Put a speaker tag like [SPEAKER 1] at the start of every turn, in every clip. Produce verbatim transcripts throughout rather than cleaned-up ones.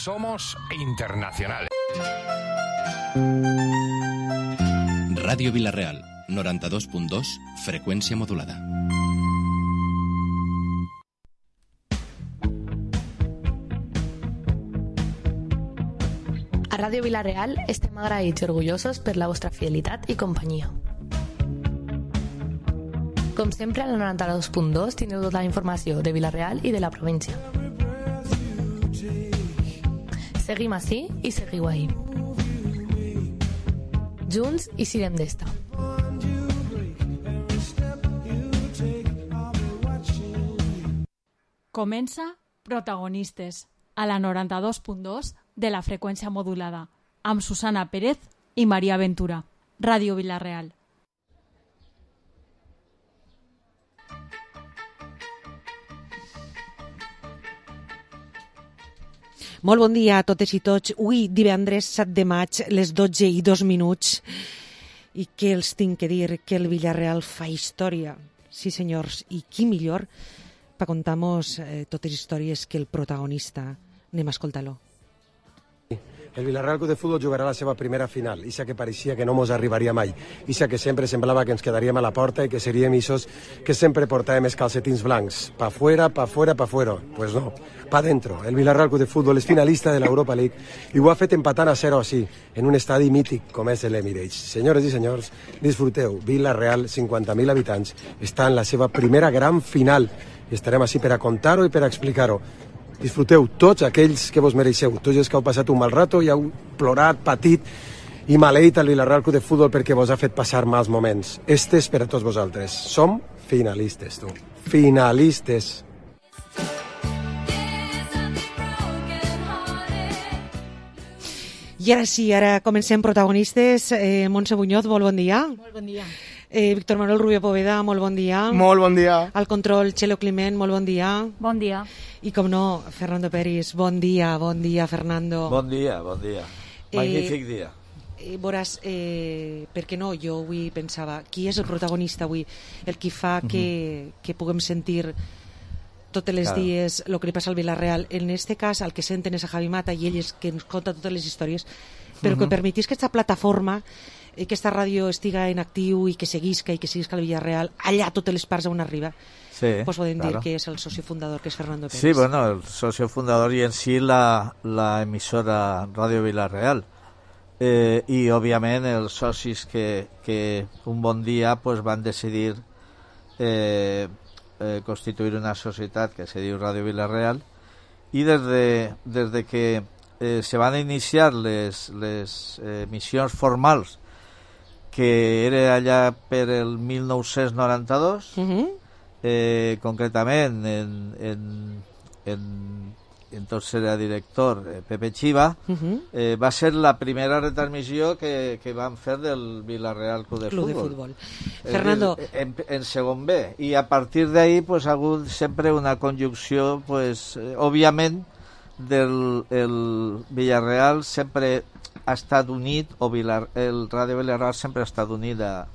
[SPEAKER 1] Somos internacionales.
[SPEAKER 2] Ràdio Vila-real, noranta-dos punt dos, freqüència modulada.
[SPEAKER 3] A Ràdio Vila-real estem agraïts i orgullosos per la vostra fidelitat i companyia. Com sempre, a la noranta-dos punt dos tindreu tota la informació de Vila-real i de la província. Seguim ací i seguiu ahí. Junts i sirem d'esta.
[SPEAKER 4] Comença Protagonistes, a la noranta-dos punt dos de la freqüència modulada, amb Susana Pérez i Maria Ventura. Ràdio Vila-real.
[SPEAKER 5] Molt bon dia a totes i tots. Avui, divendres set de maig, les dotze i dos minuts. I què els tinc que dir? Que el Villarreal fa història. Sí, senyors. I qui millor per contar-nos eh, totes les històries que el protagonista. Anem a escoltar-lo.
[SPEAKER 6] El Villarreal Club de Fútbol jugarà la seva primera final, ixa que pareixia que no mos arribaria mai, ixa que sempre semblava que ens quedaríem a la porta i que seríem isos que sempre portàvem els calcetins blancs, pa fuera, pa fuera, pa fuera. Pues no, pa dentro. El Villarreal Club de Fútbol és finalista de l'Europa League i ho ha fet empatant a zero així, en un estadi mític com és l'Emirates. Senyores i senyors, disfruteu. Villarreal, cinquanta mil habitants, està en la seva primera gran final i estarem així per a contar-ho i per a explicar-ho. Disfruteu tots aquells que vos mereixeu, tots els que heu passat un mal rato i heu plorat, patit i maleït al Villarreal Club de Futbol perquè vos ha fet passar mals moments. Este és per a tots vosaltres. Som finalistes, tu. Finalistes.
[SPEAKER 5] I ara sí, ara comencem Protagonistes. Eh, Montse Buñoz, molt bon dia.
[SPEAKER 4] Molt bon dia.
[SPEAKER 5] Eh, Víctor Manuel Rubio Poveda, molt bon dia.
[SPEAKER 7] Molt bon dia.
[SPEAKER 5] Al control, Txelo Climent, molt bon dia.
[SPEAKER 4] Bon dia.
[SPEAKER 5] I com no, Fernando Peris, bon dia, bon dia, Fernando.
[SPEAKER 8] Bon dia, bon dia. Magnífic eh, dia.
[SPEAKER 5] Eh, veuràs, eh, per què no, jo avui pensava, qui és el protagonista avui? El qui fa que, uh-huh. que puguem sentir totes les claro. dies el que li passa al Villarreal. En este cas, el que senten és a Javi Mata i ell és que ens conta totes les històries, però uh-huh. que permetís que aquesta plataforma i que aquesta ràdio estiga en actiu i que seguisca i que seguisca el Villarreal allà a totes les parts on arriba.
[SPEAKER 8] Sí,
[SPEAKER 5] pues podem
[SPEAKER 8] claro.
[SPEAKER 5] dir que és el socio fundador, que és Fernando Pérez.
[SPEAKER 8] Sí, bueno, el socio fundador y en sí la, la emisora Radio Villarreal. Eh, I, òbviament, els socis que, que un bon dia pues, van decidir eh, eh, constituir una societat que se diu Radio Villarreal i des de, des de que eh, se van iniciar les, les eh, missions formals que era allà per el mil nou-cents noranta-dos, uh-huh. eh, concretament en, en, en, entonces era director eh, Pepe Chiva, uh-huh. eh, va ser la primera retransmissió que, que van fer del Villarreal Club de
[SPEAKER 5] Club
[SPEAKER 8] Fútbol.
[SPEAKER 5] De Fútbol. Fernando.
[SPEAKER 8] En, en segon B. I a partir d'ahí pues, ha hagut sempre una conjunció, pues, eh, òbviament, del el Villarreal sempre ha estat unit, o Vilar, el Ràdio Villarreal sempre ha estat unit a,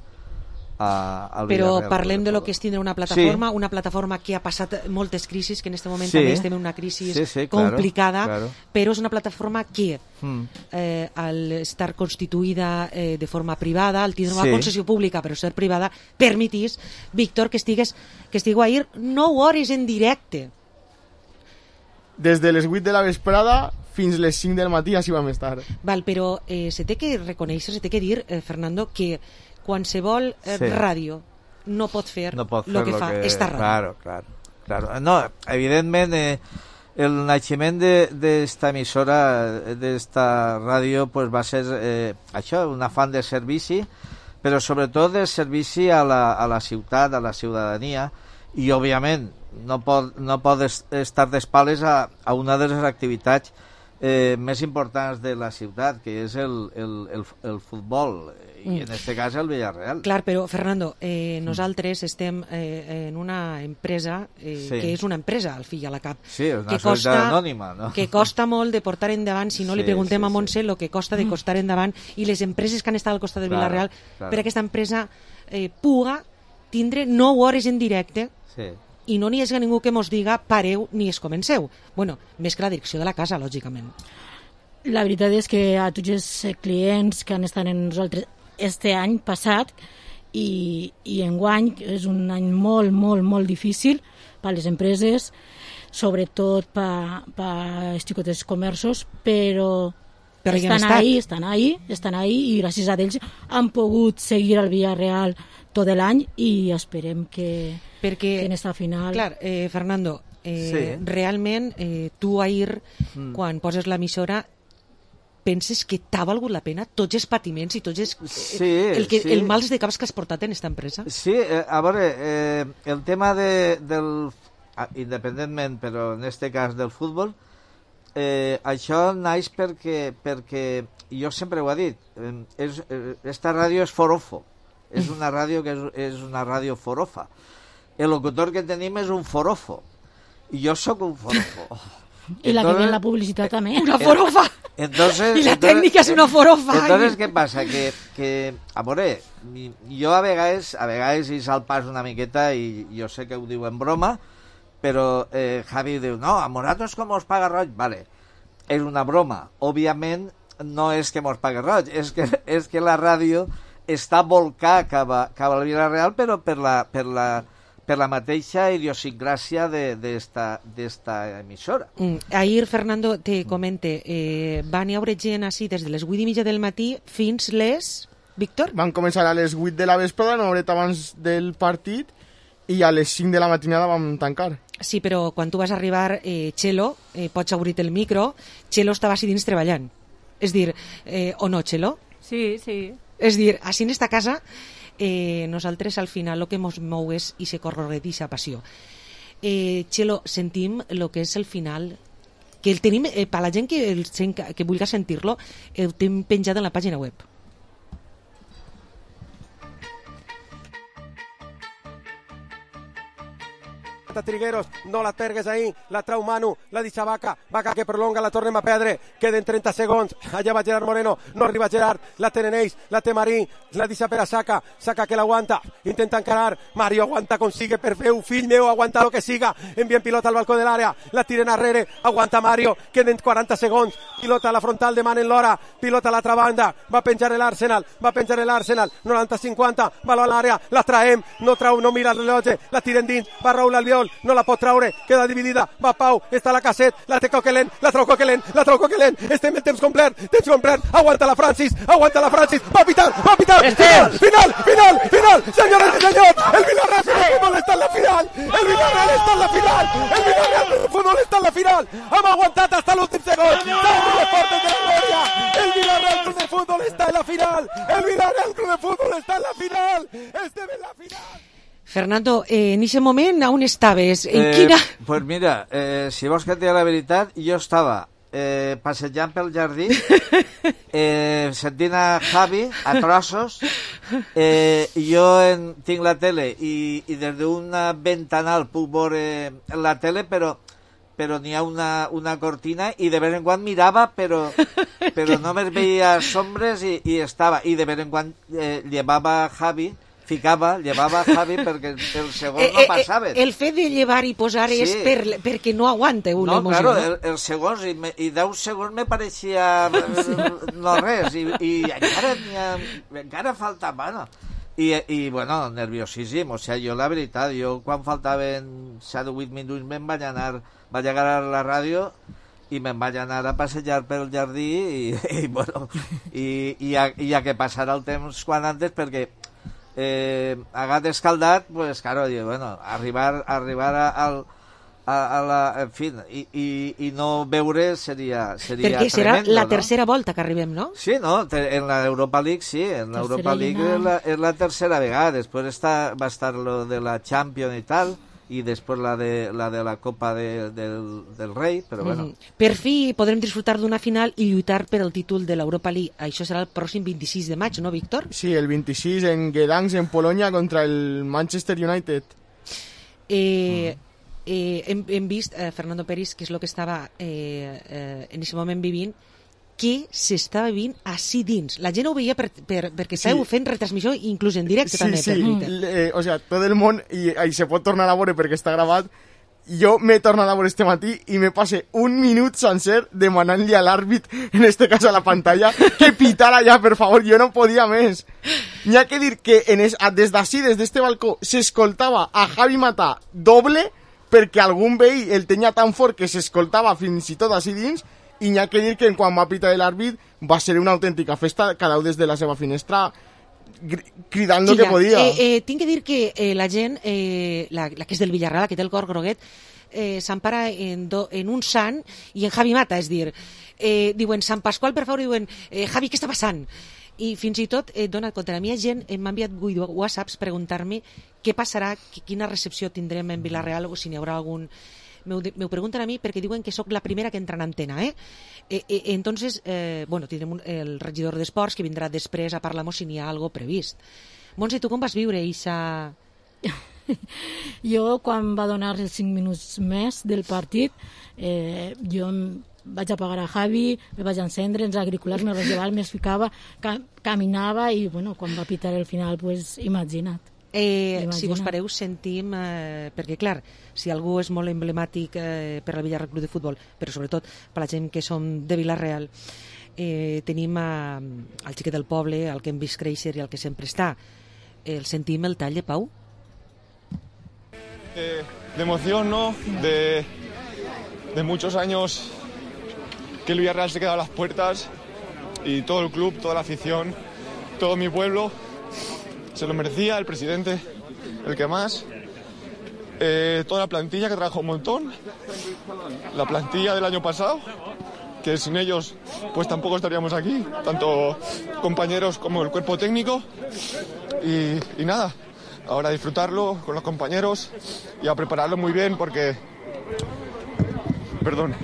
[SPEAKER 8] a, al
[SPEAKER 5] Però
[SPEAKER 8] Villarreal.
[SPEAKER 5] parlem de lo que és tindre una plataforma, sí. una plataforma que ha passat moltes crisis, que en aquest moment sí. també estem en una crisi
[SPEAKER 8] sí, sí,
[SPEAKER 5] complicada,
[SPEAKER 8] claro, claro.
[SPEAKER 5] però és una plataforma que, mm. eh, al estar constituïda eh, de forma privada, al tindre una sí. concessió pública però ser privada, permetís, Víctor, que estigues que estigueu ahir nou hores en directe.
[SPEAKER 7] Des de les vuit de la vesprada fins les cinc del matí així vam estar.
[SPEAKER 5] Val, però eh, se té que reconèixer, se té que dir, eh, Fernando, que qualsevol eh, sí. ràdio no pot fer
[SPEAKER 8] no pot fer
[SPEAKER 5] lo que
[SPEAKER 8] lo
[SPEAKER 5] fa
[SPEAKER 8] que...
[SPEAKER 5] esta ràdio.
[SPEAKER 8] Claro, claro, claro. No, evidentment, eh, el naixement d'esta emissora, d'esta ràdio, pues va ser eh, això, un afán de servici, però sobretot de servici a la, a la ciutat, a la ciutadania, i, òbviament, no pot, no pot estar d'espales a, a una de les activitats eh, més importants de la ciutat, que és el, el, el, el futbol, i en aquest cas el Villarreal.
[SPEAKER 5] Clar, però, Fernando, eh, nosaltres estem eh, en una empresa eh, sí. que és una empresa, al fill a la cap.
[SPEAKER 8] Sí, és una
[SPEAKER 5] que
[SPEAKER 8] societat
[SPEAKER 5] costa,
[SPEAKER 8] anònima, no?
[SPEAKER 5] Que costa molt de portar endavant, si no sí, li preguntem sí, a Montse, el sí. que costa de costar endavant, i les empreses que han estat al costat del claro, Villarreal, claro. per aquesta empresa eh, puga tindre nou hores en directe
[SPEAKER 8] sí.
[SPEAKER 5] i no n'hi hagi ningú que mos diga pareu ni es comenceu. Bueno, més que la direcció de la casa, lògicament.
[SPEAKER 9] La veritat és que a tots els clients que han estat en nosaltres este any passat i, i enguany és un any molt, molt, molt difícil per a les empreses, sobretot per, per els xicots comerços, però, però estan ahí, estan ahí, estan ahí i gràcies a ells han pogut seguir al Villarreal tot l'any i esperem que,
[SPEAKER 5] Perquè,
[SPEAKER 9] que en esta final...
[SPEAKER 5] Clar, eh, Fernando, eh, sí. realment eh, tu ahir, mm. quan poses l'emissora, penses que t'ha valgut la pena tots els patiments i tots els,
[SPEAKER 8] sí,
[SPEAKER 5] el, que,
[SPEAKER 8] sí.
[SPEAKER 5] el mals de caps que has portat en aquesta empresa?
[SPEAKER 8] Sí, eh, a veure, eh, el tema de, del... independentment, però en este cas del futbol, eh, això naix perquè, perquè jo sempre ho he dit, eh, és, eh, esta ràdio és forofo, és una ràdio que és, és una ràdio forofa. El locutor que tenim és un forofo, i jo sóc un forofo.
[SPEAKER 9] I la que ve en la publicitat també.
[SPEAKER 5] Una forofa.
[SPEAKER 8] Entonces,
[SPEAKER 5] I la
[SPEAKER 8] entonces,
[SPEAKER 5] tècnica és una forofa.
[SPEAKER 8] Entonces, què passa? Que, que a veure, jo a vegades, a vegades hi sal pas una miqueta i jo sé que ho diu en broma, però eh, Javi diu, no, a nosaltres com us paga roig? Vale, és una broma. Òbviament no és que mos paga roig, és que, és que la ràdio està volcada cap, a, cap al Villarreal, però per la, per la, per la mateixa idiosincràsia d'esta emissora.
[SPEAKER 5] Mm. Ahir, Fernando, te comente, eh, van hi haure gent així des de les vuit i mitja del matí fins les... Víctor?
[SPEAKER 7] Van començar a les vuit de la vesprada, una horeta abans del partit, i a les cinc de la matinada vam tancar.
[SPEAKER 5] Sí, però quan tu vas arribar, eh, Txelo, eh, pots obrir el micro, Txelo estava així dins treballant. És dir, eh, o no, Txelo?
[SPEAKER 4] Sí, sí.
[SPEAKER 5] És dir, així en esta casa, eh, nosaltres al final el que ens mou és i se corredixa passió. Eh, Txelo, sentim el que és el final, que el tenim, eh, per la gent que, el, que vulgui sentir-lo, el tenim penjat en la pàgina web.
[SPEAKER 6] Trigueros, no la pergues ahí, la trau Manu, la deixa Vaca, Vaca que prolonga, la tornem a perdre, queden trenta segons, allà va Gerard Moreno, no arriba Gerard, la tenen ells, la té Marí, la deixa per a Saca, Saca que l'aguanta, intenta encarar, Mario aguanta, consigue per fer, fill meu, aguanta lo que siga, envien pilota al balcó de l'àrea, la tiren arrere, aguanta Mario, queden quaranta segons, pilota a la frontal, demanen l'hora, pilota a l'altra banda, va penjar l'Arsenal, va penjar l'Arsenal, noranta cinquanta, baló a l'àrea, la traem, no trau, no mira el rellotge, la tiren dins, va Raúl Albiol, no la pot traure, queda dividida, va Pau, està la Casset, la té Coquelin, la trau Coquelin, la trau Coquelin, estem en temps complet, temps complet, aguanta la Francis, aguanta la Francis, va pitar, va pitar, final, final, final, final, senyores i senyors, el Villarreal de Futbol està en la final, el Villarreal està en la final, el Villarreal de Futbol està en la final, hem aguantat hasta l'últim segon, salve les portes de la glòria, el Villarreal de Futbol està en la final, el Villarreal de Futbol està en la final, estem en la final.
[SPEAKER 5] Fernando, eh, en aquest moment on estaves? En
[SPEAKER 8] eh,
[SPEAKER 5] quina...
[SPEAKER 8] Pues mira, eh, si vols que et digui la veritat, jo estava eh, passejant pel jardí, eh, sentint a Javi a trossos, eh, jo en, tinc la tele i, i des d'una ventanal puc veure la tele, però però n'hi ha una, una cortina i de vez en quan mirava, però, però només veia sombres i, i estava, i de vez en quan eh, llevava Javi, ficava, llevava Javi perquè el segon no passava.
[SPEAKER 5] Eh, eh, el fet de llevar i posar sí. és per, perquè no aguanta una
[SPEAKER 8] no,
[SPEAKER 5] emoció.
[SPEAKER 8] Claro, el, el segons, i, me, i deu segons me pareixia no res, i, i encara, encara faltava, no? I, i bueno, nerviosíssim, o sigui, jo la veritat, jo quan faltaven set o vuit minuts me'n vaig anar, vaig agarrar la ràdio i me'n vaig anar a passejar pel jardí i, i bueno, i, i, a, i a que passara el temps quan antes, perquè eh, a gat escaldat, pues claro, yo, bueno, arribar, arribar a, a, a, a la, en fin, i, i, i no veure seria, seria
[SPEAKER 5] perquè
[SPEAKER 8] tremendo,
[SPEAKER 5] serà la
[SPEAKER 8] no?
[SPEAKER 5] tercera volta que arribem, no?
[SPEAKER 8] Sí, no, en la Europa League sí, en la Europa League és la, és la tercera vegada, després està, va estar lo de la Champions i tal, i després la de la, de la Copa de, del, del Rei, però bueno.
[SPEAKER 5] Mm-hmm. Per fi podrem disfrutar d'una final i lluitar per el títol de l'Europa League. Això serà el pròxim vint-i-sis de maig, no, Víctor?
[SPEAKER 7] Sí, el vint-i-sis en Gdansk, en Polònia, contra el Manchester United.
[SPEAKER 5] Eh, eh, hem, hem vist, eh, Fernando Peris, que és el que estava eh, eh, en aquest moment vivint, què s'estava vivint així dins. La gent ho veia per, per, perquè estàveu sí. fent retransmissió inclús en directe
[SPEAKER 7] sí,
[SPEAKER 5] també.
[SPEAKER 7] Sí,
[SPEAKER 5] per
[SPEAKER 7] sí, eh, o sea, tot el món, i, i se pot tornar a veure perquè està gravat, jo m'he tornat a veure este matí i me passe un minut sencer demanant-li a l'àrbit, en este cas a la pantalla, que pitara ja, per favor, jo no podia més. N'hi ha que dir que en es, des d'ací, des d'este balcó, s'escoltava a Javi Mata doble perquè algun veí el tenia tan fort que s'escoltava fins i tot així dins, i n'hi ha que dir que quan va pitar l'àrbit va ser una autèntica festa, cada un des de la seva finestra cridant el sí, que podia.
[SPEAKER 5] Eh, eh, tinc que dir que eh, la gent, eh, la, la que és del Villarreal, la que té el cor groguet, eh, s'empara en, do, en un sant i en Javi Mata, és dir, eh, diuen Sant Pasqual, per favor, diuen eh, Javi, què està passant? I fins i tot, eh, dona compte, la meva gent m'ha enviat whatsapps preguntar-me què passarà, quina recepció tindrem en Villarreal o si n'hi haurà algun... Me ho pregunten a mi perquè diuen que sóc la primera que entra en antena, eh? eh, eh entonces, eh, bueno, tindrem un, el regidor d'Esports que vindrà després a parlar-nos si n'hi ha algo previst. Montse, tu com vas viure eixa...
[SPEAKER 9] Jo, quan va donar els cinc minuts més del partit, eh, jo vaig apagar a Javi, el vaig encendre, els agriculars me vaig llevar, me ficava, ca caminava i, bueno, quan va pitar el final, pues, imagina't.
[SPEAKER 5] Eh, si vos pareu, sentim, eh, perquè clar, si algú és molt emblemàtic eh, per la Villarreal Club de Futbol, però sobretot per la gent que som de Vilareal, eh, tenim a, al xiquet del poble, al que hem vist créixer i al que sempre està. El sentim el tall de Pau?
[SPEAKER 10] De, de emoción, ¿no? De, de muchos años que el Villarreal se queda a las puertas y todo el club, toda la afición, todo mi pueblo se lo merecía, el presidente, el que más, eh, toda la plantilla que trabajó un montón, la plantilla del año pasado, que sin ellos pues tampoco estaríamos aquí, tanto compañeros como el cuerpo técnico, y, y nada, ahora disfrutarlo con los compañeros y a prepararlo muy bien porque, perdón,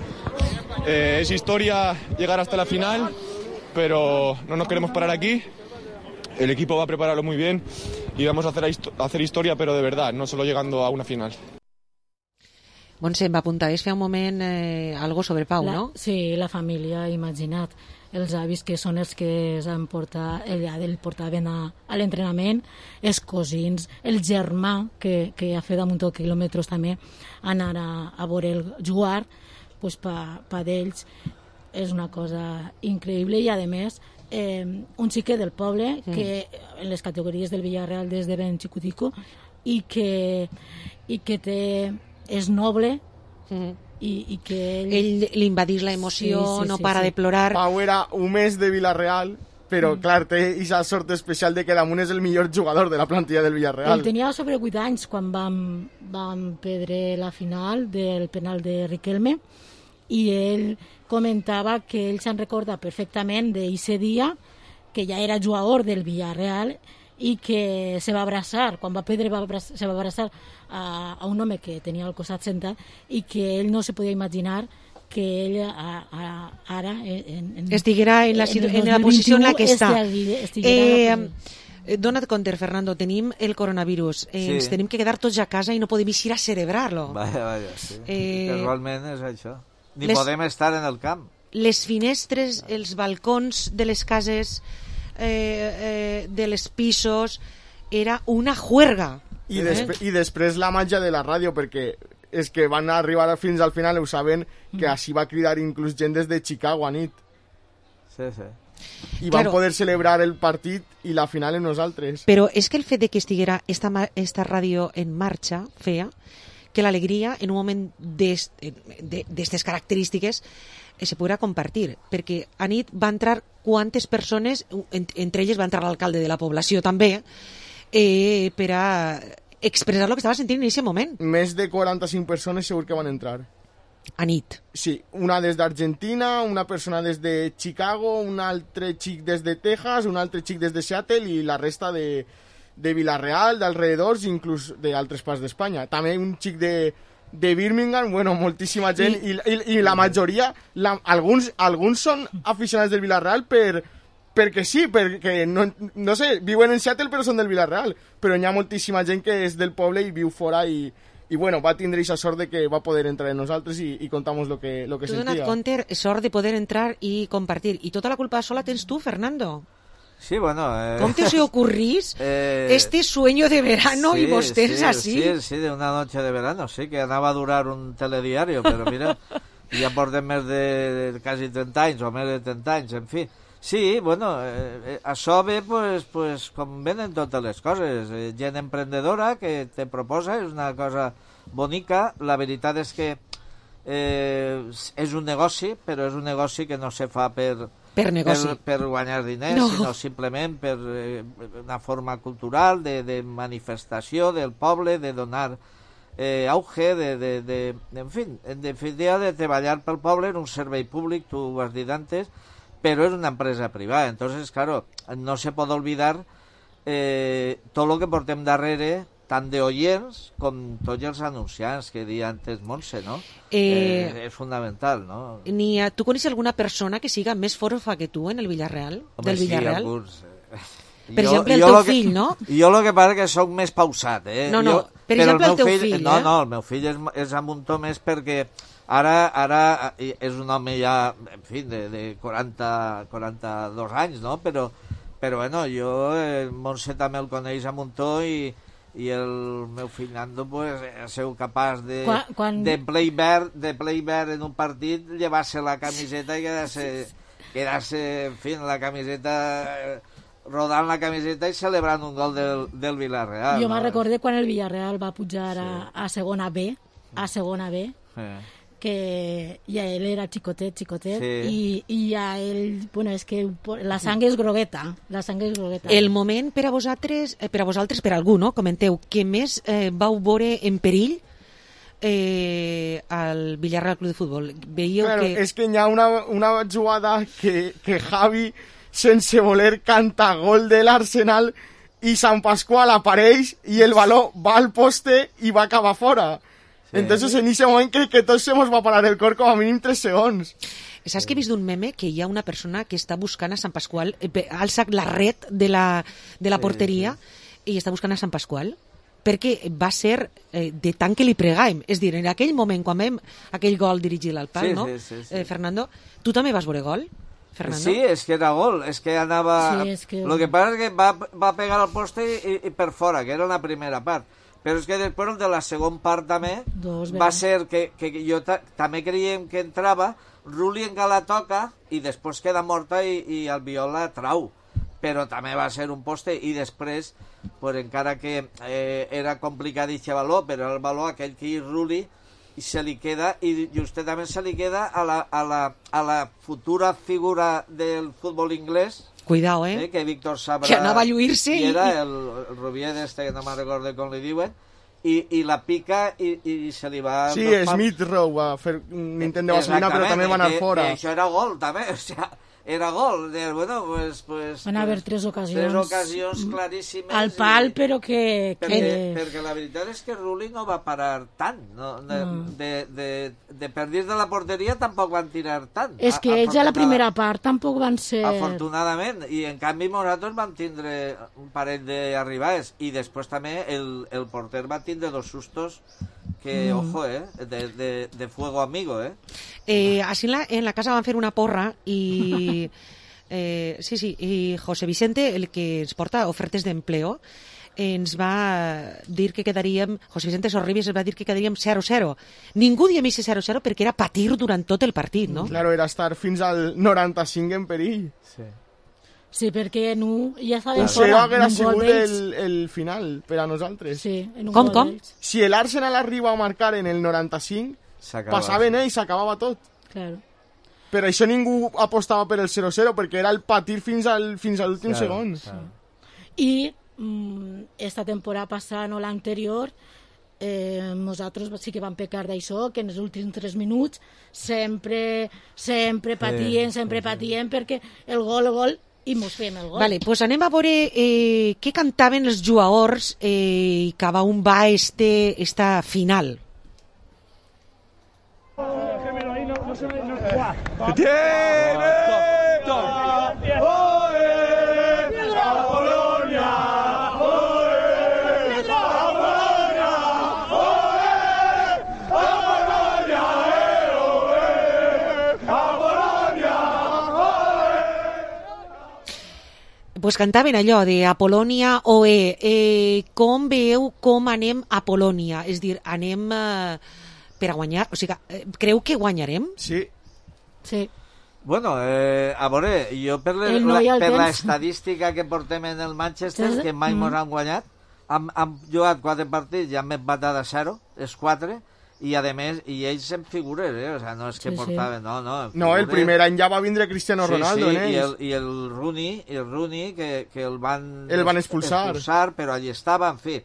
[SPEAKER 10] eh, es historia llegar hasta la final, pero no nos queremos parar aquí. El equipo va a prepararlo muy bien y vamos a hacer, a hacer historia, pero de verdad, no solo llegando a una final.
[SPEAKER 5] Montse, em va apuntar, és fer un moment eh, algo sobre Pau,
[SPEAKER 9] la,
[SPEAKER 5] no?
[SPEAKER 9] Sí, la família, imagina't. Els avis que són els que s'han portat, el, el portaven a, a l'entrenament, els cosins, el germà, que, que ha fet damunt quilòmetres també, anar a, a veure el jugar, pues, pa, pa d'ells és una cosa increïble i, a més, eh, un xiquet del poble mm. que en les categories del Villarreal des de ben xicutico i que, i que té, és noble mm. i, i que ell...
[SPEAKER 5] ell li invadís la emoció, sí, sí, no sí, para sí. de plorar.
[SPEAKER 7] Pau era un mes de Villarreal, però mm. clar, té aquesta sort especial de que damunt és el millor jugador de la plantilla del Villarreal.
[SPEAKER 9] Ell tenia sobre vuit anys quan vam, vam perdre la final del penal de Riquelme i ell comentava que ell se'n recorda perfectament d'aquest dia, que ja era jugador del Villarreal i que se va abraçar, quan va perdre va abraçar, se va abraçar a, a un home que tenia al costat sentat i que ell no se podia imaginar que ell a, a, ara en, en,
[SPEAKER 5] estiguera en la, en, en la posició en la que està.
[SPEAKER 9] Eh,
[SPEAKER 5] Dona't compte, Fernando, tenim el coronavirus, eh, sí. ens tenim que quedar tots a casa i no podem eixir a celebrar-lo.
[SPEAKER 8] Vaja, vaja, sí. Eh, realment és això. Ni les, podem estar en el camp.
[SPEAKER 5] Les finestres, els balcons de les cases, eh, eh, de les pisos, era una juerga.
[SPEAKER 7] I, desp eh? I després la màgia de la ràdio, perquè és que van arribar fins al final, ho saben, que mm. així va cridar inclús gent des de Chicago a nit.
[SPEAKER 8] Sí, sí.
[SPEAKER 7] I van claro. poder celebrar el partit i la final amb nosaltres.
[SPEAKER 5] Però és que el fet de que estiguera esta, esta ràdio en marxa feia que l'alegria en un moment d'aquestes característiques eh, se podrà compartir, perquè a nit va entrar quantes persones, en, entre elles va entrar l'alcalde de la població també, eh, per a expressar el que estava sentint en aquest moment.
[SPEAKER 7] Més de quaranta-cinc persones segur que van entrar.
[SPEAKER 5] A nit.
[SPEAKER 7] Sí, una des d'Argentina, una persona des de Chicago, un altre xic des de Texas, un altre xic des de Seattle i la resta de... de Vilareal, d'alrededors, inclús d'altres parts d'Espanya. També un xic de, de Birmingham, bueno, moltíssima gent, i, i, i la majoria, la, alguns, alguns són aficionats del Vilareal per, perquè sí, perquè, no, no sé, viuen en Seattle però són del Vilareal, però hi ha moltíssima gent que és del poble i viu fora i, i bueno, va tindre aquesta sort de que va poder entrar en nosaltres i, i contamos lo que, lo que
[SPEAKER 5] tu
[SPEAKER 7] sentia.
[SPEAKER 5] Tu donat compte, sort de poder entrar i compartir. I tota la culpa sola tens tu, Fernando.
[SPEAKER 8] Sí, bueno... Eh...
[SPEAKER 5] ¿Cómo te se ocurrís
[SPEAKER 8] eh...
[SPEAKER 5] este sueño de verano
[SPEAKER 8] sí,
[SPEAKER 5] y vos tens
[SPEAKER 8] sí,
[SPEAKER 5] así?
[SPEAKER 8] Sí, sí, de una noche de verano, sí, que anava a durar un telediario, però mira, ja portem més de, de quasi trenta anys, o més de trenta anys, en fi. Sí, bueno, eh, això ve, pues, pues, com venen totes les coses. Eh, gent emprendedora que te proposa, és una cosa bonica. La veritat és que eh, és un negoci, però és un negoci que no se fa per,
[SPEAKER 5] per, negoci.
[SPEAKER 8] per, per guanyar diners, no. sinó simplement per eh, una forma cultural de, de manifestació del poble, de donar eh, auge, de, de, de, de, en fi, en definitiva, de treballar pel poble en un servei públic, tu ho has dit antes, pero es una empresa privada. Entonces, claro, no se puede olvidar eh, todo lo que portem darrere, tant d'oients com tots els anunciants que deia antes Montse, no? Eh, eh, és fundamental, no?
[SPEAKER 5] Ni a, tu coneixes alguna persona que siga més forofa que tu en el Villarreal?
[SPEAKER 8] Home,
[SPEAKER 5] del Villarreal?
[SPEAKER 8] Sí, alguns...
[SPEAKER 5] Per
[SPEAKER 8] jo,
[SPEAKER 5] exemple, el
[SPEAKER 8] jo
[SPEAKER 5] teu
[SPEAKER 8] que,
[SPEAKER 5] fill, no?
[SPEAKER 8] Jo el que passa que soc més pausat, eh?
[SPEAKER 5] No, no,
[SPEAKER 8] jo,
[SPEAKER 5] per exemple, el, el teu
[SPEAKER 8] fill,
[SPEAKER 5] fill,
[SPEAKER 8] no,
[SPEAKER 5] eh?
[SPEAKER 8] No, el meu fill és, és amb un to més perquè ara, ara és un home ja, en fi, de, de quaranta, quaranta-dos anys, no? Però, però bueno, jo, eh, Montse també el coneix amb un to i, i el meu fill Nando, pues, ha sigut capaç de,
[SPEAKER 9] quan, quan...
[SPEAKER 8] de play verd, de play verd en un partit, llevar-se la camiseta i quedar-se, quedar-se, en fi, la camiseta... rodant la camiseta i celebrant un gol del, del Villarreal.
[SPEAKER 9] Jo
[SPEAKER 8] no?
[SPEAKER 9] me'n recordé quan el Villarreal va pujar sí. a, a segona B, a segona B, sí. que ja ell era xicotet, xicotet, sí. i, i ja ell, bueno, és que la sang és grogueta, la sang és grogueta.
[SPEAKER 5] El moment per a vosaltres, per a vosaltres, per a algú, no? Comenteu, que més eh, vau veure en perill eh, al Villarreal Club de Futbol. Veieu
[SPEAKER 7] claro,
[SPEAKER 5] que...
[SPEAKER 7] És que hi ha una, una jugada que, que Javi... sense voler canta gol de l'Arsenal i Sant Pasqual apareix i el baló va al poste i va acabar fora. Sí. Entonces en ese moment crec que tots se mos va parar el cor com a mínim tres segons.
[SPEAKER 5] Saps que he vist d'un meme que hi ha una persona que està buscant a Sant Pasqual, eh, alça la red de la, de la porteria sí, sí. i està buscant a Sant Pasqual perquè va ser eh, de tant que li pregàvem. És dir, en aquell moment, quan vam aquell gol dirigit al pal,
[SPEAKER 8] sí,
[SPEAKER 5] no?
[SPEAKER 8] Sí, sí, sí.
[SPEAKER 5] Eh, Fernando, tu també vas veure gol? Fernando?
[SPEAKER 8] Sí, és que era gol, és que anava...
[SPEAKER 9] Sí, és que...
[SPEAKER 8] Lo que passa és que va, va pegar al poste i, i per fora, que era la primera part. Però és que després de la segona part també
[SPEAKER 9] Dos,
[SPEAKER 8] va ser que, que jo ta, també creiem que entrava, Rulli encara la toca i després queda morta i, i el Viola trau. Però també va ser un poste i després, pues, encara que eh, era complicat aquest valor, però el valor aquell que hi Rulli i se li queda, i justament se li queda a la, a la, a la futura figura del futbol inglès.
[SPEAKER 5] Cuidao, eh?
[SPEAKER 8] eh que Víctor Sabra...
[SPEAKER 5] Que anava a lluir-se
[SPEAKER 8] i... era el, el Rubier este, que no me'n recordo com li diuen, i, i la pica i, i se li va...
[SPEAKER 7] Sí, Smith Rowe va fer un intent de vaselina, però també va anar fora.
[SPEAKER 8] I això era gol, també, o sigui... Era gol, de, bueno, pues... pues
[SPEAKER 9] van haver
[SPEAKER 8] pues,
[SPEAKER 9] tres ocasions.
[SPEAKER 8] Tres ocasions claríssimes.
[SPEAKER 9] Al pal,
[SPEAKER 8] i,
[SPEAKER 9] però que...
[SPEAKER 8] Perquè,
[SPEAKER 9] que...
[SPEAKER 8] perquè la veritat és que Rulli no va parar tant. No? De, no. de, de, de per dins de la porteria tampoc van tirar tant.
[SPEAKER 9] És que ells a la primera part tampoc van ser...
[SPEAKER 8] Afortunadament. I en canvi nosaltres vam tindre un parell d'arribades. I després també el, el porter va tindre dos sustos que, mm. ojo, eh, de, de, de fuego amigo, eh.
[SPEAKER 5] eh així en la, en la casa van fer una porra i... Eh, sí, sí, i José Vicente, el que ens porta ofertes d'empleo, ens va dir que quedaríem, José Vicente Sorribes ens va dir que quedaríem zero zero. Ningú diem ese zero zero perquè era patir durant tot el partit, no?
[SPEAKER 7] Claro, era estar fins al noranta-cinc en perill.
[SPEAKER 8] Sí.
[SPEAKER 9] Sí, perquè no, ja estava
[SPEAKER 7] claro.
[SPEAKER 9] fora.
[SPEAKER 7] Un hauria sigut el, el final per a nosaltres.
[SPEAKER 9] Sí, en un
[SPEAKER 5] com, com?
[SPEAKER 7] Si l'Arsenal arriba a marcar en el noranta-cinc, passaven ells, s'acabava tot.
[SPEAKER 9] Claro.
[SPEAKER 7] Per això ningú apostava per el zero zero, perquè era el patir fins al, fins a l'últim
[SPEAKER 8] claro,
[SPEAKER 7] segon.
[SPEAKER 8] Claro.
[SPEAKER 9] I mm, esta temporada passada, no l'anterior, eh, nosaltres sí que vam pecar d'això, que en els últims tres minuts sempre, sempre patien, sí, sempre sí, patien, sí. perquè el gol, el gol, i mos fem el gol.
[SPEAKER 5] Vale, pues anem a veure eh, què cantaven els jugadors eh, i cada un va este, esta final.
[SPEAKER 10] ¡Que tiene!
[SPEAKER 5] pues cantaven allò de Apol·lònia O E. Eh, com veieu com anem a Polònia? És dir, anem eh, per a guanyar? O sigui, eh, creu que guanyarem?
[SPEAKER 7] Sí.
[SPEAKER 9] Sí.
[SPEAKER 8] Bueno, eh, a veure, jo per, le,
[SPEAKER 9] no
[SPEAKER 8] la, per l'estadística que portem en el Manchester,
[SPEAKER 9] Sí.
[SPEAKER 8] que mai
[SPEAKER 9] Mm.
[SPEAKER 8] mos han guanyat, han, han jugat quatre partits i han empatat a zero, és quatre, i a més, i ells en figures, eh? O sea, no és que
[SPEAKER 9] Sí, sí.
[SPEAKER 8] portaven, no, no.
[SPEAKER 7] No, el
[SPEAKER 8] figures.
[SPEAKER 7] primer any ja va vindre Cristiano Ronaldo,
[SPEAKER 8] sí, sí,
[SPEAKER 7] en
[SPEAKER 8] i el,
[SPEAKER 7] ells.
[SPEAKER 8] i el Rooney, i el Rooney que, que el van,
[SPEAKER 7] El van expulsar.
[SPEAKER 8] expulsar, però allí estava, en fi.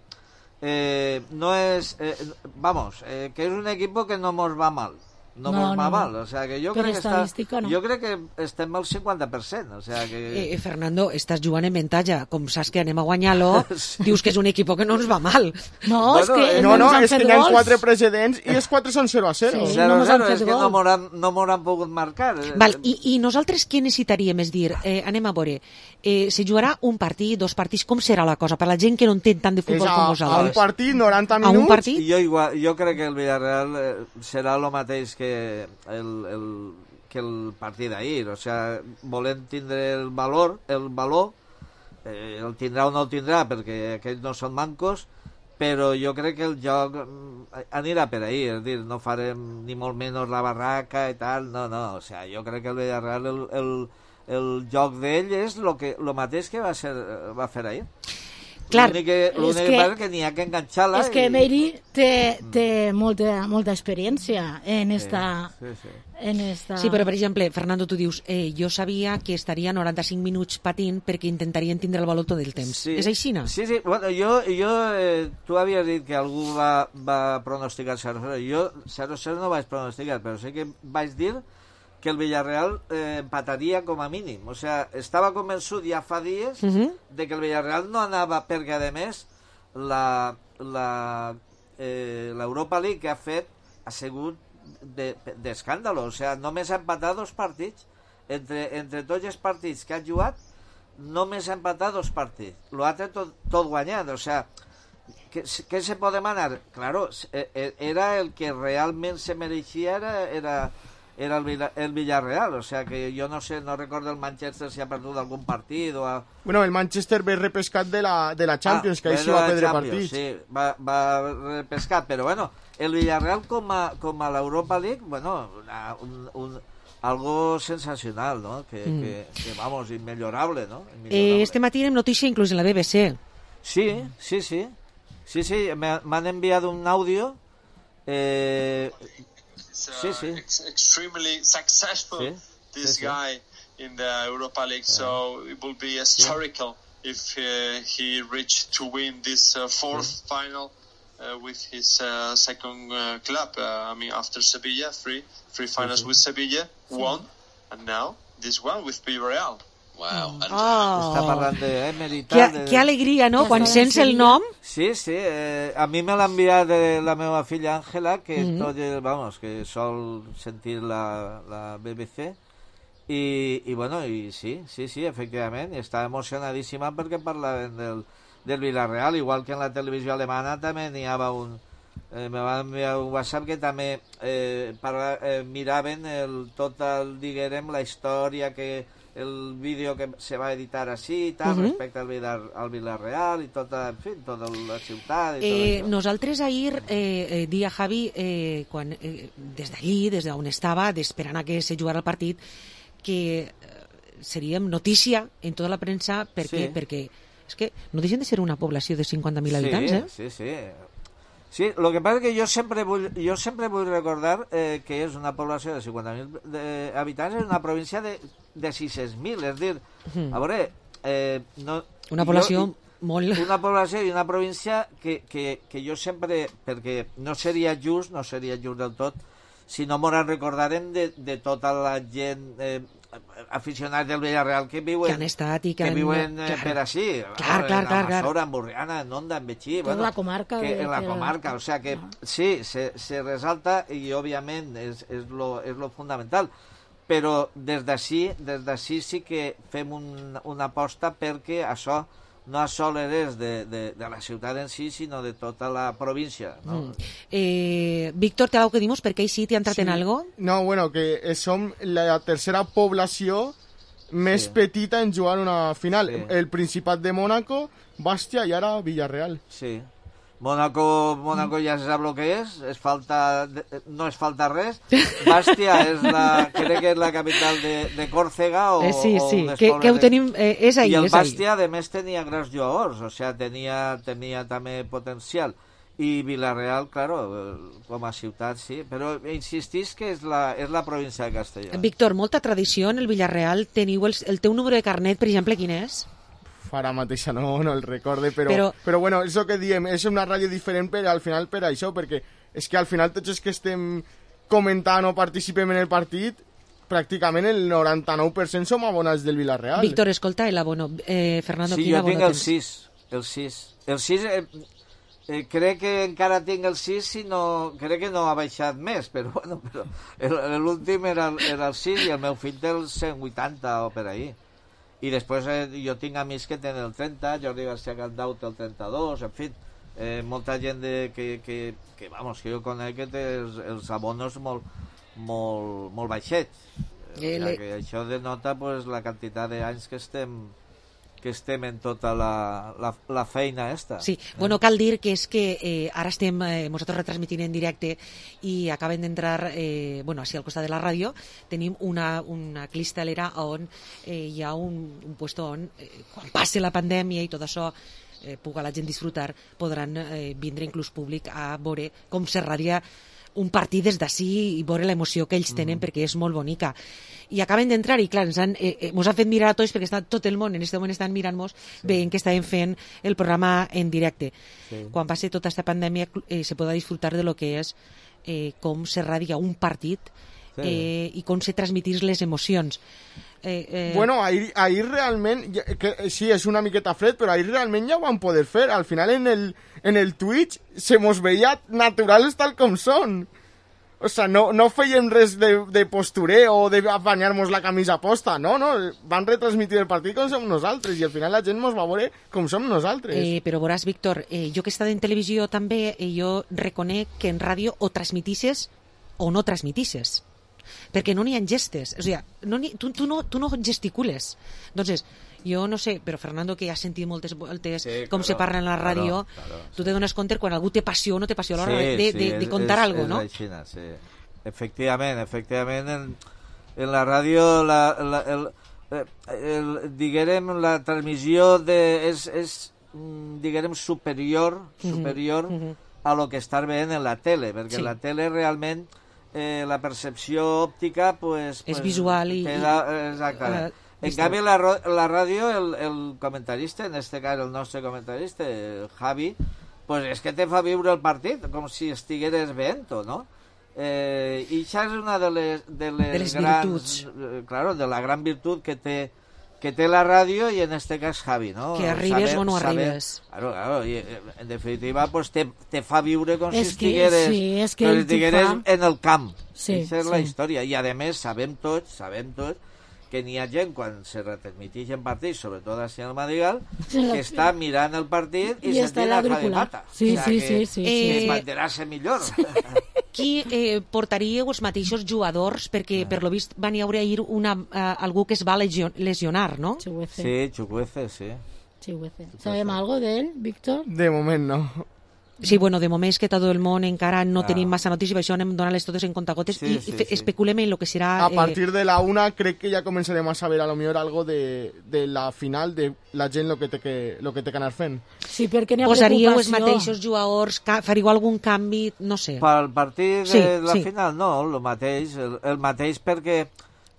[SPEAKER 8] Eh, no és, eh, vamos, eh, que és un equipo que no mos va mal. No,
[SPEAKER 9] No,
[SPEAKER 8] mos va
[SPEAKER 9] no, no.
[SPEAKER 8] mal, o sea, que jo
[SPEAKER 9] Per
[SPEAKER 8] crec que està,
[SPEAKER 9] estadística, no.
[SPEAKER 8] jo crec que estem al cinquanta per cent, o sea, que...
[SPEAKER 5] Eh, Fernando, estàs jugant en avantatge. Com saps que anem a guanyar-lo, sí. Dius que és un equip que no ens va mal.
[SPEAKER 9] No,
[SPEAKER 8] Bueno,
[SPEAKER 9] és que
[SPEAKER 8] eh,
[SPEAKER 7] No, no,
[SPEAKER 9] ens han
[SPEAKER 7] és que
[SPEAKER 9] fet
[SPEAKER 7] hi ha
[SPEAKER 9] gols.
[SPEAKER 7] quatre precedents i els quatre són zero a zero.
[SPEAKER 9] Sí.
[SPEAKER 8] zero
[SPEAKER 9] no
[SPEAKER 8] a
[SPEAKER 9] mos
[SPEAKER 8] zero,
[SPEAKER 9] han fet
[SPEAKER 8] és que
[SPEAKER 9] gol.
[SPEAKER 8] no m'hauran no m'hauran pogut marcar.
[SPEAKER 5] Val, i, I nosaltres què necessitaríem? És dir, eh, anem a veure, eh, se jugarà un partit, dos partits, com serà la cosa? Per la gent que no entén tant de
[SPEAKER 7] És
[SPEAKER 5] futbol
[SPEAKER 7] a,
[SPEAKER 5] com
[SPEAKER 7] a un
[SPEAKER 5] vosaltres.
[SPEAKER 7] partit, noranta
[SPEAKER 5] A
[SPEAKER 7] minuts.
[SPEAKER 5] un partit?
[SPEAKER 8] Jo, igual, jo crec que el Villarreal eh, serà el mateix que el, el, que el partit d'ahir, o sea, volem tindre el valor, el valor, eh, el tindrà o no el tindrà, perquè aquells no són mancos, però jo crec que el joc mm, anirà per ahí, és dir, no farem ni molt menys la barraca i tal, no, no, o sea, jo crec que el Villarreal, el, el, el joc d'ell és lo que, lo mateix que va, ser, va fer ahir.
[SPEAKER 5] Clar,
[SPEAKER 8] L'únic que, l'únic
[SPEAKER 9] és
[SPEAKER 8] que
[SPEAKER 9] que-
[SPEAKER 8] passa és que n'hi ha que enganxar-la.
[SPEAKER 9] És que
[SPEAKER 8] i-
[SPEAKER 9] Meiri té, té molta, molta experiència en esta...
[SPEAKER 8] Sí, sí.
[SPEAKER 9] En esta...
[SPEAKER 5] Sí, però per exemple, Fernando, tu dius, eh, jo sabia que estaria noranta-cinc minuts patint perquè intentarien tindre el valor tot el temps.
[SPEAKER 8] Sí.
[SPEAKER 5] És així, no?
[SPEAKER 8] Sí, sí, bueno, jo, jo eh, tu havies dit que algú va, va pronosticar zero a zero. Jo zero a zero no vaig pronosticar, però sí que vaig dir que el Villarreal eh, empataria com a mínim. O sea, estava convençut ja fa dies
[SPEAKER 5] Uh -huh.
[SPEAKER 8] de que el Villarreal no anava, perquè a més la, la, eh, l'Europa League que ha fet ha sigut d'escàndalo, de, o sea, només ha empatat dos partits entre, entre tots els partits que ha jugat, només ha empatat dos partits, l'altre tot, tot guanyat, o sea, què, què se pot demanar? Claro, era el que realment se mereixia, era, era, era el, Villa, el Villarreal, o sea que jo no sé, no recordo el Manchester si ha perdut algun partit o ha...
[SPEAKER 7] Bueno, el Manchester ve repescat de la, de la Champions,
[SPEAKER 8] ah,
[SPEAKER 7] que ahí sí
[SPEAKER 8] de
[SPEAKER 7] va
[SPEAKER 8] la
[SPEAKER 7] perdre
[SPEAKER 8] Champions,
[SPEAKER 7] partits.
[SPEAKER 8] Sí, va, va repescat, però bueno, el Villarreal com a, com a l'Europa League, bueno, una, un, un, algo sensacional, ¿no? Que, mm. que, que vamos, inmejorable, ¿no? Inmejorable.
[SPEAKER 5] Eh, este matí tenim notícia inclús en la B B C.
[SPEAKER 8] Sí, sí, sí. Sí, sí, m'han enviat un àudio. Eh, sí, sí.
[SPEAKER 11] Ex extremely successful,
[SPEAKER 8] sí,
[SPEAKER 11] this
[SPEAKER 8] sí, sí.
[SPEAKER 11] guy in the Europa League, so it will be historical yeah. if uh, he reached to win this uh, fourth yeah. final uh, with his uh, second uh, club. Uh, I mean, after Sevilla, three three finals sí, sí. with Sevilla, sí. one, and now this one with Villarreal.
[SPEAKER 8] Wow. Oh. Està parlant d'Emery.
[SPEAKER 5] Que, de... que alegria, no? Quan sents el nom...
[SPEAKER 8] Sí, sí. Eh, a mi me l'ha enviat de la meva filla Àngela, que mm -hmm. tot, vamos, que sol sentir la, la B B C. I, i bueno, i sí, sí, sí, efectivament. I està emocionadíssima perquè parlaven del, del Villarreal, igual que en la televisió alemana també n'hi havia un... Eh, me van enviar un WhatsApp que també eh, parla, eh, miraven el, tot el, diguem, la història que... el vídeo que se va editar així i tal, uh -huh. respecte al, Villar, al Villarreal i tota, en fi, tota la ciutat i
[SPEAKER 5] eh,
[SPEAKER 8] tot
[SPEAKER 5] nosaltres ahir eh, eh, dia Javi eh, quan, eh, des d'allí, des d'on estava esperant a que se jugara el partit que eh, seríem notícia en tota la premsa perquè,
[SPEAKER 8] sí.
[SPEAKER 5] perquè és que no deixen de ser una població de cinquanta mil
[SPEAKER 8] sí,
[SPEAKER 5] habitants, eh?
[SPEAKER 8] Sí, sí, sí, el que passa és que jo sempre vull, jo sempre vull recordar eh, que és una població de cinquanta mil habitants en una província de, de sis-cents mil, és dir, a veure... Eh, no,
[SPEAKER 5] una població
[SPEAKER 8] jo,
[SPEAKER 5] molt...
[SPEAKER 8] Una població i una província que, que, que jo sempre... Perquè no seria just, no seria just del tot, si no m'ho recordarem de, de tota la gent... Eh, aficionats del Villarreal que viuen,
[SPEAKER 5] que han estat i que,
[SPEAKER 8] que
[SPEAKER 5] han...
[SPEAKER 8] viuen eh, per així,
[SPEAKER 5] clar, clar, clar,
[SPEAKER 8] en Amassora, en Borriana, en Onda, en Betxí,
[SPEAKER 9] bueno, la comarca
[SPEAKER 8] que,
[SPEAKER 9] de,
[SPEAKER 8] en la
[SPEAKER 9] de
[SPEAKER 8] comarca,
[SPEAKER 9] la...
[SPEAKER 8] o sea que sí, se, se resalta i òbviament és, és, lo, és lo fundamental, però des d'ací des d'ací sí que fem un, una aposta perquè això no sols és de, de, de la ciutat en si, sinó de tota la província, no?
[SPEAKER 5] Mm. Eh, Víctor, té alguna que dir-nos? Perquè ahí sí t'hi ha entrat
[SPEAKER 7] sí.
[SPEAKER 5] en algo?
[SPEAKER 7] No, bueno, que som la tercera població més
[SPEAKER 8] Sí.
[SPEAKER 7] petita en jugar una final.
[SPEAKER 8] Sí.
[SPEAKER 7] El Principat de Mónaco, Bastia i ara Villarreal.
[SPEAKER 8] Sí. Mónaco, Mónaco ja se sap el que és, és falta, no és falta res. Bastia és la, crec que és la capital de, de Còrsega o,
[SPEAKER 5] Eh, sí,
[SPEAKER 8] o
[SPEAKER 5] sí,
[SPEAKER 8] unes
[SPEAKER 5] que,
[SPEAKER 8] pobles
[SPEAKER 5] que ho
[SPEAKER 8] de-
[SPEAKER 5] tenim... Eh, és ahí,
[SPEAKER 8] I el
[SPEAKER 5] és ahí.
[SPEAKER 8] Bastia, a més, tenia grans jugadors, o sea, tenia, tenia també potencial. I Villarreal, claro, eh, com a ciutat, sí, però insistís que és la, és la província de Castelló.
[SPEAKER 5] Víctor, molta tradició en el Villarreal. Teniu el, el teu número de carnet, per exemple, quin és?
[SPEAKER 7] Ara mateixa no, no el recorde, però,
[SPEAKER 5] Però-
[SPEAKER 7] però... però bueno, és el que diem, és una ràdio diferent per al final per això, perquè és que al final tots els que estem comentant o participem en el partit, pràcticament el noranta-nou per cent som abonats del Villarreal.
[SPEAKER 5] Víctor, escolta, el abono. Eh, Fernando,
[SPEAKER 8] Sí,
[SPEAKER 5] quin
[SPEAKER 8] jo
[SPEAKER 5] abono
[SPEAKER 8] tinc el
[SPEAKER 5] tens?
[SPEAKER 8] sis, el sis. El sis, eh, eh, crec que encara tinc el sis, si no, crec que no ha baixat més, però bueno, però el- l'últim era, el- era el sis i el meu fill té el cent vuitanta o per ahí. I després eh, jo tinc amics que tenen el trenta, Jordi García Candau té el trenta-dos, en fi, eh, molta gent de, que, que, que, vamos, que jo conec que té els, els abonos molt, molt, molt baixets.
[SPEAKER 5] Eh,
[SPEAKER 8] Eh,
[SPEAKER 5] le-
[SPEAKER 8] que això denota pues, la quantitat d'anys que estem que estem en tota la, la, la feina esta.
[SPEAKER 5] Sí, bueno, cal dir que és que eh, ara estem eh, nosaltres retransmitint en directe i acaben d'entrar, eh, bueno, així al costat de la ràdio, tenim una, una cristalera on eh, hi ha un, un puesto on, eh, quan passe la pandèmia i tot això, eh, puga la gent disfrutar, podran eh, vindre inclús públic a veure com se radia un partit des d'ací i veure l'emoció que ells tenen, mm. perquè és molt bonica. I acaben d'entrar i, clar, ens han, eh, eh, mos han fet mirar a tots perquè està tot el món en aquest moment estan mirant-nos, sí. veient que estàvem fent el programa en directe. Sí. Quan passi tota aquesta pandèmia eh, se podrà disfrutar de lo que és eh, com se radia un partit
[SPEAKER 8] Sí.
[SPEAKER 5] eh, i com se transmitís les emocions. Eh, eh,
[SPEAKER 7] Bueno, ahir, ahir realment, ja- que, sí, és una miqueta fred, però ahir realment ja ho van poder fer. Al final en el, en el Twitch se mos veia naturals tal com són. O sea, no, no fèiem res de, de postureo o d'apanyar-nos la camisa posta, no, no, van retransmitir el partit com som nosaltres i al final la gent mos va veure com som nosaltres.
[SPEAKER 5] Eh, però veuràs, Víctor, eh, jo que he estat en televisió també, eh, jo reconec que en ràdio o transmitisses o no transmitisses, perquè no n'hi ha gestes, o sigui, no n'hi- tu, tu, no, tu no gesticules. Entonces, jo no sé, però Fernando, que has sentit moltes voltes
[SPEAKER 8] Sí,
[SPEAKER 5] com
[SPEAKER 8] claro,
[SPEAKER 5] se parla en la ràdio,
[SPEAKER 8] claro, claro,
[SPEAKER 5] tu te dones compte quan algú té passió o no té passió a l'hora
[SPEAKER 8] Sí,
[SPEAKER 5] de, de,
[SPEAKER 8] sí,
[SPEAKER 5] de, de
[SPEAKER 8] és-
[SPEAKER 5] contar
[SPEAKER 8] és,
[SPEAKER 5] algo,
[SPEAKER 8] és
[SPEAKER 5] no?
[SPEAKER 8] aixina, sí. Efectivament, efectivament, en, en la ràdio, la, la, el, eh, el, diguérem, la transmissió de, és, és mm, diguérem, superior, superior
[SPEAKER 5] Mhm, mhm.
[SPEAKER 8] a lo que estar veient en la tele, perquè
[SPEAKER 5] Sí.
[SPEAKER 8] en la tele realment eh, la percepció òptica pues,
[SPEAKER 5] És
[SPEAKER 8] pues,
[SPEAKER 5] visual i-
[SPEAKER 8] queda, exactament.
[SPEAKER 5] eh,
[SPEAKER 8] En
[SPEAKER 5] vista.
[SPEAKER 8] canvi, la, ro- la ràdio, el, el comentarista, en este cas el nostre comentarista, el Javi, pues és que te fa viure el partit, com si estigueres veient-ho, no? Eh, I això és una de les, de les,
[SPEAKER 5] De les
[SPEAKER 8] grans,
[SPEAKER 5] virtuts.
[SPEAKER 8] eh, claro, de la gran virtut que té que té la ràdio i en este cas Javi, ¿no?
[SPEAKER 5] Que arribes o no arribes.
[SPEAKER 8] Claro, claro, y, eh, en definitiva pues te, te fa viure com
[SPEAKER 9] És
[SPEAKER 8] si
[SPEAKER 9] que-
[SPEAKER 8] estigueres,
[SPEAKER 9] sí, és que
[SPEAKER 8] com si
[SPEAKER 9] ell t'ho
[SPEAKER 8] estigueres
[SPEAKER 9] fa.
[SPEAKER 8] en el camp.
[SPEAKER 9] Sí,
[SPEAKER 8] Aquesta és la
[SPEAKER 9] sí.
[SPEAKER 8] història. I a més sabem tots, sabem tots que n'hi ha gent quan se retransmiteixen partits, sobretot així al Madrigal,
[SPEAKER 9] Sí, la-
[SPEAKER 8] que està mirant el partit i,
[SPEAKER 9] I està
[SPEAKER 8] sentint el Javi
[SPEAKER 9] l'auricular.
[SPEAKER 8] Mata.
[SPEAKER 9] Sí,
[SPEAKER 8] O sea,
[SPEAKER 9] sí,
[SPEAKER 8] que,
[SPEAKER 9] sí, sí,
[SPEAKER 8] que
[SPEAKER 5] sí.
[SPEAKER 8] es manterà-se millor.
[SPEAKER 5] Qui eh, portaríeu els mateixos jugadors? Perquè, per lo vist, van hi haure ahir una, eh, algú que es va legio- lesionar, no?
[SPEAKER 9] Chuguece.
[SPEAKER 8] Sí, Chukwueze, sí.
[SPEAKER 9] Chuguece. ¿Sabem algo de él, Víctor?
[SPEAKER 7] De moment no.
[SPEAKER 5] Sí, bueno, de moment és que tot el món encara no
[SPEAKER 8] Ah.
[SPEAKER 5] tenim massa notícies, i per això anem donant-les totes en contagotes
[SPEAKER 8] Sí,
[SPEAKER 5] i
[SPEAKER 8] sí,
[SPEAKER 5] fe-
[SPEAKER 8] sí.
[SPEAKER 5] especulem en lo que serà...
[SPEAKER 7] A partir de la una crec que ja començarem a saber a lo millor algo de, de la final, de la gent lo que té que, lo que, té que anar fent.
[SPEAKER 9] Sí, perquè n'hi
[SPEAKER 5] eh,
[SPEAKER 9] ha
[SPEAKER 5] posaríeu els
[SPEAKER 9] preocupació.
[SPEAKER 5] mateixos jugadors, ca- faríeu algun canvi, no sé.
[SPEAKER 8] Pel partit de
[SPEAKER 5] Sí,
[SPEAKER 8] la
[SPEAKER 5] sí.
[SPEAKER 8] final, no, el mateix, el, el mateix perquè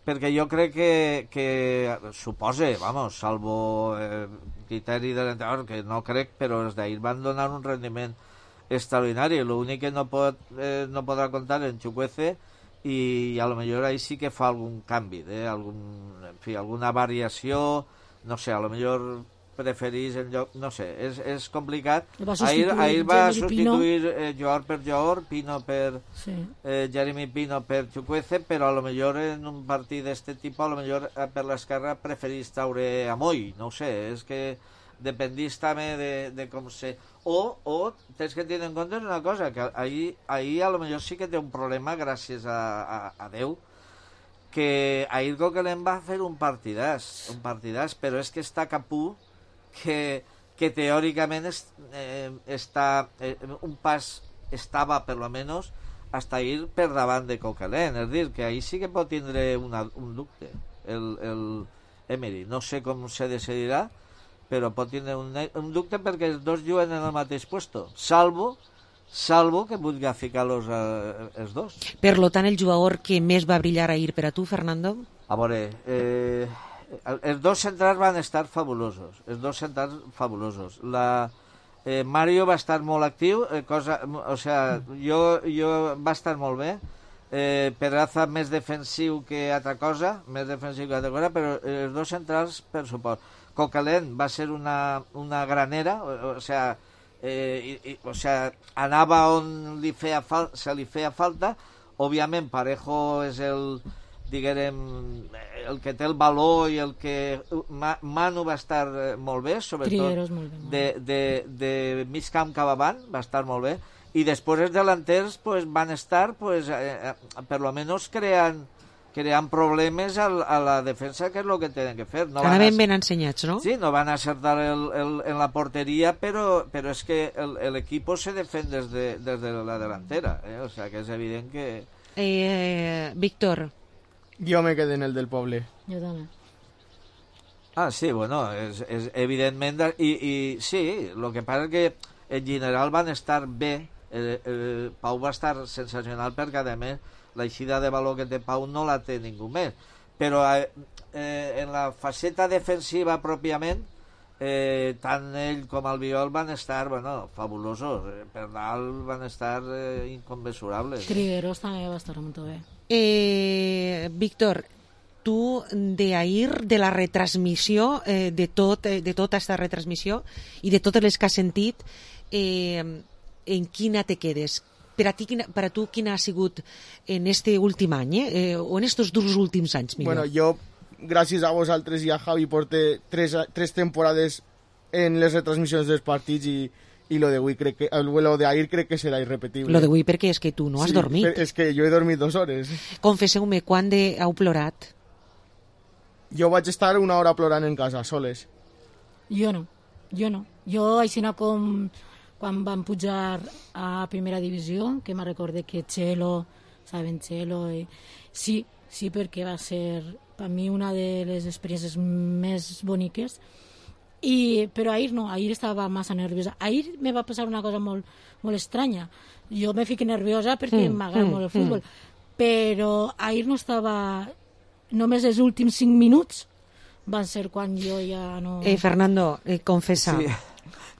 [SPEAKER 8] perquè jo crec que, que supose, vamos, salvo eh, criteri de l'entrenador, que no crec, però els d'ahir van donar un rendiment extraordinari. L'únic que no pot eh, no podrà comptar en Chukwueze i a lo millor ahí sí que fa algun canvi, eh? algun, en fi, alguna variació, no sé, a lo millor preferís en lloc, no sé, és, és complicat.
[SPEAKER 9] Va
[SPEAKER 8] Ahir,
[SPEAKER 9] substituir
[SPEAKER 8] ahir va
[SPEAKER 9] Jeremy Pino.
[SPEAKER 8] substituir eh, jugador per jugador, Pino per
[SPEAKER 9] Sí.
[SPEAKER 8] eh, Jeremy Pino per Chukwueze, però a lo millor en un partit d'este tipus, a lo millor eh, per l'esquerra preferís traure a Moy, no ho sé, és que dependís també de, de com se... O, o tens que tenir en compte una cosa, que ahir, ahir a lo millor sí que té un problema, gràcies a, a, a Déu, que ahir Coquelin va fer un partidàs, un partidàs, però és que està Capú, que, que teòricament es, eh, està eh, un pas estava, per lo menos, hasta ir per davant de Coquelin. És dir, que ahir sí que pot tindre una, un dubte, el, el Emery. No sé com se decidirà, però pot tindre un, un dubte perquè els dos juguen en el mateix puesto, salvo salvo que vulgui ficar-los eh, els dos.
[SPEAKER 5] Per lo tant, el jugador que més va brillar ahir per a tu, Fernando?
[SPEAKER 8] A veure, eh, els dos centrals van estar fabulosos, els dos centrals fabulosos. La, eh, Mario va estar molt actiu, eh, cosa, o sea, jo, jo va estar molt bé, eh, Pedraza més defensiu que altra cosa, més defensiu que altra cosa, però els dos centrals per suport. Coquelin va ser una, una granera, o, o sea, Eh, i, i, o sea, anava on li feia fal se li feia falta. Òbviament Parejo és el, diguem, el que té el valor i el que Ma, Manu va estar molt bé, sobretot
[SPEAKER 9] molt bé, molt
[SPEAKER 8] de, de, de mig camp cap avant va estar molt bé, i després els delanters pues, van estar pues, eh, per lo menos creant creant problemes a, a la defensa, que és el que tenen que fer. No
[SPEAKER 5] Anaven ben ensenyats, no?
[SPEAKER 8] Sí, no van acertar el, el, en la porteria, però, però és que l'equip se defèn des de, des de la delantera, eh? O sea, que és evident que...
[SPEAKER 5] Eh, Víctor.
[SPEAKER 7] Jo me quedé en el del poble.
[SPEAKER 9] Jo també.
[SPEAKER 8] Ah, sí, bueno, és, és evidentment... I, i sí, el que passa és que en general van estar bé. El, el Pau va estar sensacional perquè, a més, l'eixida de valor que té Pau no la té ningú més, però eh, en la faceta defensiva pròpiament eh, tant ell com Albiol van estar, bueno, fabulosos, per dalt van estar eh, inconmensurables.
[SPEAKER 9] Trigueros també va estar molt bé.
[SPEAKER 5] Eh, Víctor, tu de ahir, de la retransmissió, eh, de, tot, eh, de tota aquesta retransmissió i de totes les que has sentit, eh, en quina te quedes? Per a, ti, quina, per a tu, quin ha sigut en este últim any, eh? o en estos dos últims anys, millor?
[SPEAKER 7] Bueno, jo, gràcies a vosaltres i a Javi, porté tres, tres temporades en les retransmissions dels partits i, i lo de avui crec que, lo de ahir crec que serà irrepetible.
[SPEAKER 5] Lo de avui perquè és que tu no has
[SPEAKER 7] sí,
[SPEAKER 5] dormit.
[SPEAKER 7] És que jo he dormit dues hores.
[SPEAKER 5] Confesseu-me, quan de heu plorat?
[SPEAKER 7] Jo vaig estar una hora plorant en casa, soles.
[SPEAKER 9] Jo no, jo no. Jo, així com... quan van pujar a primera divisió, que me recorde que Chelo, saben Chelo, i... sí, sí, perquè va ser per mi una de les experiències més boniques, i, però ahir no, ahir estava massa nerviosa. Ahir me va passar una cosa molt, molt estranya. Jo me fico nerviosa perquè mm, m'agrada mm, molt el futbol, mm. però ahir no estava... Només els últims cinc minuts van ser quan jo ja no...
[SPEAKER 5] Eh, Fernando, eh, confessa.
[SPEAKER 8] Sí.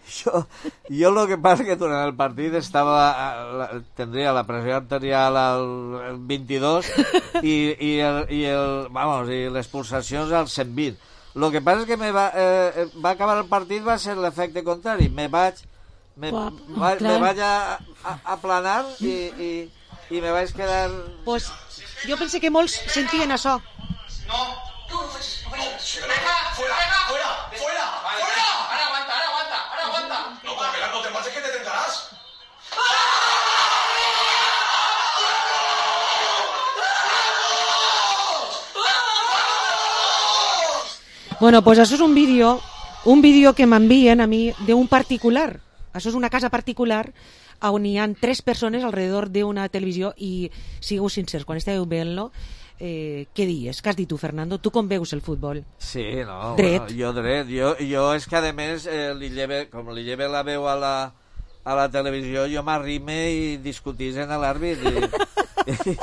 [SPEAKER 8] Jo, jo lo que passa que durant el partit estava, tindria la pressió arterial al vint-i-dos i, i, el, i, el, vamos, i les pulsacions al cent vint. Lo que passa és que me va, eh, va acabar el partit, va ser l'efecte contrari. Me vaig, me,
[SPEAKER 9] Uah,
[SPEAKER 8] va, me vaig a, a, aplanar i, i, i me vaig quedar...
[SPEAKER 5] Pues jo pensé que molts sentien això.
[SPEAKER 12] No. Tú no facis... No, fuera, fuera, fuera, fuera, fuera. Ara aguanta, ara aguanta, ara aguanta. No, porque no te pases que te tentarás.
[SPEAKER 5] Bueno, pues això és un vídeo, un vídeo que m'envien a mi d'un particular. Això és una casa particular on hi ha tres persones alrededor d'una televisió i sigueu sincers, quan esteu veient-lo, eh, què dius? Què has dit tu, Fernando? Tu com veus el futbol?
[SPEAKER 8] Sí, no,
[SPEAKER 5] dret.
[SPEAKER 8] Bueno, jo dret. Jo, jo és que, a més, eh, li lleve, com li lleve la veu a la, a la televisió, jo m'arrime i discutís en l'àrbit i, i,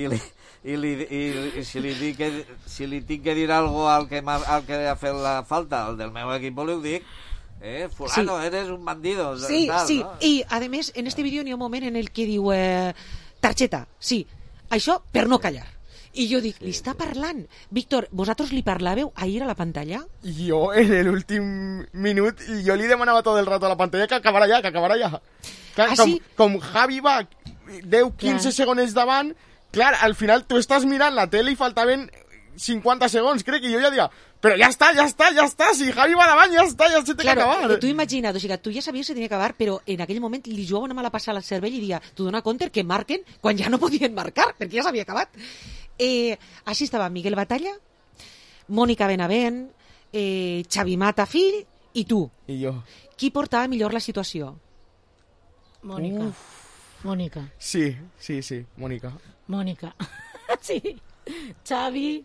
[SPEAKER 8] i, li, i, li, i, i si, li dic que, si li tinc que dir alguna cosa al que, al que ha fet la falta, al del meu equip, li ho dic. Eh, fulano, sí. Eres un bandido.
[SPEAKER 5] Sí,
[SPEAKER 8] tal,
[SPEAKER 5] sí,
[SPEAKER 8] no?
[SPEAKER 5] I a més, en este vídeo n'hi ha un moment en el que diu eh, targeta, sí, això per no callar. I jo dic, li està parlant. Víctor, vosaltres li parlàveu ahir a la pantalla?
[SPEAKER 7] Jo, en l'últim minut, jo li demanava tot el rato a la pantalla que acabara ja, que acabara ja. Clar,
[SPEAKER 5] ah,
[SPEAKER 7] com,
[SPEAKER 5] sí?
[SPEAKER 7] com Javi va deu quinze segons davant, clar, al final tu estàs mirant la tele i faltaven cinquanta segons, crec que jo ja diria, però ja està, ja està, ja està, si Javi va davant, ja està, ja se té
[SPEAKER 5] claro,
[SPEAKER 7] que acabar.
[SPEAKER 5] Tu imagina't, o sigui, tu ja sabies que tenia que acabar, però en aquell moment li jugava una mala passada al cervell i dia, tu dona compte que marquen quan ja no podien marcar, perquè ja s'havia acabat. Eh, així estava Miguel Batalla, Mònica Benavent, eh, Xavi Mata, fill, i tu.
[SPEAKER 7] I jo.
[SPEAKER 5] Qui portava millor la situació?
[SPEAKER 9] Mònica. Mònica.
[SPEAKER 7] Sí, sí, sí, Mònica.
[SPEAKER 9] Mònica. Sí. Xavi,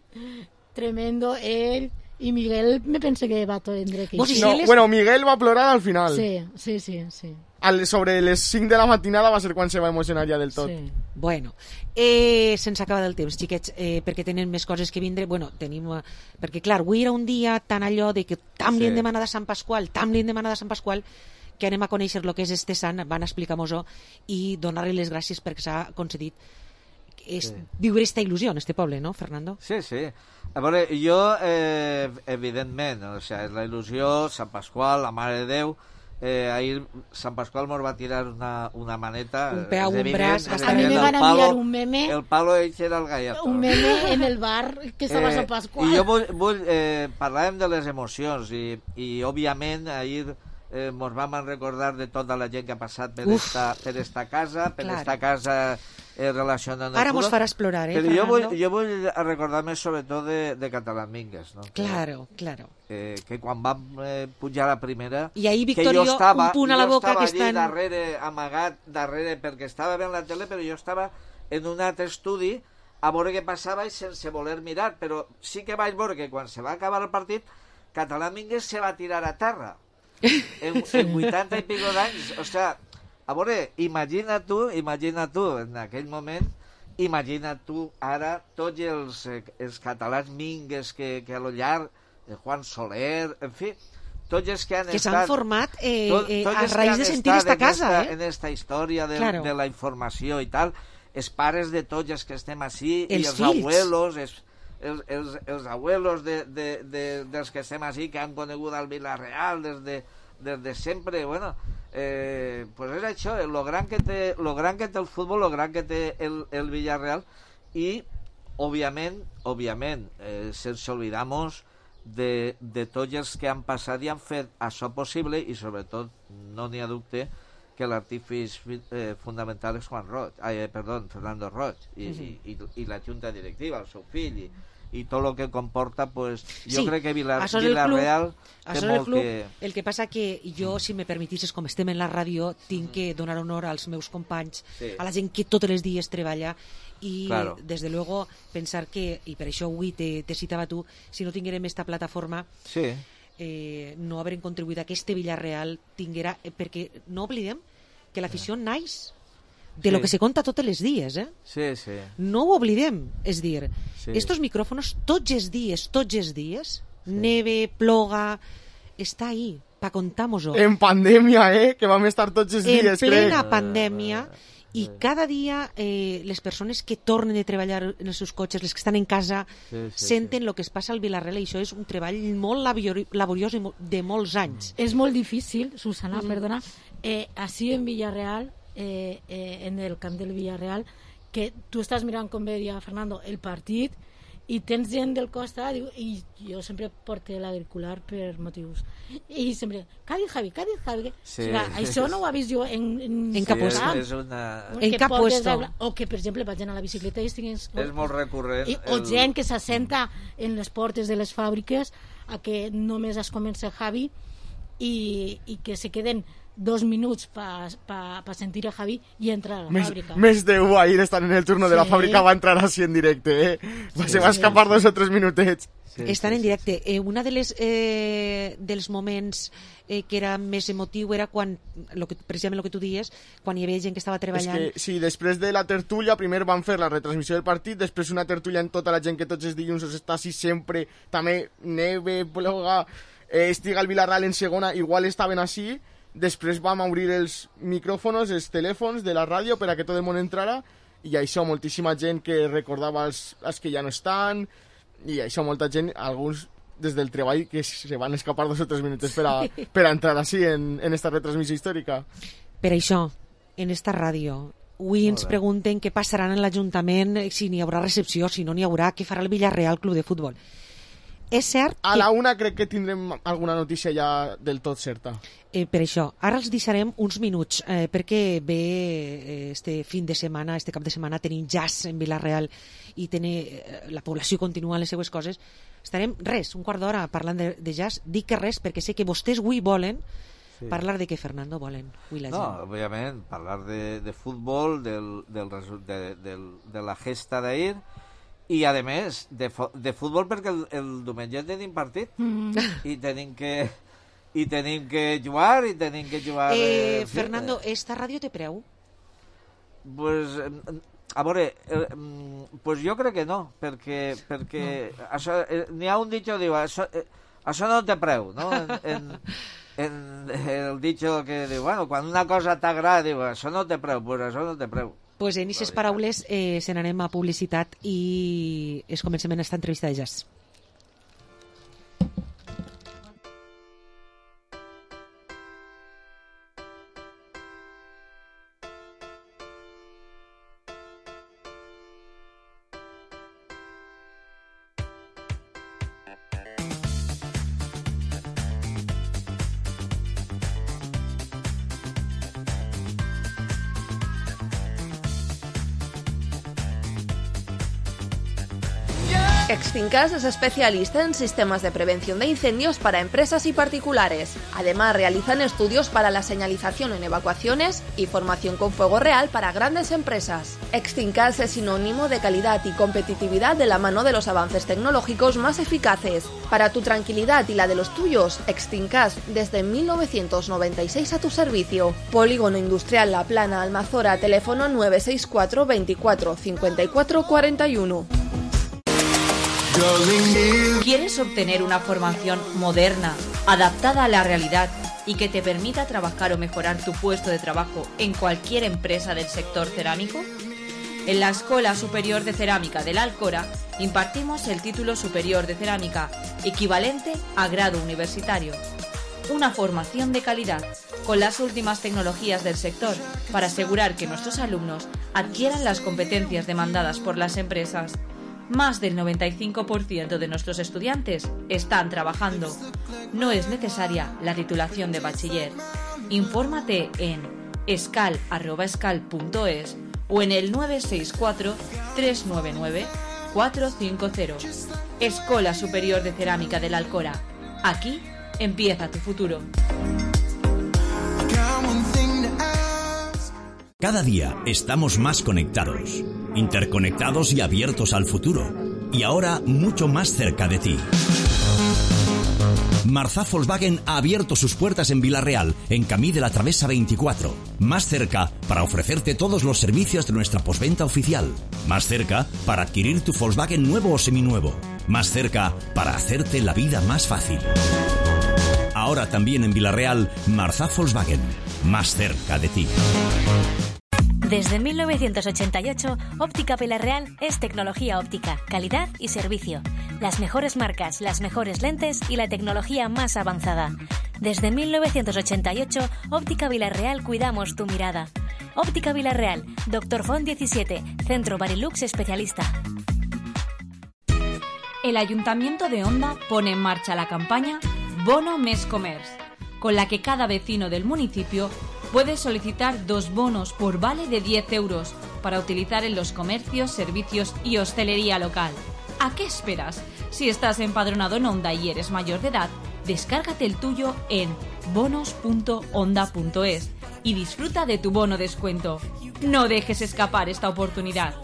[SPEAKER 9] tremendo, ell i Miguel me pensa que va tindre que...
[SPEAKER 7] No, bueno, Miguel va plorar al final.
[SPEAKER 9] Sí, sí, sí, sí.
[SPEAKER 7] Al, sobre les cinc de la matinada va ser quan se va emocionar ja del tot.
[SPEAKER 9] Sí.
[SPEAKER 5] Bueno, eh, se'ns acaba del temps, xiquets, eh, perquè tenen més coses que vindre. Bueno, tenim... Eh, perquè, clar, avui era un dia tan allò de que tam li hem
[SPEAKER 8] Sí.
[SPEAKER 5] demanat a Sant Pasqual, tam li hem demanat a Sant Pasqual, que anem a conèixer el que és este sant, van explicar-nos-ho i donar-li les gràcies perquè s'ha concedit és,
[SPEAKER 8] Sí.
[SPEAKER 5] viure esta il·lusió en este poble, no, Fernando?
[SPEAKER 8] Sí, sí. A veure, jo, eh, evidentment, o sea, és la il·lusió, Sant Pasqual, la Mare de Déu, eh, ahir Sant Pasqual mos va tirar una, una maneta.
[SPEAKER 5] Un peu,
[SPEAKER 8] és
[SPEAKER 5] un
[SPEAKER 8] evident,
[SPEAKER 5] braç,
[SPEAKER 8] és
[SPEAKER 9] A mi
[SPEAKER 8] evident,
[SPEAKER 9] me
[SPEAKER 8] el
[SPEAKER 9] van
[SPEAKER 8] palo-
[SPEAKER 9] enviar un meme,
[SPEAKER 8] El palo ell era el gallato.
[SPEAKER 9] un meme en el bar que estava a Sant
[SPEAKER 8] I
[SPEAKER 9] Pasqual.
[SPEAKER 8] jo vull, vull eh, parlàvem de les emocions i, i òbviament ahir eh, mos vam recordar de tota la gent que ha passat per,
[SPEAKER 5] Uf.
[SPEAKER 8] esta, per esta casa, per
[SPEAKER 5] Clar.
[SPEAKER 8] esta casa eh, relacionant
[SPEAKER 5] Ara mos faràs plorar, eh,
[SPEAKER 8] Però jo vull,
[SPEAKER 5] Fernando?
[SPEAKER 8] jo vull recordar-me sobretot de, de Catalán Mingues, no?
[SPEAKER 5] Claro, claro.
[SPEAKER 8] Eh, que quan vam eh, pujar a la primera...
[SPEAKER 5] I ahir,
[SPEAKER 8] que
[SPEAKER 5] Victorio,
[SPEAKER 8] jo estava,
[SPEAKER 5] un punt a la
[SPEAKER 8] jo
[SPEAKER 5] boca
[SPEAKER 8] estava
[SPEAKER 5] que
[SPEAKER 8] allí
[SPEAKER 5] estan...
[SPEAKER 8] darrere, amagat darrere, perquè estava veient la tele, però jo estava en un altre estudi a veure què passava i sense voler mirar, però sí que vaig veure que quan se va acabar el partit, Catalán Mingues se va tirar a terra. En, en vuitanta i pico d'anys. O sea, a veure, imagina tu, imagina tu, en aquell moment, imagina tu ara tots els, eh, els catalans Mingues que, que a lo llarg, eh, Juan Soler, en fi, tots els que han
[SPEAKER 5] Que s'han
[SPEAKER 8] estat...
[SPEAKER 5] format eh,
[SPEAKER 8] tot-
[SPEAKER 5] eh,
[SPEAKER 8] tots
[SPEAKER 5] a
[SPEAKER 8] els que
[SPEAKER 5] raïs
[SPEAKER 8] han
[SPEAKER 5] de sentir
[SPEAKER 8] estat
[SPEAKER 5] esta
[SPEAKER 8] en
[SPEAKER 5] casa,
[SPEAKER 8] esta,
[SPEAKER 5] eh?
[SPEAKER 8] en esta història de,
[SPEAKER 5] Claro.
[SPEAKER 8] de la informació i tal, els pares de tots els que estem així,
[SPEAKER 5] Els
[SPEAKER 8] i els
[SPEAKER 5] fills.
[SPEAKER 8] abuelos, els, els, els, els abuelos de, de, de, dels que estem així, que han conegut al Vila-real des de, des de sempre, bueno, eh, pues és això, lo gran que té, lo gran que té el futbol, lo gran que té el, el Villarreal, i, òbviament, òbviament, eh, sense oblidamos de, de tots els que han passat i han fet això possible, i sobretot, no n'hi ha dubte, que l'artífice eh, fundamental és Juan Roig, eh, perdó, Fernando Roig, i,
[SPEAKER 5] Mhm.
[SPEAKER 8] i, i, i la junta directiva, el seu fill, i, i tot el que comporta, pues, jo
[SPEAKER 5] Sí,
[SPEAKER 8] crec que Vila,
[SPEAKER 5] això és el
[SPEAKER 8] Vila-real
[SPEAKER 5] club,
[SPEAKER 8] té
[SPEAKER 5] això és el
[SPEAKER 8] molt
[SPEAKER 5] club.
[SPEAKER 8] que...
[SPEAKER 5] El que passa que jo, si me permetisses, com estem en la ràdio, tinc que donar honor als meus companys,
[SPEAKER 8] Sí.
[SPEAKER 5] a la gent que tots els dies treballa, i
[SPEAKER 8] Claro.
[SPEAKER 5] des de luego pensar que, i per això avui te, te citava tu, si no tinguérem esta plataforma,
[SPEAKER 8] Sí.
[SPEAKER 5] eh, no haurem contribuït a que este Villarreal tinguera, eh, perquè no oblidem que l'afició naix de
[SPEAKER 8] Sí.
[SPEAKER 5] lo que se conta tots els dies, eh?
[SPEAKER 8] Sí, sí.
[SPEAKER 5] No ho oblidem, és dir,
[SPEAKER 8] Sí.
[SPEAKER 5] estos micrófonos tots els dies, tots els dies, neve, ploga, està ahí, pa contar-nos-ho.
[SPEAKER 7] En pandèmia, eh? Que vam estar tots els
[SPEAKER 5] En
[SPEAKER 7] dies,
[SPEAKER 5] plena
[SPEAKER 7] crec.
[SPEAKER 5] pandèmia, i cada dia eh, les persones que tornen de treballar en els seus cotxes, les que estan en casa,
[SPEAKER 8] Sí, sí,
[SPEAKER 5] senten el que es passa al Vilarreal, i això és un treball molt labori- laboriós i mo- de molts anys.
[SPEAKER 9] És molt difícil, Susana,
[SPEAKER 5] Mm.
[SPEAKER 9] perdona, eh, així en Villarreal, eh, eh, en el camp del Villarreal, que tu estàs mirant, com bé deia Fernando, el partit, i tens gent del costat, diu- i jo sempre porto l'auricular per motius, i sempre, què ha dit Javi, què ha dit Javi?
[SPEAKER 8] Sí.
[SPEAKER 9] O sigui, això no ho he vist jo en, en,
[SPEAKER 5] En cap
[SPEAKER 8] Sí,
[SPEAKER 5] puesto.
[SPEAKER 8] és, és una...
[SPEAKER 5] En
[SPEAKER 9] que
[SPEAKER 5] cap
[SPEAKER 9] portes
[SPEAKER 5] puesto.
[SPEAKER 9] a- o que, per exemple, vagin a la bicicleta i estiguin...
[SPEAKER 8] És molt recurrent.
[SPEAKER 9] I, o
[SPEAKER 8] el-
[SPEAKER 9] gent que s'assenta en les portes de les fàbriques a que només es comença Javi i, i que se queden dos minuts per pa, pa sentir a Javi i entrar a la
[SPEAKER 7] Més,
[SPEAKER 9] fàbrica.
[SPEAKER 7] més de u ahir estan en el turno de la
[SPEAKER 9] Sí.
[SPEAKER 7] fàbrica, va entrar així en directe, eh? Va,
[SPEAKER 5] Sí,
[SPEAKER 7] se va
[SPEAKER 5] sí.
[SPEAKER 7] escapar dos o tres minutets.
[SPEAKER 8] Sí,
[SPEAKER 5] Estan
[SPEAKER 8] sí,
[SPEAKER 5] en
[SPEAKER 8] sí,
[SPEAKER 5] directe. Eh, una de les, eh, dels moments eh, que era més emotiu era quan, lo que, precisament el que tu dies, quan hi havia gent que estava
[SPEAKER 7] És
[SPEAKER 5] treballant.
[SPEAKER 7] que, sí, després de la tertúlia, primer van fer la retransmissió del partit, després una tertúlia en tota la gent que tots els dilluns està així sempre, també neve, ploga, eh, estiga el Vilarreal en segona, igual estaven així, després vam obrir els micròfons, els telèfons de la ràdio per a que tot el món entrara, i això, moltíssima gent que recordava els, els que ja no estan, i això, molta gent, alguns des del treball que se van escapar dos o tres minuts per a, per a entrar així en, en esta retransmissió històrica.
[SPEAKER 5] Per això, en esta ràdio, avui ens
[SPEAKER 8] bé.
[SPEAKER 5] pregunten què passaran en l'Ajuntament, si n'hi haurà recepció, si no n'hi haurà, què farà el Villarreal Club de Futbol. És cert
[SPEAKER 7] A
[SPEAKER 5] que,
[SPEAKER 7] la una crec que tindrem alguna notícia ja del tot certa.
[SPEAKER 5] Eh, per això, ara els deixarem uns minuts eh, perquè ve eh, este fin de setmana, este cap de setmana tenim jazz en Vila-real i tenim, eh, la població continua les seues coses. Estarem res, un quart d'hora parlant de, de jazz. Dic que res perquè sé que vostès avui volen sí. parlar de què, Fernando, volen? Avui la
[SPEAKER 8] no,
[SPEAKER 5] gent.
[SPEAKER 8] òbviament, parlar de, de futbol, del, del, de, del, de la gesta d'ahir i, a més, de, de futbol perquè el, el diumenge tenim partit mm. i tenim que... I tenim que jugar, i tenim que jugar...
[SPEAKER 5] Eh, Fernando, esta ràdio té preu?
[SPEAKER 8] Pues, a veure, eh, pues jo crec que no, perquè, perquè no. Això, eh, n'hi ha un dicho, diu, això, eh, això no té preu, no? En, en, en el dicho que diu, bueno, quan una cosa t'agrada, diu, això no té preu, pues això no té preu.
[SPEAKER 5] Pues en aquestes paraules eh, se n'anem a publicitat i es comencem en esta entrevista de jazz.
[SPEAKER 13] Extincas es especialista en sistemas de prevención de incendios para empresas y particulares. Además, realizan estudios para la señalización en evacuaciones y formación con fuego real para grandes empresas. Extincas es sinónimo de calidad y competitividad de la mano de los avances tecnológicos más eficaces. Para tu tranquilidad y la de los tuyos, Extincas desde mil novecientos noventa y seis a tu servicio. Polígono Industrial La Plana, Almazora, teléfono nueve seis cuatro veinticuatro cincuenta y cuatro cuarenta y uno.
[SPEAKER 14] ¿Quieres obtener una formación moderna, adaptada a la realidad y que te permita trabajar o mejorar tu puesto de trabajo en cualquier empresa del sector cerámico? En la Escuela Superior de Cerámica de la Alcora impartimos el título superior de cerámica, equivalente a grado universitario. Una formación de calidad, con las últimas tecnologías del sector, para asegurar que nuestros alumnos adquieran las competencias demandadas por las empresas. Más del noventa y cinco por ciento de nuestros estudiantes están trabajando. No es necesaria la titulación de bachiller. Infórmate en escal arroba escal punto es o en el nueve seis cuatro tres nueve nueve cuatro cinco cero. Escuela Superior de Cerámica de la Alcora. Aquí empieza tu futuro.
[SPEAKER 15] Cada día estamos más conectados, interconectados y abiertos al futuro. Y ahora mucho más cerca de ti. Marzá Volkswagen ha abierto sus puertas en Vila-real, en Camí de la Travesa veinticuatro. Más cerca para ofrecerte todos los servicios de nuestra postventa oficial. Más cerca para adquirir tu Volkswagen nuevo o seminuevo. Más cerca para hacerte la vida más fácil. Ahora también en Vila-real, Marzá Volkswagen. Más cerca de ti.
[SPEAKER 16] Desde mil novecientos ochenta y ocho, Óptica Vila-real es tecnología óptica, calidad y servicio. Las mejores marcas, las mejores lentes y la tecnología más avanzada. Desde mil novecientos ochenta y ocho, Óptica Vila-real cuidamos tu mirada. Óptica Vila-real, Doctor Font diecisiete, Centro Barilux especialista.
[SPEAKER 4] El Ayuntamiento de Onda pone en marcha la campaña Bono Mes Comerç, con la que cada vecino del municipio puede solicitar dos bonos por vale de diez euros para utilizar en los comercios, servicios y hostelería local. ¿A qué esperas? Si estás empadronado en Onda y eres mayor de edad, descárgate el tuyo en bonos punto onda punto es y disfruta de tu bono descuento. No dejes escapar esta oportunidad.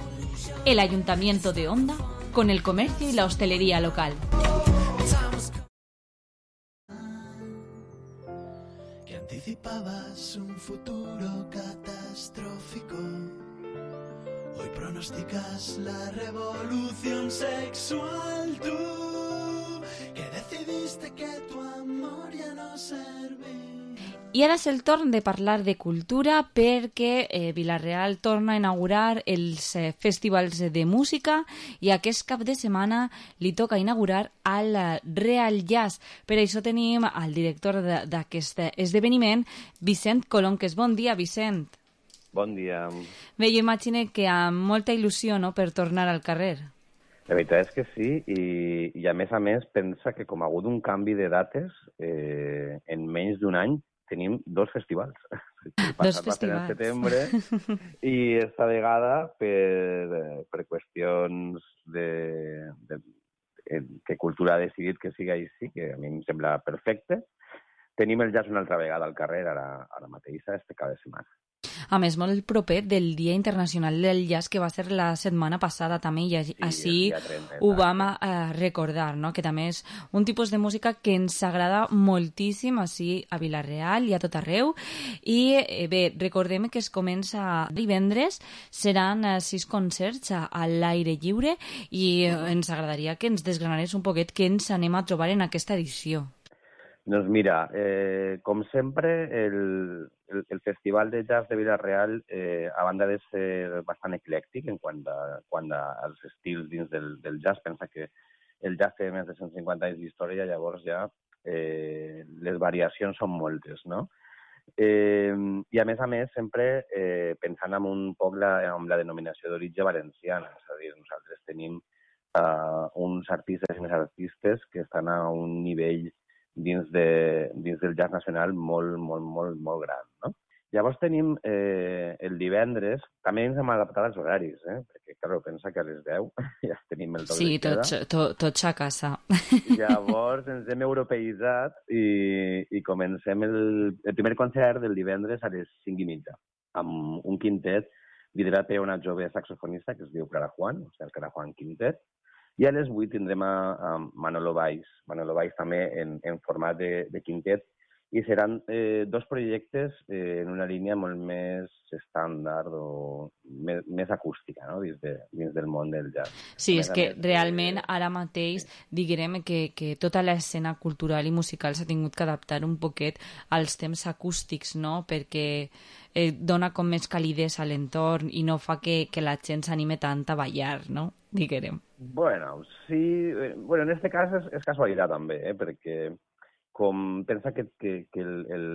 [SPEAKER 4] El Ayuntamiento de Onda con el comercio y la hostelería local.
[SPEAKER 17] Anticipabas un futuro catastrófico. Hoy pronosticas la revolución sexual. Tú que decidiste que tu amor ja no serveix.
[SPEAKER 4] I ara és el torn de parlar de cultura perquè eh, Vila-real torna a inaugurar els eh, festivals de música i aquest cap de setmana li toca inaugurar el Real Jazz. Per això tenim al director d'aquest esdeveniment, Vicent Colonques. Bon dia, Vicent.
[SPEAKER 18] Bon dia.
[SPEAKER 4] Bé, jo imagino que amb molta il·lusió, no?, per tornar al carrer.
[SPEAKER 18] La veritat és que sí, i, i a més a més pensa que com ha hagut un canvi de dates, eh, en menys d'un any tenim dos festivals. El
[SPEAKER 4] Dos
[SPEAKER 18] passat va ser en
[SPEAKER 4] festivals.
[SPEAKER 18] setembre i esta vegada per, per qüestions de, de, de que Cultura ha decidit que sigui així, que a mi em sembla perfecte, tenim el jazz una altra vegada al carrer, ara, ara mateix, este cap de setmana.
[SPEAKER 4] A més, molt proper del Dia Internacional del Jazz, que va ser la setmana passada també, i així
[SPEAKER 18] el dia trenta,
[SPEAKER 4] ho vam eh, recordar, no? Que també és un tipus de música que ens agrada moltíssim així a Vila-real i a tot arreu. I eh, bé, recordem que es comença divendres, seran eh, sis concerts a, a l'aire lliure, i eh, ens agradaria que ens desgranares un poquet què ens anem a trobar en aquesta edició.
[SPEAKER 18] Doncs mira, eh, com sempre, el, el, el Festival de Jazz de Vila-real, eh, a banda de ser bastant eclèctic en quant, a, quant a, als estils dins del, del jazz, pensa que el jazz té més de cent cinquanta anys d'història, llavors ja eh, les variacions són moltes, no? Eh, I a més a més, sempre eh, pensant en un poc la, amb la denominació d'origen valenciana, és a dir, nosaltres tenim eh, uns artistes i unes artistes que estan a un nivell dins, de, dins del jazz nacional molt, molt, molt, molt gran, no? Llavors tenim eh, el divendres, també ens hem adaptat als horaris, eh? Perquè, clar, pensa que a les deu ja tenim el toc
[SPEAKER 4] Sí,
[SPEAKER 18] de queda.
[SPEAKER 4] tots, to, tots a casa.
[SPEAKER 18] Llavors ens hem europeïtzat i, i comencem el, el primer concert del divendres a les cinc i mitja, amb un quintet liderat per una jove saxofonista que es diu Clara Juan, o sigui, el Clara Juan Quintet. I a les vuit tindrem a, a Manolo Valls, Manolo Valls també en, en format de, de quintet, i seran eh, dos projectes eh, en una línia molt més estàndard o més, més acústica, no? dins, de, dins del món del jazz.
[SPEAKER 4] Sí,
[SPEAKER 18] més
[SPEAKER 4] és que
[SPEAKER 18] més,
[SPEAKER 4] realment ara mateix diguem que, que tota l'escena cultural i musical s'ha tingut que adaptar un poquet als temps acústics, no? Perquè eh, dona com més calidesa a l'entorn i no fa que, que la gent s'anime tant a ballar, no? Diguem.
[SPEAKER 18] Bueno, sí, eh, bueno, en este cas és, és casualitat també, eh? Perquè com pensa que, que, que el, el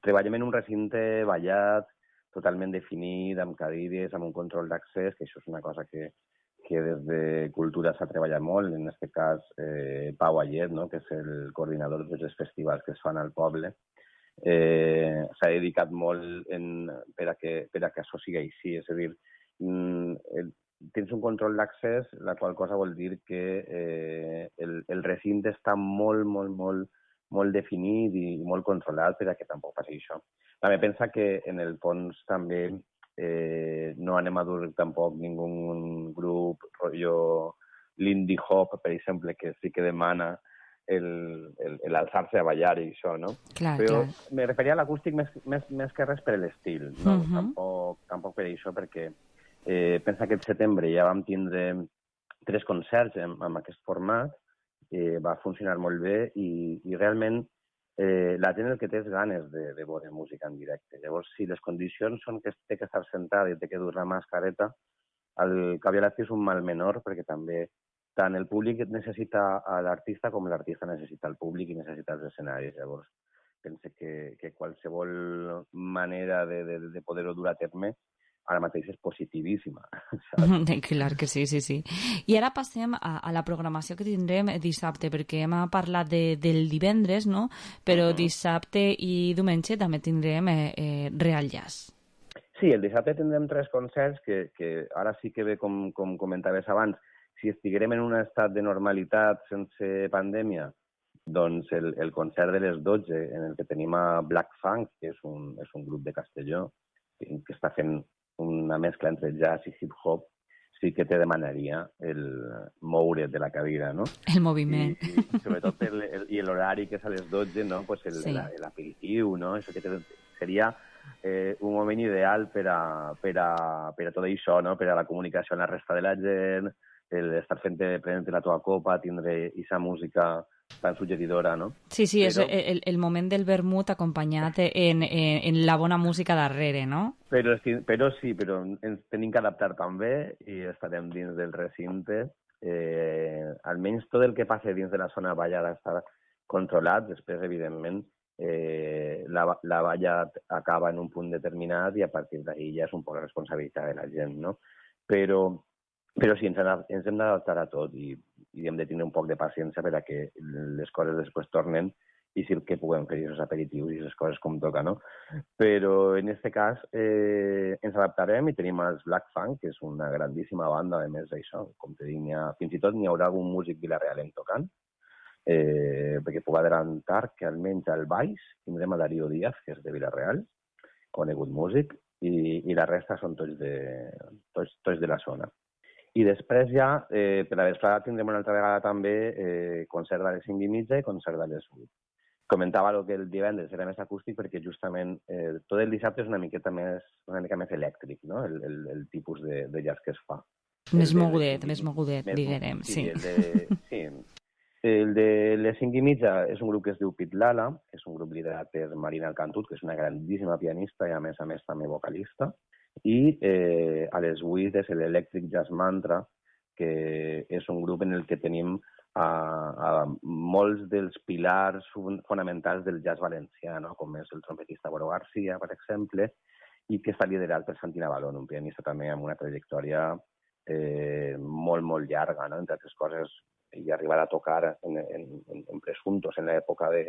[SPEAKER 18] treballem en un recinte ballat, totalment definit, amb cadires, amb un control d'accés, que això és una cosa que, que des de Cultura s'ha treballat molt, en aquest cas eh, Pau Ayet, no? Que és el coordinador de tots els festivals que es fan al poble, eh, s'ha dedicat molt en, per, a que, per a que això sigui així, és a dir, mm, el, tens un control d'accés, la qual cosa vol dir que eh, el, el recinte està molt, molt, molt, molt definit i molt controlat per a que tampoc passi això. També pensa que en el fons també eh, no anem a dur tampoc ningú grup rotllo l'indie hop, per exemple, que sí que demana el, el, el alçar-se a ballar i això, no?
[SPEAKER 4] Clar,
[SPEAKER 18] Però
[SPEAKER 4] clar.
[SPEAKER 18] me referia a l'acústic més, més, més que res per l'estil, no?
[SPEAKER 4] Mhm.
[SPEAKER 18] tampoc, tampoc per això, perquè eh, pensa que el setembre ja vam tindre tres concerts amb, amb aquest format, eh, va funcionar molt bé i, i realment eh, la gent el que té és ganes de, de veure música en directe. Llavors, si les condicions són que té que estar sentada i té que dur la mascareta, el cap i a la fi és un mal menor, perquè també tant el públic necessita a l'artista com l'artista necessita el públic i necessita els escenaris. Llavors, pense que, que qualsevol manera de, de, de poder-ho dur a terme ara mateix és positivíssima.
[SPEAKER 4] Clar que sí, sí, sí. I ara passem a, a la programació que tindrem dissabte, perquè hem parlat de, del divendres, no? Però uh-huh. dissabte i diumenge també tindrem eh, eh, Real Jazz.
[SPEAKER 18] Sí, el dissabte tindrem tres concerts que, que ara sí que ve, com, com comentaves abans, si estiguérem en un estat de normalitat sense pandèmia, doncs el, el concert de les dotze, en el que tenim a Black Funk, que és un, és un grup de Castelló, que, que està fent una mescla entre jazz i hip-hop, sí que te demanaria el moure de la cadira, no?
[SPEAKER 4] El moviment.
[SPEAKER 18] I, i sobretot per el, i l'horari que és a les dotze, no? Pues el,
[SPEAKER 4] sí.
[SPEAKER 18] l'aperitiu, no? Això que te, seria eh, un moment ideal per a, per, a, per a tot això, no? Per a la comunicació amb la resta de la gent, el estar fent prendre la teva copa, tindre aquesta música tan suggeridora, no?
[SPEAKER 4] Sí, sí,
[SPEAKER 18] però,
[SPEAKER 4] és el, el moment del vermut acompanyat en, en, en la bona música darrere, no?
[SPEAKER 18] Però, però sí, però ens tenim que adaptar també i estarem dins del recinte. Eh, almenys tot el que passa dins de la zona ballada està controlat. Després, evidentment, eh, la, la balla acaba en un punt determinat i a partir d'ahir ja és un poc la responsabilitat de la gent, no? Però Però sí, ens, ens hem d'adaptar a tot i, i hem de tenir un poc de paciència per a que les coses després tornen i sí que puguem fer aquests aperitius i aquestes coses com toca, no? Però en aquest cas eh, ens adaptarem i tenim els Black Funk, que és una grandíssima banda, a més d'això, com te dic, ha, fins i tot n'hi haurà algun músic vilarealenc tocant, eh, perquè puc adelantar que almenys al baix tindrem a Darío Díaz, que és de Vilareal, conegut músic, i, i la resta són tots de, tots, tots de la zona. I després ja, eh, per la vesprada tindrem una altra vegada també eh, concert a les cinc i mitja i concert a les vuit. Comentava que el divendres era més acústic perquè justament eh, tot el dissabte és una miqueta més, una mica més elèctric, no? El, el, el tipus de, de jazz que es fa.
[SPEAKER 4] Més mogudet, més mogudet, diguem, sí.
[SPEAKER 18] Sí, el de, sí. El de les cinc i mitja és un grup que es diu Pitlala, que és un grup liderat per Marina Alcantut, que és una grandíssima pianista i a més a més també vocalista. I eh, a les vuit és l'Electric Jazz Mantra, que és un grup en el que tenim a, a molts dels pilars fonamentals del jazz valencià, no? Com és el trompetista Boro García, per exemple, i que està liderat per Santi Navalón, un pianista també amb una trajectòria eh, molt, molt llarga, no? Entre altres coses, i arribar a tocar en, en, en Presuntos, en l'època de,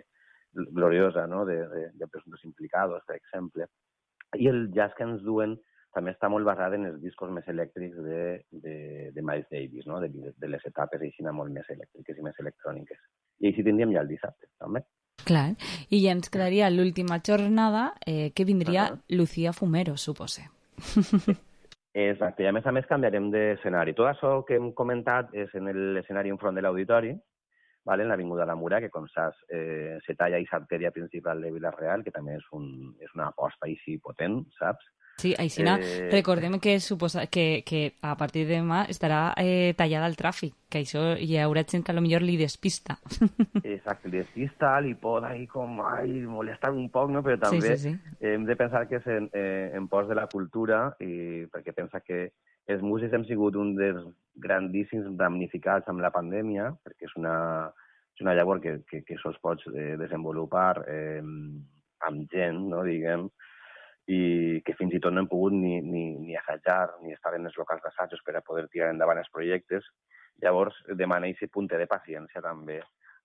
[SPEAKER 18] gloriosa, no? de, de, de Presuntos Implicados, per exemple. I el jazz que ens duen també està molt basat en els discos més elèctrics de, de, de Miles Davis, no? de, de les etapes així molt més elèctriques i més electròniques. I així tindríem ja el dissabte, també.
[SPEAKER 4] Clar, i ja ens quedaria l'última jornada, eh, que vindria uh -huh. Lucía Fumero, supose.
[SPEAKER 18] Exacte, i a més a més canviarem d'escenari. Tot això que hem comentat és en l'escenari enfront de l'auditori, vale? En l'Avinguda La Mura, que com saps eh, se talla i s'artèria principal de Vila-real, que també és, un, és una aposta així potent, saps?
[SPEAKER 4] Sí, Aixina, eh... recordem que, suposa, que, que a partir de demà estarà eh, tallada el tràfic, que això hi haurà gent que potser li despista.
[SPEAKER 18] Exacte, li despista, li pot ahí com, ai, molestar un poc, no? Però també
[SPEAKER 4] sí, sí, sí.
[SPEAKER 18] Eh, hem de pensar que és en, eh, en pos de la cultura, i perquè pensa que els músics hem sigut un dels grandíssims damnificats amb la pandèmia, perquè és una, és una llavor que, que, que sols pots eh, desenvolupar eh, amb gent, no, diguem, i que fins i tot no hem pogut ni, ni, ni assajar ni estar en els locals d'assajos per a poder tirar endavant els projectes. Llavors, demana aquest punt de paciència també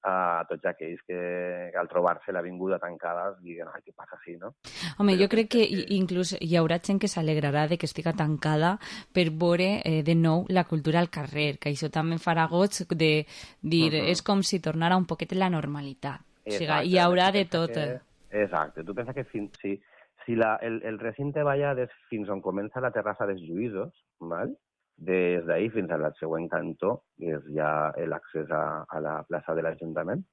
[SPEAKER 18] a tots aquells que al trobar-se l'avinguda tancada diguen, ai, què passa així, no?
[SPEAKER 4] Home, Però jo crec que, que inclús hi haurà gent que s'alegrarà de que estiga tancada per veure eh, de nou la cultura al carrer, que això també farà goig de dir, uh -huh. és com si tornara un poquet la normalitat. Exacte, o sigui, hi haurà de tot.
[SPEAKER 18] Que, exacte, tu pensa que fins, si, si la, el, el recinte balla des fins on comença la terrassa dels Lluïsos, val? Des d'ahir fins al següent cantó, que és ja l'accés a, a la plaça de l'Ajuntament,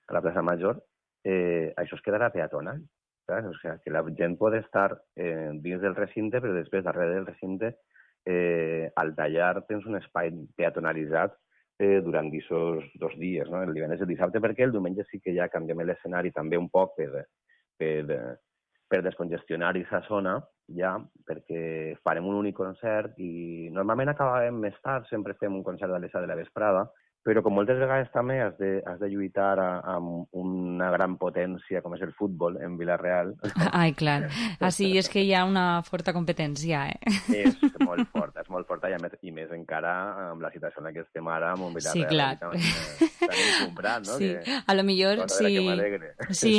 [SPEAKER 18] a la plaça Major, eh, això es quedarà peatonal. Saps? O sigui, que la gent pot estar eh, dins del recinte, però després, darrere del recinte, eh, al tallar tens un espai peatonalitzat eh, durant aquests dos dies, no? El divendres i el dissabte, perquè el diumenge sí que ja canviem l'escenari també un poc per, per, per descongestionar aquesta zona, ja, perquè farem un únic concert i normalment acabem més tard, sempre fem un concert a les set de la vesprada, però com moltes vegades també has de, has de lluitar a, amb una gran potència com és el futbol en Vila-real.
[SPEAKER 4] Ai, clar. Així és que hi ha una forta competència, eh?
[SPEAKER 18] És molt forta, és molt forta i, més, i més encara amb la situació en la que estem ara amb un Vila-real.
[SPEAKER 4] Sí, clar.
[SPEAKER 18] Estan comprant, no?
[SPEAKER 4] Sí,
[SPEAKER 18] que,
[SPEAKER 4] a lo millor sí. Sí.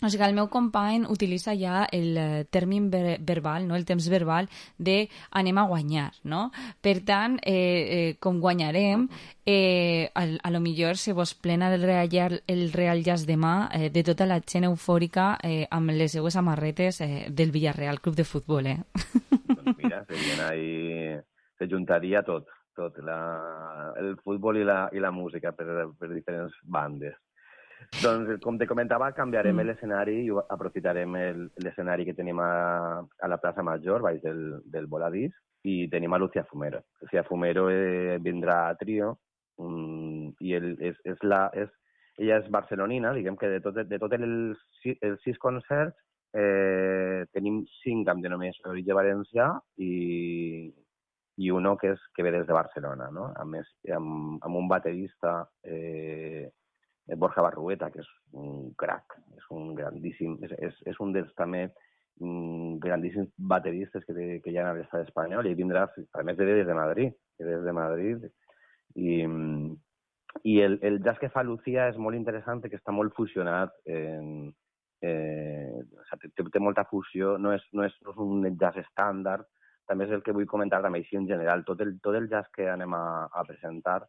[SPEAKER 4] O sigui, el meu company utilitza ja el terme ver verbal, no? El temps verbal de anem a guanyar, no? Per tant, eh, eh, com guanyarem, eh, a, a lo millor se vos plena del Real, el Real Jazz demà eh, de tota la gent eufòrica eh, amb les seues amarretes eh, del Villarreal Club de Futbol, eh?
[SPEAKER 18] Doncs mira, ahí, se juntaria tot, tot, la, el futbol i la, i la música per, per diferents bandes. Doncs, com te comentava, canviarem mm. l'escenari i aprofitarem l'escenari que tenim a, a la plaça Major, baix del, del voladís, i tenim a Lucía Fumero. Lucía Fumero eh, vindrà a trio, um, i el, és, és la, és, ella és barcelonina, diguem que de tots de tot els, els sis concerts eh, tenim cinc amb denominació d'origen valencià i, i uno que, és, que ve des de Barcelona, no? A més, amb, amb un baterista... Eh, Borja Barrueta, que és un crac, és un grandíssim, és, és, és un dels també um, grandíssims bateristes que, que hi ha a l'estat espanyol, i vindrà, a més, de des de Madrid, des de Madrid, i, I el, el jazz que fa Lucía és molt interessant perquè està molt fusionat, en, eh, o sigui, té, té molta fusió, no és, no, és, no és un jazz estàndard, també és el que vull comentar també així en general. Tot el, tot el jazz que anem a, a presentar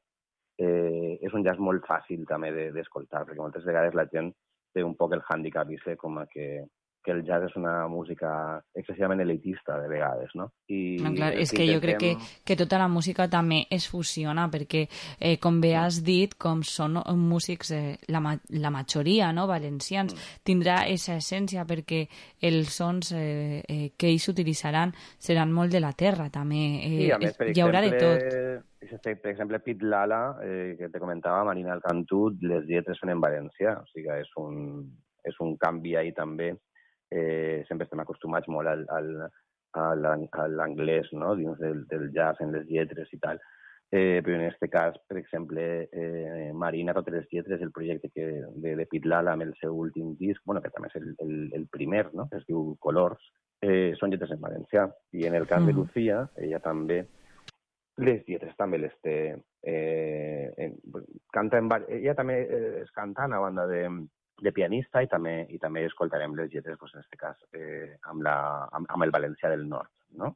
[SPEAKER 18] eh, és un jazz molt fàcil també d'escoltar, de, perquè moltes vegades la gent té un poc el hàndicap vist com a que que el jazz és una música excessivament elitista de vegades, no? I
[SPEAKER 4] no, clar, és que jo crec que, que tota la música també es fusiona, perquè, eh, com bé has dit, com són músics, eh, la, ma la majoria, no?, valencians, mm. tindrà aquesta essència, perquè els sons eh, eh, que ells utilitzaran seran molt de la terra, també. Eh,
[SPEAKER 18] sí, a més, per
[SPEAKER 4] hi haurà
[SPEAKER 18] exemple,
[SPEAKER 4] de tot.
[SPEAKER 18] Per exemple, Pit Lala, eh, que te comentava, Marina Alcantut, les lletres són en valencià, o sigui, és un, és un canvi ahí també. Eh, sempre estem acostumats molt al, al, a l'anglès, no?, dins del, del jazz, en les lletres i tal. Eh, però en aquest cas, per exemple, eh, Marina, totes les lletres, el projecte que, de, de Pit Lala amb el seu últim disc, bueno, que també és el, el, el primer, no?, que es diu Colors, eh, són lletres en valencià. I en el cas mm. de Lucía, ella també, les lletres també les té, eh, en, canta en, ella també és cantant a banda de de pianista i també, i també escoltarem les lletres, doncs, en aquest cas, eh, amb, la, amb, amb el valencià del nord, no?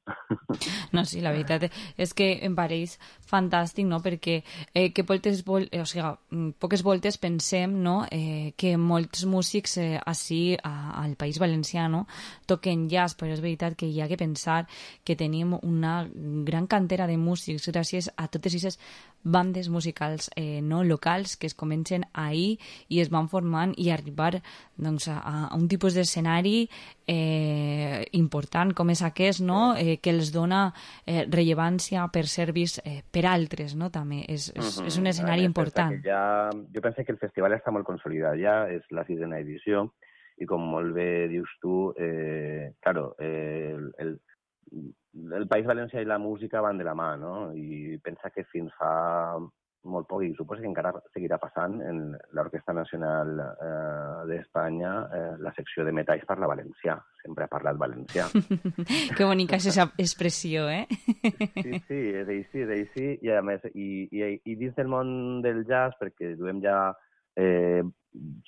[SPEAKER 4] No, sí, la veritat és que em pareix fantàstic, no?, perquè eh, que voltes, vol, eh, o sigui, poques voltes pensem, no?, eh, que molts músics eh, així a, al País Valencià, no?, toquen jazz, però és veritat que hi ha que pensar que tenim una gran cantera de músics gràcies a totes aquestes bandes musicals eh, no locals que es comencen ahir i es van formant i arribar doncs, a, a un tipus d'escenari eh, important com és aquest, no? eh, que els dona eh, rellevància per ser vist eh, per altres, no? També és, és, uh-huh. és un escenari
[SPEAKER 18] més,
[SPEAKER 4] important.
[SPEAKER 18] Ja, jo penso que el festival està molt consolidat ja, és la sisena edició i com molt bé dius tu, eh, claro, eh, el, el el País Valencià i la música van de la mà, no? I pensa que fins fa molt poc, i suposo que encara seguirà passant, en l'Orquestra Nacional eh, d'Espanya, eh, la secció de metalls parla valencià, sempre ha parlat valencià.
[SPEAKER 4] Que bonica és aquesta expressió, eh?
[SPEAKER 18] Sí, sí, és així, és així, i a més, i, i, i dins del món del jazz, perquè duem ja, eh,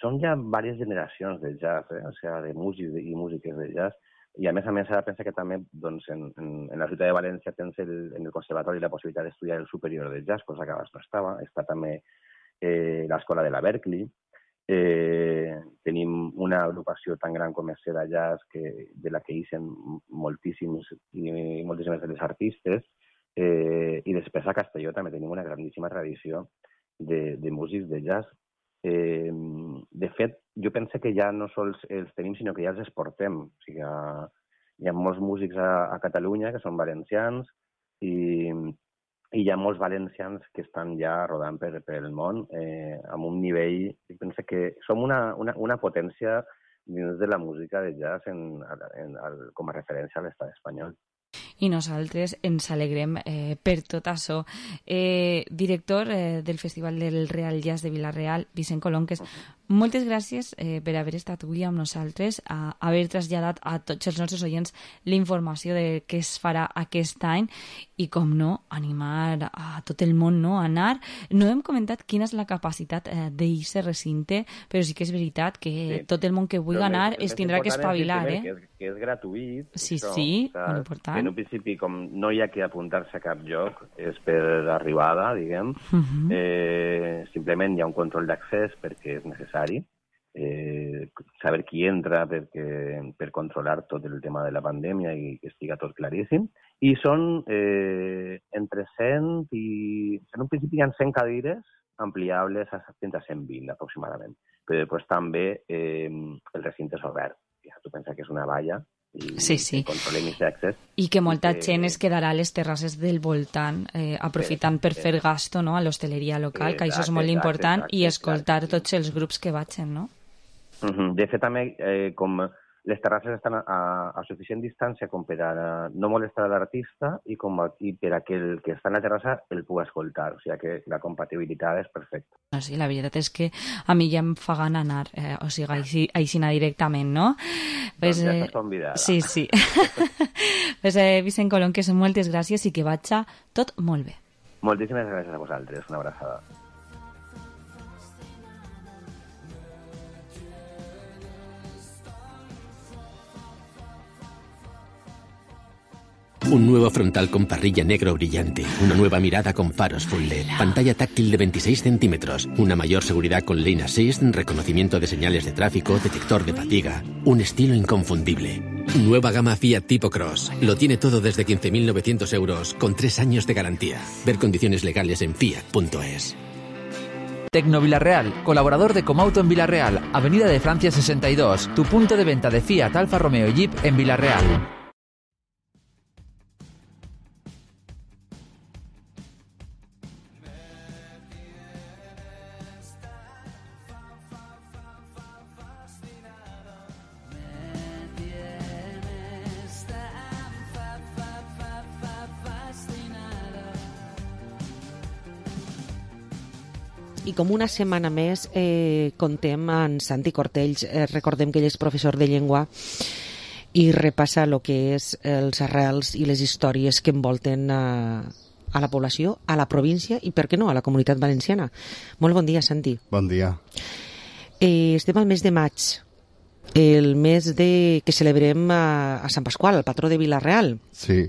[SPEAKER 18] són ja diverses generacions de jazz, eh? O sigui, de músics i músiques de jazz, i a més a més ara pensa que també doncs, en, en, en la ciutat de València tens el, en el conservatori la possibilitat d'estudiar el superior de jazz, cosa que abans no estava. Està també eh, l'escola de la Berkeley. Eh, tenim una agrupació tan gran com és Seda Jazz, que, de la que ixen moltíssims i moltíssimes de les artistes. Eh, I després a Castelló també tenim una grandíssima tradició de, de músics de jazz. Eh, de fet, jo penso que ja no sols els tenim, sinó que ja els exportem. O sigui, ha, hi ha molts músics a, a Catalunya que són valencians i, i hi ha molts valencians que estan ja rodant per, per el món eh, amb un nivell... Jo penso que som una, una, una potència dins de la música de jazz en, en, en, com a referència a l'estat espanyol.
[SPEAKER 4] I nosaltres ens alegrem eh, per tot això. Eh, director eh, del Festival del Real Jazz de Vila-real, Vicent Colonques, moltes gràcies eh, per haver estat avui amb nosaltres, a haver traslladat a tots els nostres oients la informació de què es farà aquest any i, com no, animar a tot el món, no?, a anar. No hem comentat quina és la capacitat eh, d'aquest recinte, però sí que és veritat que sí. Tot el món que vulgui anar es tindrà que espavilar, eh?
[SPEAKER 18] Que és, que és gratuït.
[SPEAKER 4] Sí,
[SPEAKER 18] això,
[SPEAKER 4] sí,
[SPEAKER 18] o sea,
[SPEAKER 4] molt important.
[SPEAKER 18] En un principi, com no hi ha que apuntar-se a cap lloc, és per arribada, diguem. Uh-huh. eh, simplement hi ha un control d'accés perquè és necessari. Eh, saber qui entra perquè, per controlar tot el tema de la pandèmia i que estiga tot claríssim. I són eh, entre cent i... En un principi hi ha cent cadires ampliables a fins a cent vint aproximadament. Però després també eh, el recinte és obert. Ja tu pensa que és una valla i
[SPEAKER 4] sí, sí.
[SPEAKER 18] controlem aquest accés.
[SPEAKER 4] I que molta que... gent es quedarà a les terrasses del voltant eh, aprofitant per fer gasto, no?, a l'hostaleria local, que això és molt important, i escoltar tots els grups que vagin, no?
[SPEAKER 18] Uh-huh. De fet, també, eh, com les terrasses estan a, a suficient distància com per a no molestar l'artista i, com a, i per a que el que està en la terrassa el pugui escoltar. O sigui que la compatibilitat és perfecta.
[SPEAKER 4] No, sí, la veritat és que a mi ja em fa gana anar, eh, o sigui, així, així anar directament, no?
[SPEAKER 18] Pues, doncs ja estàs convidada.
[SPEAKER 4] Sí, sí. Pues, eh, Vicent Colonques, moltes gràcies i que vagi tot molt bé.
[SPEAKER 18] Moltíssimes gràcies a vosaltres. Una abraçada.
[SPEAKER 19] Un nuevo frontal con parrilla negro brillante, una nueva mirada con faros full L E D, pantalla táctil de veintiséis centímetros, una mayor seguridad con Lane Assist, reconocimiento de señales de tráfico, detector de fatiga, un estilo inconfundible. Nueva gama Fiat Tipo Cross. Lo tiene todo desde quince mil novecientos euros con tres años de garantía. Ver condiciones legales en fiat punto es.
[SPEAKER 20] Tecno Villarreal, colaborador de Comauto en Villarreal, Avenida de Francia sesenta y dos, tu punto de venta de Fiat, Alfa Romeo y Jeep en Villarreal.
[SPEAKER 5] I com una setmana més eh, contem amb Santi Cortells, eh, recordem que ell és professor de llengua i repassa el que és els arrels i les històries que envolten a, a la població, a la província i, per què no, a la comunitat valenciana. Molt bon dia, Santi.
[SPEAKER 21] Bon dia.
[SPEAKER 5] Eh, estem al mes de maig, el mes de que celebrem a, a Sant Pasqual, el patró de Vila-real.
[SPEAKER 21] Sí.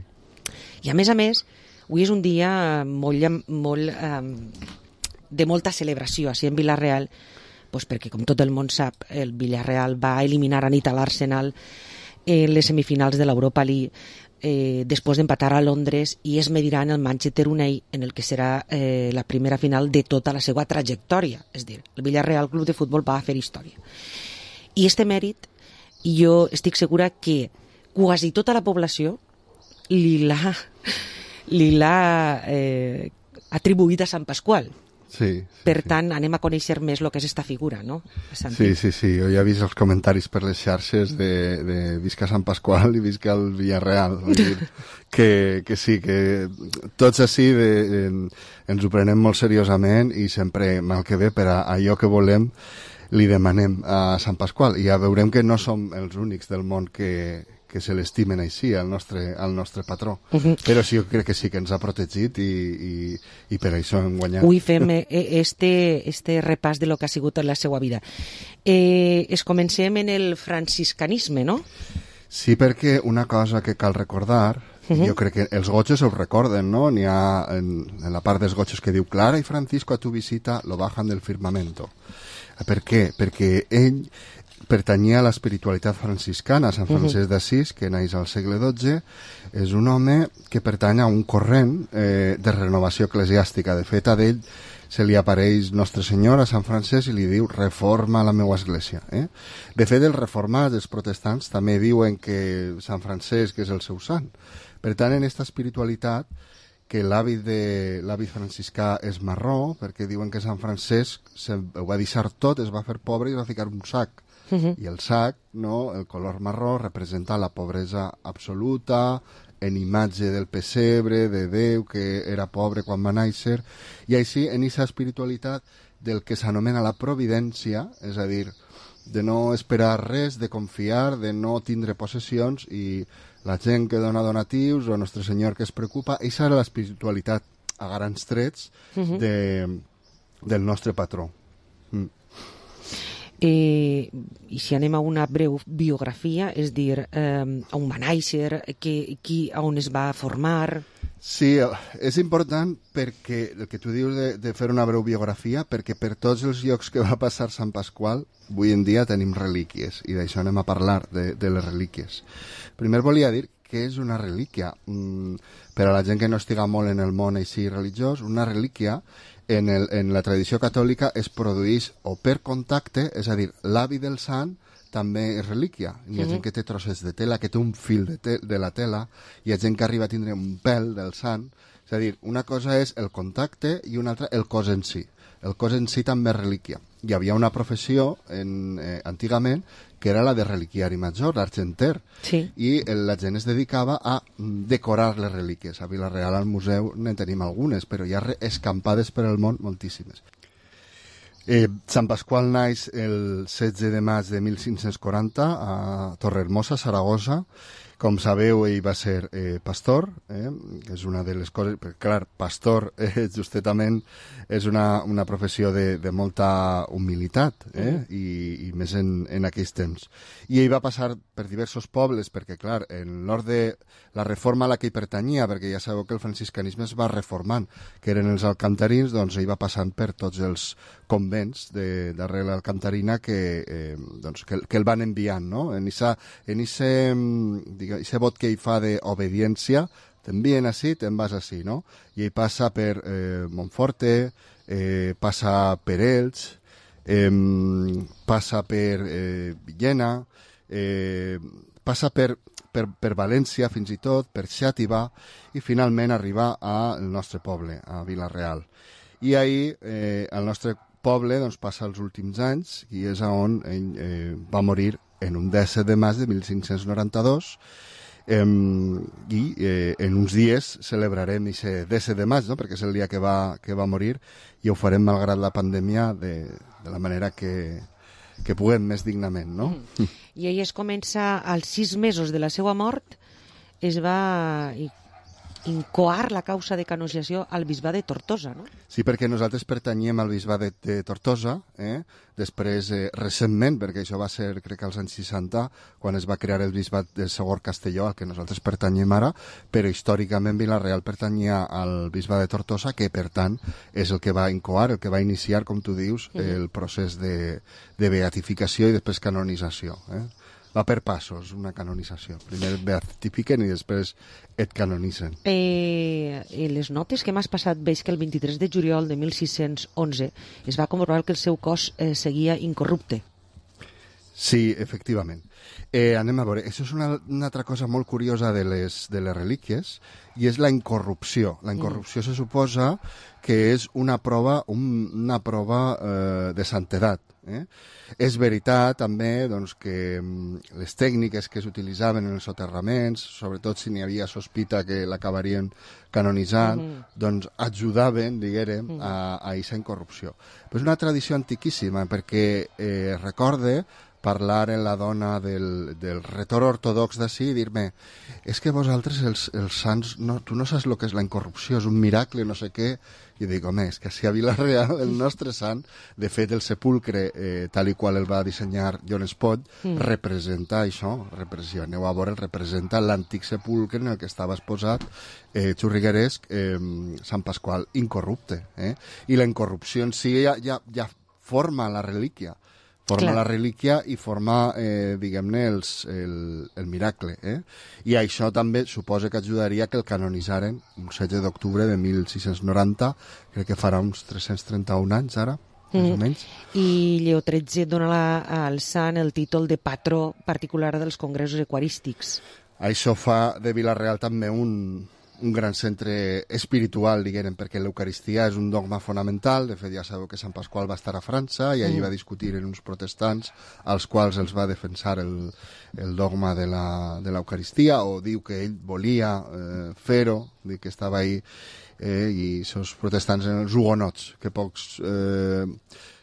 [SPEAKER 5] I a més a més, avui és un dia molt... molt eh, de molta celebració així en Vila-real, doncs perquè, com tot el món sap, el Villarreal va eliminar a nit a l'Arsenal en les semifinals de l'Europa League eh, després d'empatar a Londres i es mediran el Manchester United en el que serà eh, la primera final de tota la seva trajectòria. És dir, el Villarreal Club de Futbol va fer història. I este mèrit, jo estic segura que quasi tota la població li l'ha li l'ha eh, atribuït a Sant Pasqual.
[SPEAKER 21] Sí, sí,
[SPEAKER 5] per tant, sí. Anem a conèixer més el que és esta figura, no?
[SPEAKER 21] Sí, sí, sí. Jo ja he vist els comentaris per les xarxes de, de visca Sant Pasqual i visca el Villarreal. Vull dir que, que sí, que tots així de, de, ens ho prenem molt seriosament i sempre, mal que bé, per a allò que volem, li demanem a Sant Pasqual. I ja veurem que no som els únics del món que... que se l'estimen així al nostre, al nostre patró. Uh-huh. Però sí, jo crec que sí que ens ha protegit i, i, i per això hem guanyat.
[SPEAKER 5] Avui fem este, este repàs de lo que ha sigut en la seva vida. Eh, es comencem en el franciscanisme, no?
[SPEAKER 21] Sí, perquè una cosa que cal recordar, uh-huh. jo crec que els gotxos ho recorden, no? N'hi ha en, en la part dels gotxos que diu Clara i Francisco a tu visita lo bajan del firmamento. Per què? Perquè ell pertanyia a l'espiritualitat franciscana, Sant Francesc d'Assís, que naix al segle dotze, és un home que pertany a un corrent eh, de renovació eclesiàstica. De fet, a d'ell se li apareix Nostre Senyor a Sant Francesc i li diu reforma la meua església. Eh? De fet, els reformats, els protestants, també diuen que Sant Francesc és el seu sant. Per tant, en aquesta espiritualitat, que l'hàbit de l'hàbit franciscà és marró, perquè diuen que Sant Francesc se, ho va deixar tot, es va fer pobre i va ficar un sac. Uh-huh. I el sac, no, el color marró, representa la pobresa absoluta, en imatge del pessebre, de Déu, que era pobre quan va néixer, i així en aquesta espiritualitat del que s'anomena la providència, és a dir, de no esperar res, de confiar, de no tindre possessions, i la gent que dona donatius, o Nostre Senyor que es preocupa, aquesta era l'espiritualitat a grans trets uh-huh. de, del nostre patró. Mm.
[SPEAKER 5] Eh, i si anem a una breu biografia, és dir, eh, on va néixer, que, qui, on es va formar...
[SPEAKER 21] Sí, és important perquè el que tu dius de, de fer una breu biografia, perquè per tots els llocs que va passar Sant Pasqual, avui en dia tenim relíquies, i d'això anem a parlar, de, de les relíquies. Primer volia dir que és una relíquia. Mm, per a la gent que no estiga molt en el món així religiós, una relíquia en, el, en la tradició catòlica es produeix o per contacte, és a dir, l'avi del sant també és relíquia. Hi ha uh-huh. gent que té trossets de tela, que té un fil de, te de la tela, hi ha gent que arriba a tindre un pèl del sant. És a dir, una cosa és el contacte i una altra el cos en si. El cos en si també és relíquia. Hi havia una professió en, eh, antigament que era la de reliquiari major, l'argenter,
[SPEAKER 5] sí.
[SPEAKER 21] i la gent es dedicava a decorar les relíquies. A Vila-real, al museu, ne tenim algunes, però hi ha escampades per al món moltíssimes. Eh, Sant Pasqual naix el setze de maig de mil cinc-cents quaranta a Torrehermosa, Saragossa. Com sabeu, ell va ser eh, pastor, eh? És una de les coses... Perquè, clar, pastor eh, justament és una, una professió de, de molta humilitat, eh? Mm. I, i més en, en aquells temps. I ell va passar per diversos pobles, perquè, clar, en l'ordre de la reforma a la que hi pertanyia, perquè ja sabeu que el franciscanisme es va reformant, que eren els alcantarins, doncs ell va passant per tots els convents de, darrere l'Alcantarina que, eh, doncs, que, que el van enviant, no? En ese, en ese, diguem, ese vot que ell fa d'obediència, t'envien així, te'n vas així, no? I ell passa per eh, Montforte, eh, passa per Elx, eh, passa per eh, Villena, eh, passa per, per, per València fins i tot, per Xàtiva, i finalment arriba al nostre poble, a Vila-real. I ahir eh, el nostre poble doncs, passa els últims anys i és on ell eh, va morir en un disset de maig de mil cinc-cents noranta-dos eh, i eh, en uns dies celebrarem aquest disset de maig, no? Perquè és el dia que va, que va morir i ho farem malgrat la pandèmia de, de la manera que, que puguem més dignament, no?
[SPEAKER 5] Mm. I ell es comença, als sis mesos de la seva mort, es va incoar la causa de canonització al bisbat de Tortosa, no?
[SPEAKER 21] Sí, perquè nosaltres pertanyem al bisbat de, de Tortosa, eh? Després, eh, recentment, perquè això va ser, crec que als anys seixanta, quan es va crear el bisbat de Segor Castelló, al que nosaltres pertanyem ara, però històricament Vila-real pertanyia al bisbat de Tortosa, que per tant és el que va incoar, el que va iniciar, com tu dius, mm-hmm. el procés de, de beatificació i després canonització, eh? Va per passos, una canonització. Primer et beatifiquen i després et canonitzen.
[SPEAKER 5] Eh, les notes que m'has passat, veig que el vint-i-tres de juliol de mil sis-cents onze es va comprovar que el seu cos eh, seguia incorrupte.
[SPEAKER 21] Sí, efectivament. Eh, anem a veure, això és una, una altra cosa molt curiosa de les, de les relíquies, i és la incorrupció. La incorrupció mm. se suposa que és una prova, un, una prova eh, de santedat. Eh? És veritat també doncs, que les tècniques que s'utilitzaven en els soterraments, sobretot si n'hi havia sospita que l'acabarien canonitzant, mm-hmm. doncs ajudaven, diguérem, mm-hmm. a aquesta incorrupció. Però és una tradició antiquíssima, perquè eh, recorde parlar en la dona del, del retor ortodox d'ací i dir-me, és que vosaltres els, els sants, no, tu no saps el que és la incorrupció, és un miracle, no sé què. I dic, home, és que si a Vila-real el nostre sant, de fet el sepulcre, eh, tal i qual el va dissenyar John Spot, mm. representa això, repressió, aneu a veure, representa l'antic sepulcre en el que estava exposat eh, xurrigueresc eh, Sant Pasqual incorrupte. Eh? I la incorrupció en si ja, ja, ja forma la relíquia. Forma Clar. la relíquia i forma, eh, diguem-ne, el, el miracle. Eh? I això també suposa que ajudaria que el canonitzaren un setze d'octubre de mil sis-cents noranta, crec que farà uns tres-cents trenta-un anys ara, mm. més o menys.
[SPEAKER 5] I Lleó tretze dona la, al sant el títol de patró particular dels congressos eucarístics.
[SPEAKER 21] Això fa de Vila-real també un... un gran centre espiritual, diguem, perquè l'Eucaristia és un dogma fonamental. De fet, ja sabeu que Sant Pasqual va estar a França i allí mm. va discutir en uns protestants als quals els va defensar el, el dogma de l'Eucaristia, o diu que ell volia eh, fer-ho, dir que estava ahí, eh, i aquests protestants eren els hugonots, que pocs... Eh,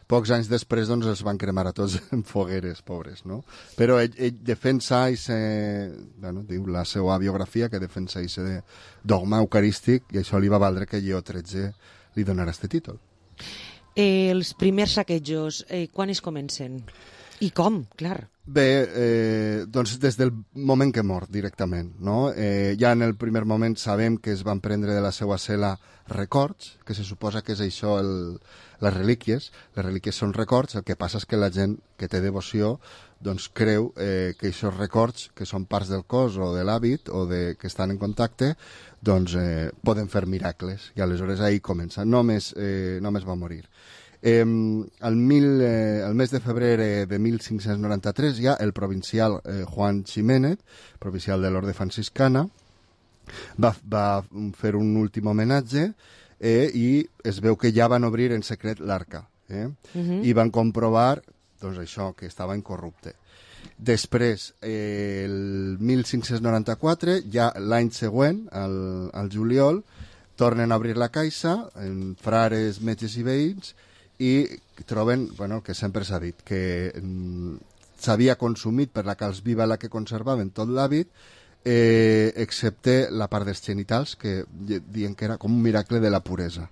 [SPEAKER 21] Pocs anys després doncs, els van cremar a tots en fogueres, pobres, no? Però ell, ell defensa, ese, bueno, diu la seva biografia, que defensa aquest dogma eucarístic, i això li va valdre que Lleó tretze li donara aquest títol.
[SPEAKER 5] Eh, els primers saquejos, eh, quan es comencen? I com, clar?
[SPEAKER 21] Bé, eh, doncs des del moment que mor, directament, no? Eh, ja en el primer moment sabem que es van prendre de la seva cel·la records, que se suposa que és això el, les relíquies. Les relíquies són records, el que passa és que la gent que té devoció doncs creu eh, que aquests records, que són parts del cos o de l'hàbit o de, que estan en contacte, doncs eh, poden fer miracles, i aleshores ahir comença. Només, eh, només va morir. Eh, el, mil, eh, el mes de febrer de mil cinc-cents noranta-tres ja el provincial eh, Juan Ximénez, provincial de l'Orde Franciscana, va, va fer un últim homenatge eh, i es veu que ja van obrir en secret l'arca eh? uh-huh. i van comprovar doncs, això, que estava incorrupte. Després, eh, el mil cinc-cents noranta-quatre, ja l'any següent, al, al juliol, tornen a obrir la caixa, en frares, metges i veïns, i troben, bueno, el que sempre s'ha dit, que mm, s'havia consumit per la calç viva la que conservaven tot l'hàbit, eh, excepte la part dels genitals, que diuen que era com un miracle de la puresa.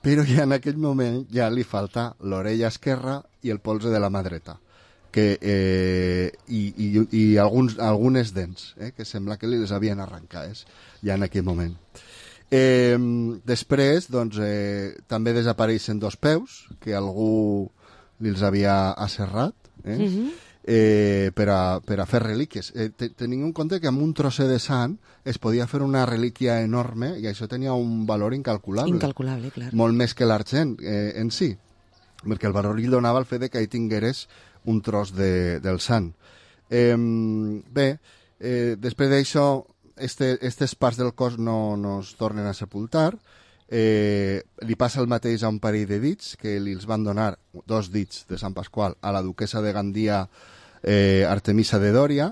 [SPEAKER 21] Però ja en aquell moment ja li falta l'orella esquerra i el polze de la mà dreta, que, eh, i, i, i alguns, algunes dents, eh, que sembla que li les havien arrencades ja en aquell moment. Eh, després, doncs, eh, també desapareixen dos peus, que algú li els havia asserrat, eh? Mm-hmm. Eh, per, a, per a fer relíquies. Eh, tenim en compte que amb un trosset de sant es podia fer una relíquia enorme i això tenia un valor incalculable.
[SPEAKER 5] Incalculable, clar.
[SPEAKER 21] Molt més que l'argent eh, en si, perquè el valor li donava el fet de que hi tingueres un tros de, del sant. Eh, bé, eh, després d'això, este, estes parts del cos no, no es tornen a sepultar. Eh, li passa el mateix a un parell de dits que li els van donar, dos dits de Sant Pasqual, a la duquesa de Gandia, eh, Artemisa de Dòria.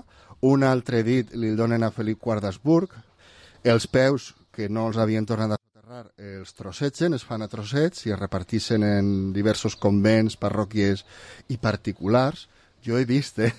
[SPEAKER 21] Un altre dit li el donen a Felip quart d'Habsburg. Els peus, que no els havien tornat a soterrar, eh, els trossegen, es fan a trossets i es repartixen en diversos convents, parròquies i particulars. Jo he vist, eh,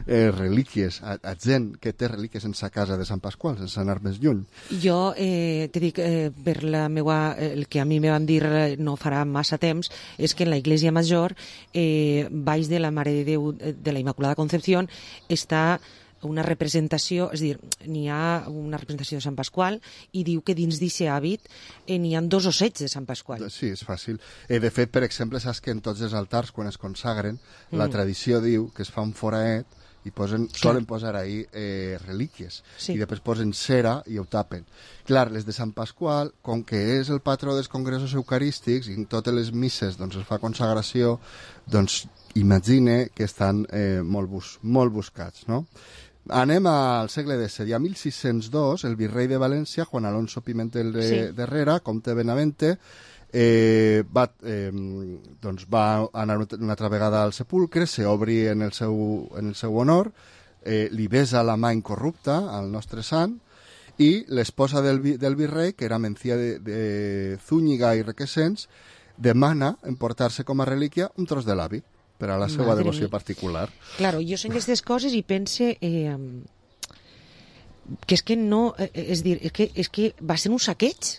[SPEAKER 21] Eh, relíquies, a, a gent que té relíquies en sa casa de Sant Pasqual, sense anar més lluny.
[SPEAKER 5] Jo eh, te dic, eh, per la meua, el que a mi me van dir no farà massa temps, és que en la Iglesia Major, eh, baix de la Mare de Déu de la Immaculada Concepción, està una representació, és a dir, n'hi ha una representació de Sant Pasqual i diu que dins d'aquest hàbit eh, n'hi ha dos ossets de Sant Pasqual.
[SPEAKER 21] Sí, és fàcil. Eh, de fet, per exemple, saps que en tots els altars, quan es consagren, mm. la tradició diu que es fa un foraet i posen, solen posar ahí eh, relíquies. Sí. I després posen cera i ho tapen. Clar, les de Sant Pasqual, com que és el patró dels congressos eucarístics i en totes les misses doncs, es fa consagració, doncs imagine que estan eh, molt, bus molt buscats, no? Anem al segle disset. I a mil sis-cents dos, el virrei de València, Juan Alonso Pimentel de, sí. de Herrera, comte de Benavente, eh, va, eh, doncs va anar una altra vegada al sepulcre, s'obri en, el seu, en el seu honor, eh, li besa la mà incorrupta al nostre sant, i l'esposa del, del virrei, que era Mencía de, de Zúñiga i Requesens, demana emportar-se com a relíquia un tros de l'hàbit per a la seva Madre devoció mia. particular.
[SPEAKER 5] Claro, jo sent aquestes coses i pense eh, que és que no, eh, és dir, és que, és que va ser un saqueig.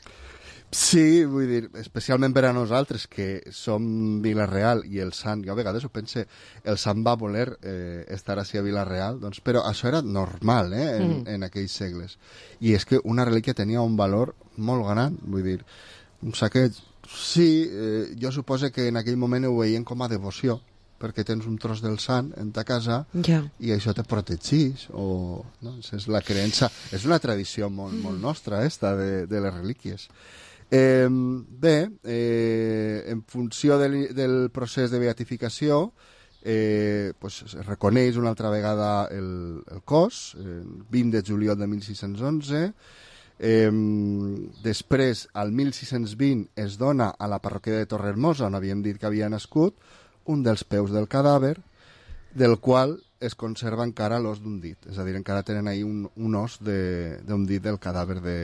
[SPEAKER 21] Sí, vull dir, especialment per a nosaltres, que som Vila-real i el sant, jo a vegades ho pense, el sant va voler eh, estar així a Vila-real, doncs, però això era normal eh, en, mm. en aquells segles. I és que una relíquia tenia un valor molt gran, vull dir, un saqueig, sí, eh, jo suposo que en aquell moment ho veien com a devoció, perquè tens un tros del sant en ta casa
[SPEAKER 5] ja.
[SPEAKER 21] i això te protegís o no? És la creença, és una tradició molt, molt nostra esta de, de les relíquies. Eh, bé, eh, en funció del, del procés de beatificació eh, pues, es reconeix una altra vegada el, el cos, el vint de juliol de mil sis-cents onze. Eh, després, al mil sis-cents vint, es dona a la parròquia de Torrehermosa, on havíem dit que havia nascut, un dels peus del cadàver, del qual es conserva encara l'os d'un dit. És a dir, encara tenen ahí un, un os d'un dit del cadàver, de,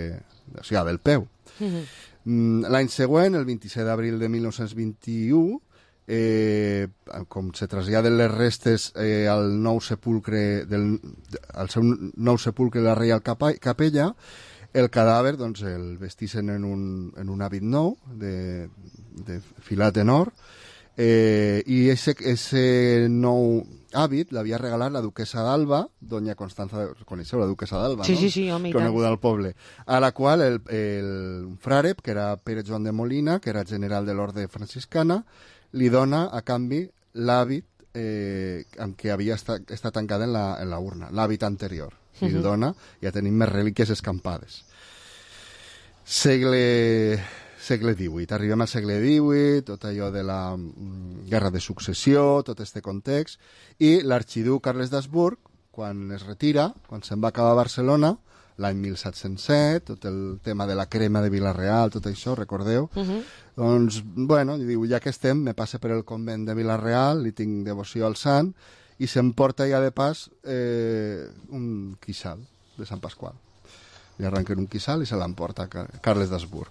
[SPEAKER 21] de, o sigui, del peu. Mm-hmm. L'any següent, el vint-i-set d'abril de mil nou-cents vint-i-u, eh, com se traslladen les restes eh, al nou sepulcre del, al seu nou sepulcre de la Reial Capella, el cadàver doncs, el vestixen en un, en un hàbit nou de, de filat en or, eh, i ese nou hàbit l'havia regalat la duquesa d'Alba, doña Constanza, coneixeu la duquesa d'Alba,
[SPEAKER 5] sí,
[SPEAKER 21] no?
[SPEAKER 5] Sí, sí, home, i
[SPEAKER 21] coneguda al poble, a la qual el, el frare, que era Pere Joan de Molina, que era general de l'orde franciscana, li dona a canvi l'hàbit eh, amb què havia estat, estat tancada en la, en la urna, l'hàbit anterior. Uh-huh. Li dona, ja tenim més relíquies escampades. Segle... segle divuit. Arribem al segle divuit, tot allò de la mm, guerra de successió, tot aquest context, i l'arxiduc Carles d'Habsburg, quan es retira, quan se'n va acabar a Barcelona, l'any mil set-cents set, tot el tema de la crema de Vila-real, tot això, recordeu? Uh-huh. Doncs, bueno, diu, ja que estem, me passe per el convent de Vila-real, li tinc devoció al sant, i se'm porta ja de pas eh, un quixal de Sant Pasqual. Li arrenquen un quissal i se l'emporta Carles d'Habsburg.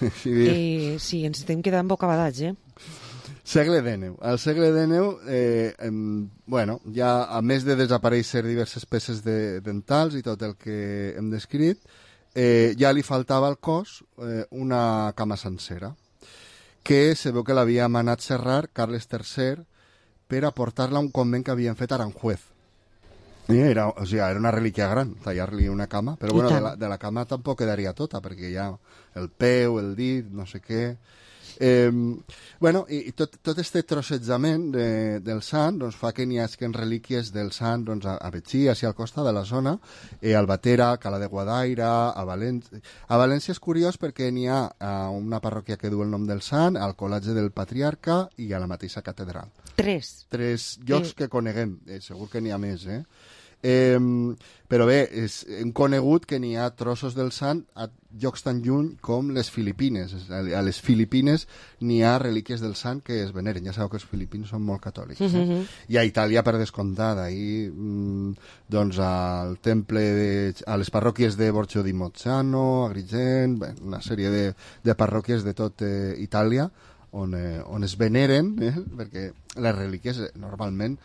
[SPEAKER 5] Eh, sí, ens estem quedant bocabadats, eh?
[SPEAKER 21] Segle dènou. Al segle dènou, eh, em, bueno, ja a més de desaparèixer diverses peces de, dentals i tot el que hem descrit, eh, ja li faltava al cos eh, una cama sencera, que se veu que l'havia manat serrar Carles tercer per aportar-la a un convent que havien fet a Aranjuez. I era, o sigui, era una relíquia gran, tallar-li una cama, però bueno, de la, de la cama tampoc quedaria tota, perquè hi ha el peu, el dit, no sé què... Eh, bueno, i tot, tot este trossejament de, del sant doncs, fa que n'hi hagi relíquies del sant doncs, a, a Betxí, així al costat de la zona, eh, a Albatera, a Cala de Guadaira, a València. A València és curiós perquè n'hi ha a una parròquia que du el nom del sant, al Col·legi del Patriarca i a la mateixa catedral.
[SPEAKER 5] Tres.
[SPEAKER 21] Tres llocs eh. que coneguem, eh, segur que n'hi ha més, eh? Eh, però bé, és, hem conegut que n'hi ha trossos del sant a llocs tan lluny com les Filipines. A les Filipines n'hi ha relíquies del sant que es veneren. Ja sabeu que els filipins són molt catòlics. Eh? Mm-hmm. I a Itàlia, per descomptat, ahir, mm, doncs al temple, de, a les parròquies de Borgio di Mozzano, Agrigent, bé, una sèrie de, de parròquies de tot eh, Itàlia, on, eh, on es veneren, eh? Perquè les relíquies eh, normalment,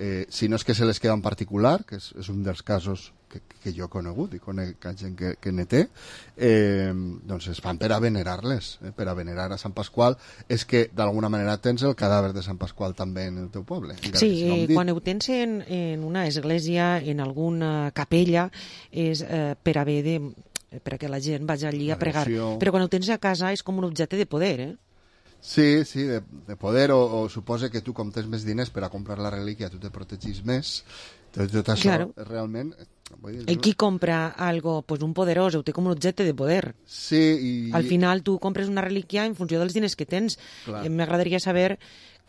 [SPEAKER 21] eh, si no és que se les queda en particular, que és, és un dels casos que, que jo he conegut i conec gent que, que ne té, eh, doncs es fan per a venerar-les, eh? Per a venerar a Sant Pasqual. És que d'alguna manera tens el cadàver de Sant Pasqual també en el teu poble.
[SPEAKER 5] Sí, eh, quan ho tens en, en una església, en alguna capella, és eh, per haver de perquè la gent vagi allí a pregar. Però quan ho tens a casa és com un objecte de poder, eh?
[SPEAKER 21] Sí, sí, de, de poder, o, o suposa que tu, com tens més diners per a comprar la relíquia, tu te protegis més. Tot, tot això,
[SPEAKER 5] claro.
[SPEAKER 21] Realment... Vull dir,
[SPEAKER 5] el qui compra algo, pues un poderós, ho té com un objecte de poder.
[SPEAKER 21] Sí, i...
[SPEAKER 5] Al final tu compres una relíquia en funció dels diners que tens. M'agradaria saber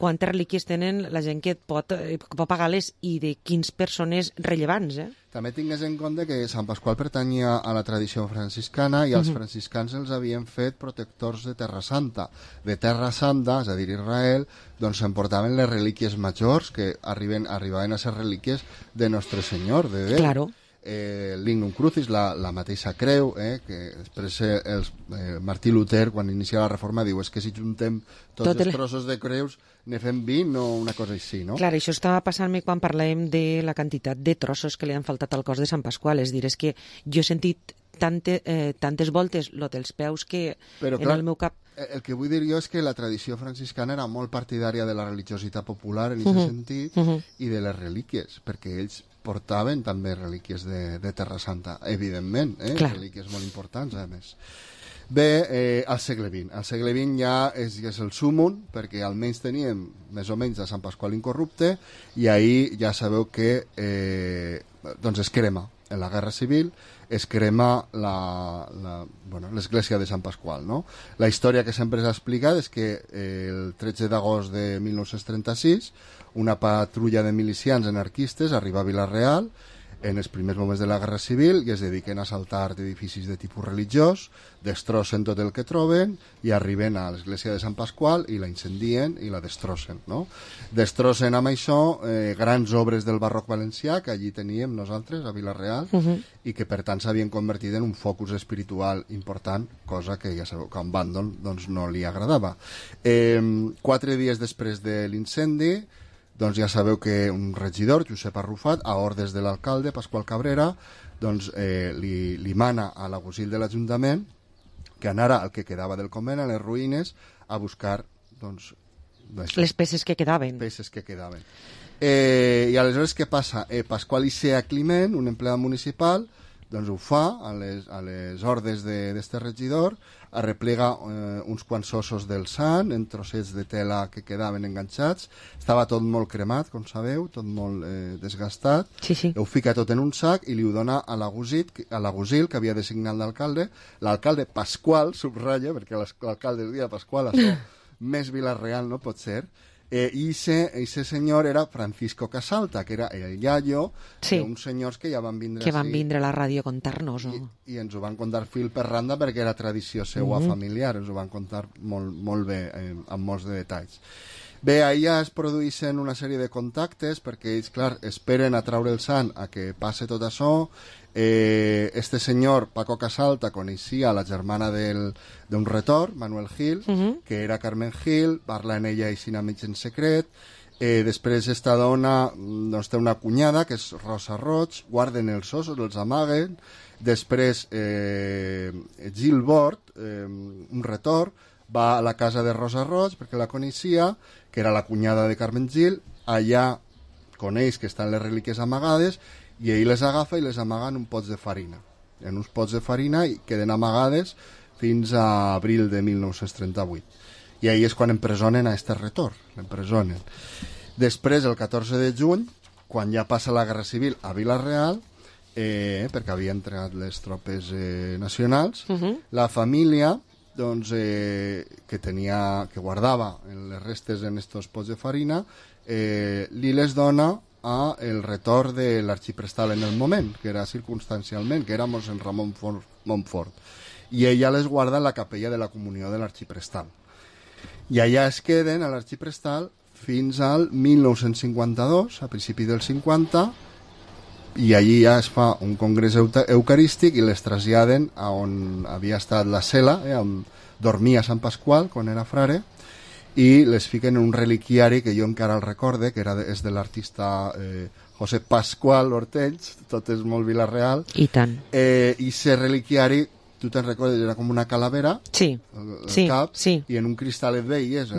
[SPEAKER 5] quantes relíquies tenen la gent que pot, pot pagar-les i de quins persones rellevants, eh?
[SPEAKER 21] També tingues en compte que Sant Pasqual pertanyia a la tradició franciscana i els uh-huh. franciscans els havien fet protectors de Terra Santa. De Terra Santa, és a dir, Israel, doncs s'emportaven les relíquies majors que arriben, arribaven a ser relíquies de Nostre Senyor, de Déu.
[SPEAKER 5] Claro.
[SPEAKER 21] Eh, l'Ignum Crucis, la, la mateixa creu, eh, que després eh, els, eh, Martí Luter, quan inicia la reforma, diu és que si juntem tots Tot els el... trossos de creus ne fem vint o una cosa així, no?
[SPEAKER 5] Clar, això estava passant-me quan parlàvem de la quantitat de trossos que li han faltat al cos de Sant Pasqual. És dir, és que jo he sentit tante, eh, tantes voltes lo dels peus que
[SPEAKER 21] Però,
[SPEAKER 5] en
[SPEAKER 21] clar,
[SPEAKER 5] el meu cap...
[SPEAKER 21] El que vull dir jo és que la tradició franciscana era molt partidària de la religiositat popular en aquest uh-huh. sentit uh-huh. i de les relíquies, perquè ells portaven també relíquies de, de Terra Santa, evidentment, eh? Relíquies molt importants, a més. Bé, eh, al segle vint. Al segle vint ja és, ja és el súmum, perquè almenys teníem més o menys a Sant Pasqual incorrupte, i ahir ja sabeu que eh, doncs es crema en la Guerra Civil, es crema la, la, bueno, l'església de Sant Pasqual, no? La història que sempre s'ha explicat és que eh, el tretze d'agost de mil nou-cents trenta-sis una patrulla de milicians anarquistes arriba a Vila-real en els primers moments de la Guerra Civil i es dediquen a assaltar edificis de tipus religiós, destrossen tot el que troben i arriben a l'església de Sant Pasqual i la incendien i la destrossen, no? Destrossen amb això eh, grans obres del barroc valencià que allí teníem nosaltres a Vila-real uh-huh. i que per tant s'havien convertit en un focus espiritual important, cosa que ja sabeu que a en Bandol doncs, no li agradava. Eh, quatre dies després de l'incendi doncs ja sabeu que un regidor, Josep Arrufat, a ordres de l'alcalde, Pasqual Cabrera, doncs eh, li, li mana a l'agutzil de l'Ajuntament que anara al que quedava del convent, a les ruïnes, a buscar doncs,
[SPEAKER 5] les peces que quedaven.
[SPEAKER 21] Peces que quedaven. Eh, I aleshores què passa? Eh, Pasqual Icea Climent, un empleat municipal, doncs ho fa a les, a les ordres d'este regidor, arreplega eh, uns quants ossos del sant en trossets de tela que quedaven enganxats, estava tot molt cremat, com sabeu, tot molt eh, desgastat,
[SPEAKER 5] sí, sí.
[SPEAKER 21] Ho fica tot en un sac i li ho dona a l'agutzil que havia designat l'alcalde, l'alcalde Pasqual, subratlla, perquè l'alcalde el dia de Pasqual, això més Vila-real no pot ser, Eh, i ese senyor era Francisco Casalta, que era el iaio
[SPEAKER 5] sí.
[SPEAKER 21] d'uns senyors que ja van vindre
[SPEAKER 5] que van
[SPEAKER 21] així,
[SPEAKER 5] vindre a la ràdio a contar-nos no?
[SPEAKER 21] I, i ens ho van contar fil per randa perquè era tradició seua mm-hmm. familiar, ens ho van contar molt, molt bé eh, amb molts de detalls. Bé, allà es produeixen una sèrie de contactes perquè ells, clar, esperen a traure el sant a que passe tot això. Eh, este senyor, Paco Casalta, coneixia la germana del, d'un retor, Manuel Gil, uh-huh. que era Carmen Gil, parla en ella així a mig en secret. Eh, després esta dona doncs, té una cunyada, que és Rosa Roig, guarden els ossos, els amaguen. Després eh, Gil Bort, eh, un retor, va a la casa de Rosa Roig perquè la coneixia, que era la cunyada de Carmen Gil. Allà coneix que estan les relíquies amagades i ell les agafa i les amaga en un pots de farina. En uns pots de farina i queden amagades fins a abril de mil nou-cents trenta-vuit. I ahir és quan empresonen a este retor, l'empresonen. Després, el catorze de juny, quan ja passa la Guerra Civil a Vila-real, eh, perquè havia entregat les tropes eh, nacionals, uh-huh. la família doncs, eh, que tenia, que guardava les restes en estos pots de farina, eh, li les dona a el retor de l'arxiprestal en el moment, que era circumstancialment, que era mossèn Ramon Montfort. I ella les guarda en la capella de la comunió de l'arxiprestal. I allà es queden a l'arxiprestal fins al mil nou-cents cinquanta-dos, a principi del cinquanta, i allí ja es fa un congrés eucarístic i les traslladen a on havia estat la cel·la, eh, on dormia Sant Pasqual quan era frare, i les fiquen en un reliquiari que jo encara el recorde, que era de, és de l'artista eh, José Pascual Hortells, tot és molt Vila-real.
[SPEAKER 5] I tant.
[SPEAKER 21] Eh, I ese reliquiari, tu te'n recordes, era com una calavera,
[SPEAKER 5] sí,
[SPEAKER 21] el, el
[SPEAKER 5] sí,
[SPEAKER 21] cap,
[SPEAKER 5] sí.
[SPEAKER 21] i en un cristal et veies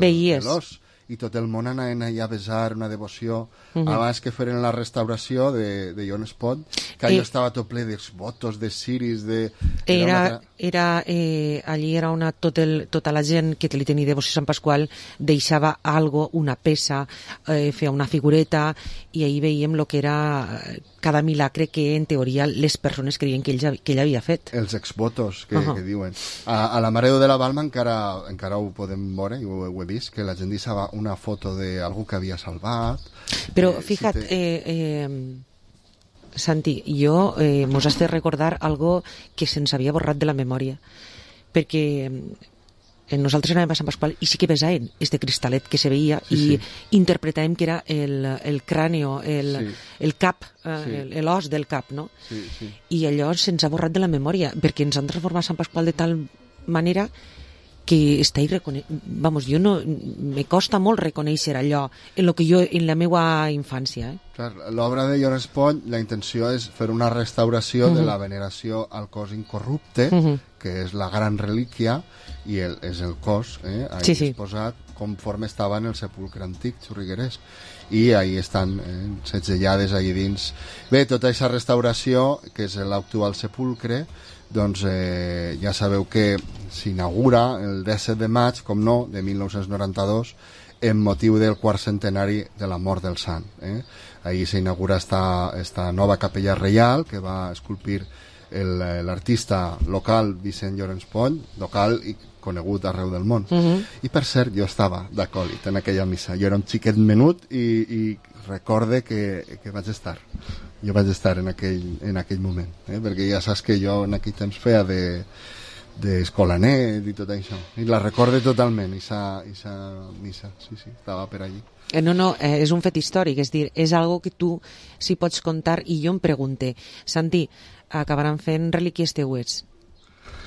[SPEAKER 21] l'os, i tot el món anaven allà a besar, una devoció, uh-huh. abans que feren la restauració de, de Jon Espot, que allò eh, estava tot ple de votos, de ciris, de...
[SPEAKER 5] Era, era, una... era eh, allí era una, tot el, tota la gent que li tenia devoció a Sant Pasqual deixava algo, una peça, eh, feia una figureta, i ahir veiem lo que era cada milagre que en teoria les persones creien que ell, que ell havia fet.
[SPEAKER 21] Els exvotos que, uh-huh. que diuen. A, a la Mare de la Balma encara, encara ho podem veure, i ho, ho he vist, que la gent deixava una foto d'algú que havia salvat.
[SPEAKER 5] Però
[SPEAKER 21] eh,
[SPEAKER 5] fija't,
[SPEAKER 21] si te...
[SPEAKER 5] eh, eh, Santi, jo eh, mos has de recordar algo que se'ns havia borrat de la memòria, perquè eh, nosaltres anàvem a Sant Pasqual i sí que besàvem este cristalet que se veia sí, i sí. interpretàvem que era el, el cràneo, el, sí. el cap, eh, sí. l'os del cap, no?
[SPEAKER 21] Sí, sí.
[SPEAKER 5] I allò se'ns ha borrat de la memòria, perquè ens han transformat Sant Pasqual de tal manera que està irrecone... Vamos, jo no... Me costa molt reconèixer allò en lo que jo, en la meva infància. Eh?
[SPEAKER 21] Clar, l'obra de Jon Espot, la intenció és fer una restauració uh-huh. de la veneració al cos incorrupte, uh-huh. que és la gran relíquia, i el, és el cos, eh, ahí sí, sí. exposat conforme estava en el sepulcre antic, Xurriguerès. I ahí estan eh, setzellades allà dins. Bé, tota aquesta restauració, que és l'actual sepulcre, doncs eh, ja sabeu que s'inaugura el disset de maig, com no, de mil nou-cents noranta-dos, en motiu del quart centenari de la mort del sant. Eh? Ahí s'inaugura esta, esta nova capella reial que va esculpir l'artista local Vicent Llorenç Pont, local i conegut arreu del món. Uh-huh. I per cert, jo estava d'acòlit en aquella missa. Jo era un xiquet menut i, i recorde que, que vaig estar. Jo vaig estar en aquell, en aquell moment, eh? perquè ja saps que jo en aquell temps feia de d'escolanet i tot això. I la recorde totalment, esa, esa missa. Sí, sí, estava per allí.
[SPEAKER 5] Eh, no, no, eh, és un fet històric, és dir, és algo que tu sí pots contar, i jo em pregunte, Santi, acabaran fent relíquies teues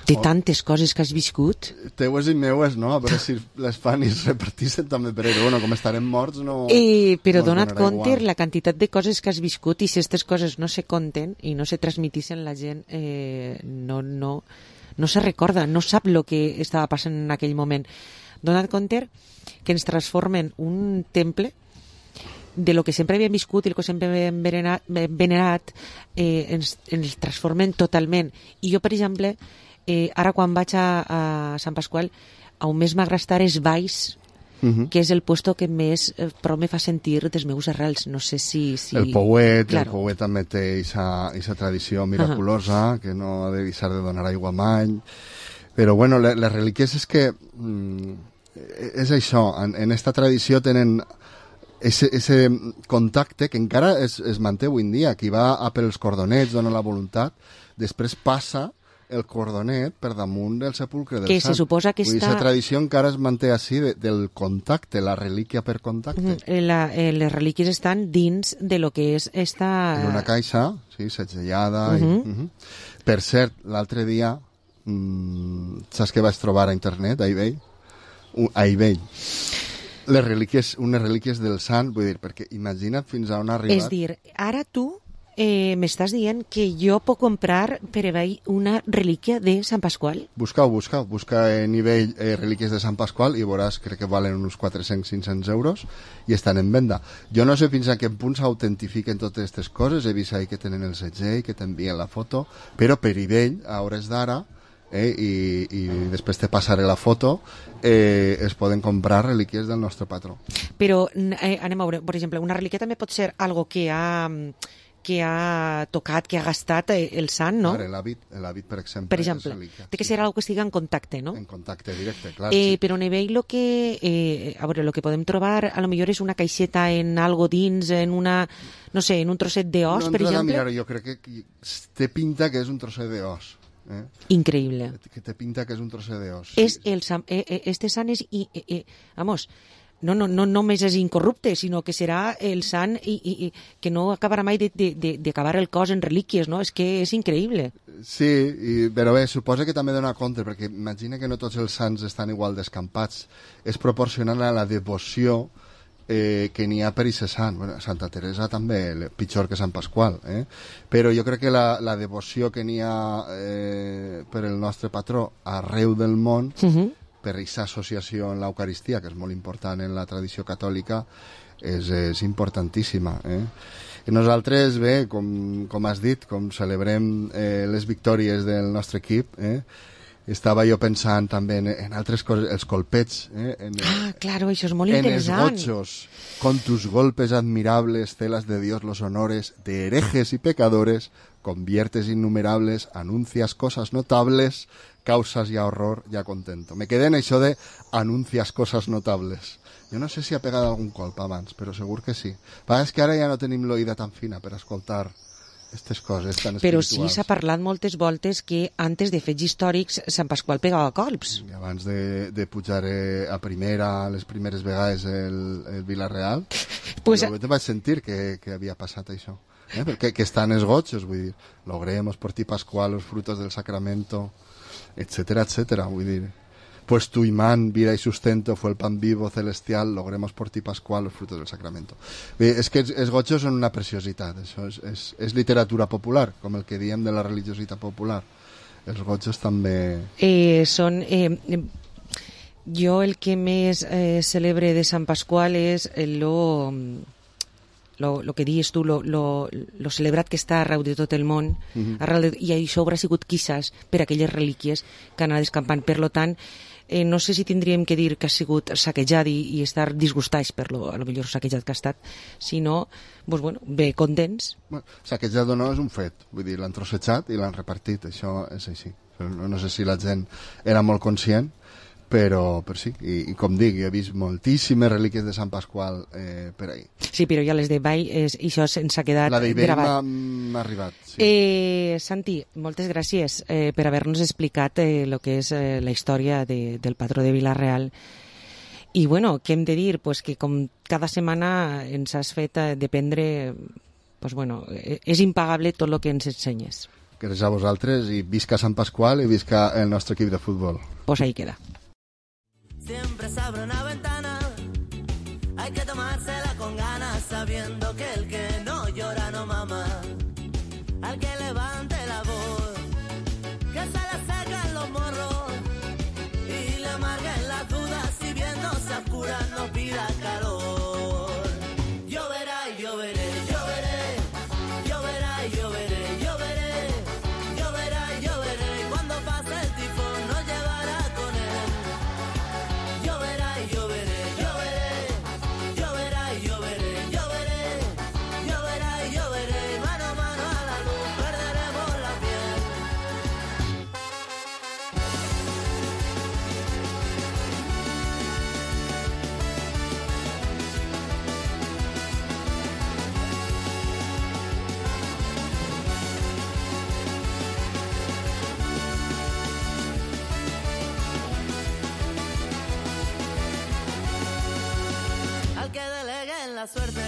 [SPEAKER 5] de tantes coses que has viscut?
[SPEAKER 21] Teues i meues, no? A veure si les fan i es repartissin també per ell. Bueno, com estarem morts, no...
[SPEAKER 5] Eh, però
[SPEAKER 21] no
[SPEAKER 5] dona't compte
[SPEAKER 21] igual.
[SPEAKER 5] La quantitat de coses que has viscut, i si aquestes coses no se conten i no se transmitissin, la gent eh, no, no, no se recorda, no sap el que estava passant en aquell moment. Dona't compte que ens transformen un temple de lo que sempre havíem viscut i el que sempre havíem venerat, venerat eh, ens, ens transformen totalment. I jo, per exemple, eh, ara quan vaig a, a Sant Pasqual, on més m'agrada estar és Valls, uh-huh. que és el puesto que més eh, però me fa sentir dels meus arrels. No sé si... si...
[SPEAKER 21] El Pouet, claro. El Pouet també té aquesta tradició miraculosa, uh-huh. que no ha de deixar de donar aigua mai. Però bueno, les, les relíquies és que mm, és això, en, en esta tradició tenen ese, ese contacte que encara es, es manté avui en dia. Qui va a pels cordonets, dona la voluntat, després passa el cordonet per damunt del sepulcre del
[SPEAKER 5] que
[SPEAKER 21] sant.
[SPEAKER 5] se suposa que
[SPEAKER 21] Vull dir,
[SPEAKER 5] està...
[SPEAKER 21] la tradició encara es manté així de, del contacte, la relíquia per contacte.
[SPEAKER 5] Mm, la, eh, les relíquies estan dins de lo que és esta...
[SPEAKER 21] En una caixa, sí, segellada.
[SPEAKER 5] Uh
[SPEAKER 21] i,
[SPEAKER 5] -huh.
[SPEAKER 21] uh -huh. Per cert, l'altre dia, mmm, saps què vaig trobar a internet, a eBay? Uh, a eBay. Les relíquies, unes relíquies del sant, vull dir, perquè imagina't fins a on ha arribat.
[SPEAKER 5] És dir, ara tu eh, m'estàs dient que jo puc comprar per eBay una relíquia de Sant Pasqual?
[SPEAKER 21] Busca-ho, busca-ho. Busca en eBay eh, relíquies de Sant Pasqual i veuràs, crec que valen uns quatre-cents a cinc-cents euros i estan en venda. Jo no sé fins a quin punt s'autentifiquen totes aquestes coses. He vist ahí que tenen el segell, que t'envien la foto, però per eBay, a hores d'ara, eh, i, i després te passaré la foto, eh, es poden comprar relíquies del nostre patró.
[SPEAKER 5] Però eh, anem a veure, per exemple, una relíquia també pot ser algo que ha... que ha tocat, que ha gastat el sant, no?
[SPEAKER 21] Clar, l'hàbit, l'hàbit, per exemple.
[SPEAKER 5] Per exemple, té que ser algo que estigui en contacte, no?
[SPEAKER 21] En contacte directe, clar.
[SPEAKER 5] Eh,
[SPEAKER 21] sí.
[SPEAKER 5] Però en eBay lo que, eh, a veure, lo que podem trobar a lo millor és una caixeta en algo dins, en una, no sé, en un trosset d'os,
[SPEAKER 21] no
[SPEAKER 5] per exemple.
[SPEAKER 21] Mirar, jo crec que té pinta que és un trosset d'os. Eh?
[SPEAKER 5] Increïble.
[SPEAKER 21] Que té pinta que és un trosset d'os.
[SPEAKER 5] Sí. És el, eh, eh, este sant és, i, eh, eh, vamos, no, no, no només és incorrupte, sinó que serà el sant i, i, i que no acabarà mai d'acabar el cos en relíquies, no? És que és increïble.
[SPEAKER 21] Sí, i, però bé, suposa que també dona compte, perquè imagina que no tots els sants estan igual descampats. És proporcional a la devoció eh, que n'hi ha per aquest sant. Bueno, Santa Teresa també, pitjor que Sant Pasqual, eh? Però jo crec que la, la devoció que n'hi ha eh, per el nostre patró arreu del món, uh-huh. per aquesta associació en l'Eucaristia, que és molt important en la tradició catòlica, és, és importantíssima. Eh? I nosaltres, bé, com, com has dit, com celebrem eh, les victòries del nostre equip, eh? estava jo pensant també en, en altres coses, els colpets. Eh? En,
[SPEAKER 5] ah, claro, això és molt
[SPEAKER 21] en
[SPEAKER 5] interessant.
[SPEAKER 21] En els gochos, con tus golpes admirables, celas de Dios los honores, de herejes y pecadores, conviertes innumerables, anuncias cosas notables, causas ya horror, ya contento. Me quedé en això de anuncias cosas notables. Jo no sé si ha pegat algun colp abans, però segur que sí. Però és que ara ja no tenim l'oïda tan fina per escoltar aquestes coses tan
[SPEAKER 5] però
[SPEAKER 21] espirituals.
[SPEAKER 5] Però sí s'ha parlat moltes voltes que antes de fets històrics Sant Pasqual pegava colps.
[SPEAKER 21] I abans de, de pujar eh, a primera, les primeres vegades el, el Vila-real, pues, jo te vaig sentir que, que havia passat això. Eh? Perquè que estan els gochos, vull dir, logremos por ti Pascual los frutos del sacramento, etcétera, etcétera, vull dir, pues tu imán, vida y sustento fue el pan vivo celestial, logremos por ti Pascual los frutos del sacramento. Bé, és que els, els gochos són una preciositat, això és, és, és literatura popular, com el que diem de la religiositat popular. Els gochos també...
[SPEAKER 5] Eh, són... Eh, eh, jo el que més eh, celebre de Sant Pasqual és lo... Lo, lo que dius tu, lo, lo, lo celebrat que està arreu de tot el món, uh-huh. arreu de, i això haurà sigut quizás per aquelles relíquies que han anat escampant. Per lo tant, eh, no sé si tindríem que dir que ha sigut saquejat i, i estar disgustats per lo, a lo millor saquejat que ha estat, sinó, pues, bueno, bé, contents.
[SPEAKER 21] Bueno, saquejat o no és un fet, vull dir, l'han trossejat i l'han repartit, això és així. No, no sé si la gent era molt conscient, però, però sí, i, i com dic, he vist moltíssimes relíquies de Sant Pasqual eh, per ahí.
[SPEAKER 5] Sí, però ja les de Vall, és, això se'ns ha quedat
[SPEAKER 21] la
[SPEAKER 5] gravat.
[SPEAKER 21] m'ha arribat, sí.
[SPEAKER 5] Eh, Santi, moltes gràcies eh, per haver-nos explicat el eh, que és eh, la història de, del patró de Vila-real. I, bueno, què hem de dir? Pues que com cada setmana ens has fet eh, dependre, pues, bueno, eh, és impagable tot el que ens ensenyes.
[SPEAKER 21] Gràcies a vosaltres i visca Sant Pasqual i visca el nostre equip de futbol.
[SPEAKER 5] Pues ahí queda.
[SPEAKER 1] Siempre se abre una ventana, hay que tomársela con ganas, sabiendo que el que no llora no mama. Al que levante la voz, que se le secan los morros y le amarguen las dudas, si viéndose a oscuras no pida calor. Lloverá y lloveré, lloveré, lloverá y lloveré, lloveré, lloverá y lloveré, cuando pase el tifón nos llevará con él. Lloverá y lloveré, lloveré, lloverá y lloveré, lloveré, lloverá y lloveré, mano a mano a la luz perderemos la piel. la suerte,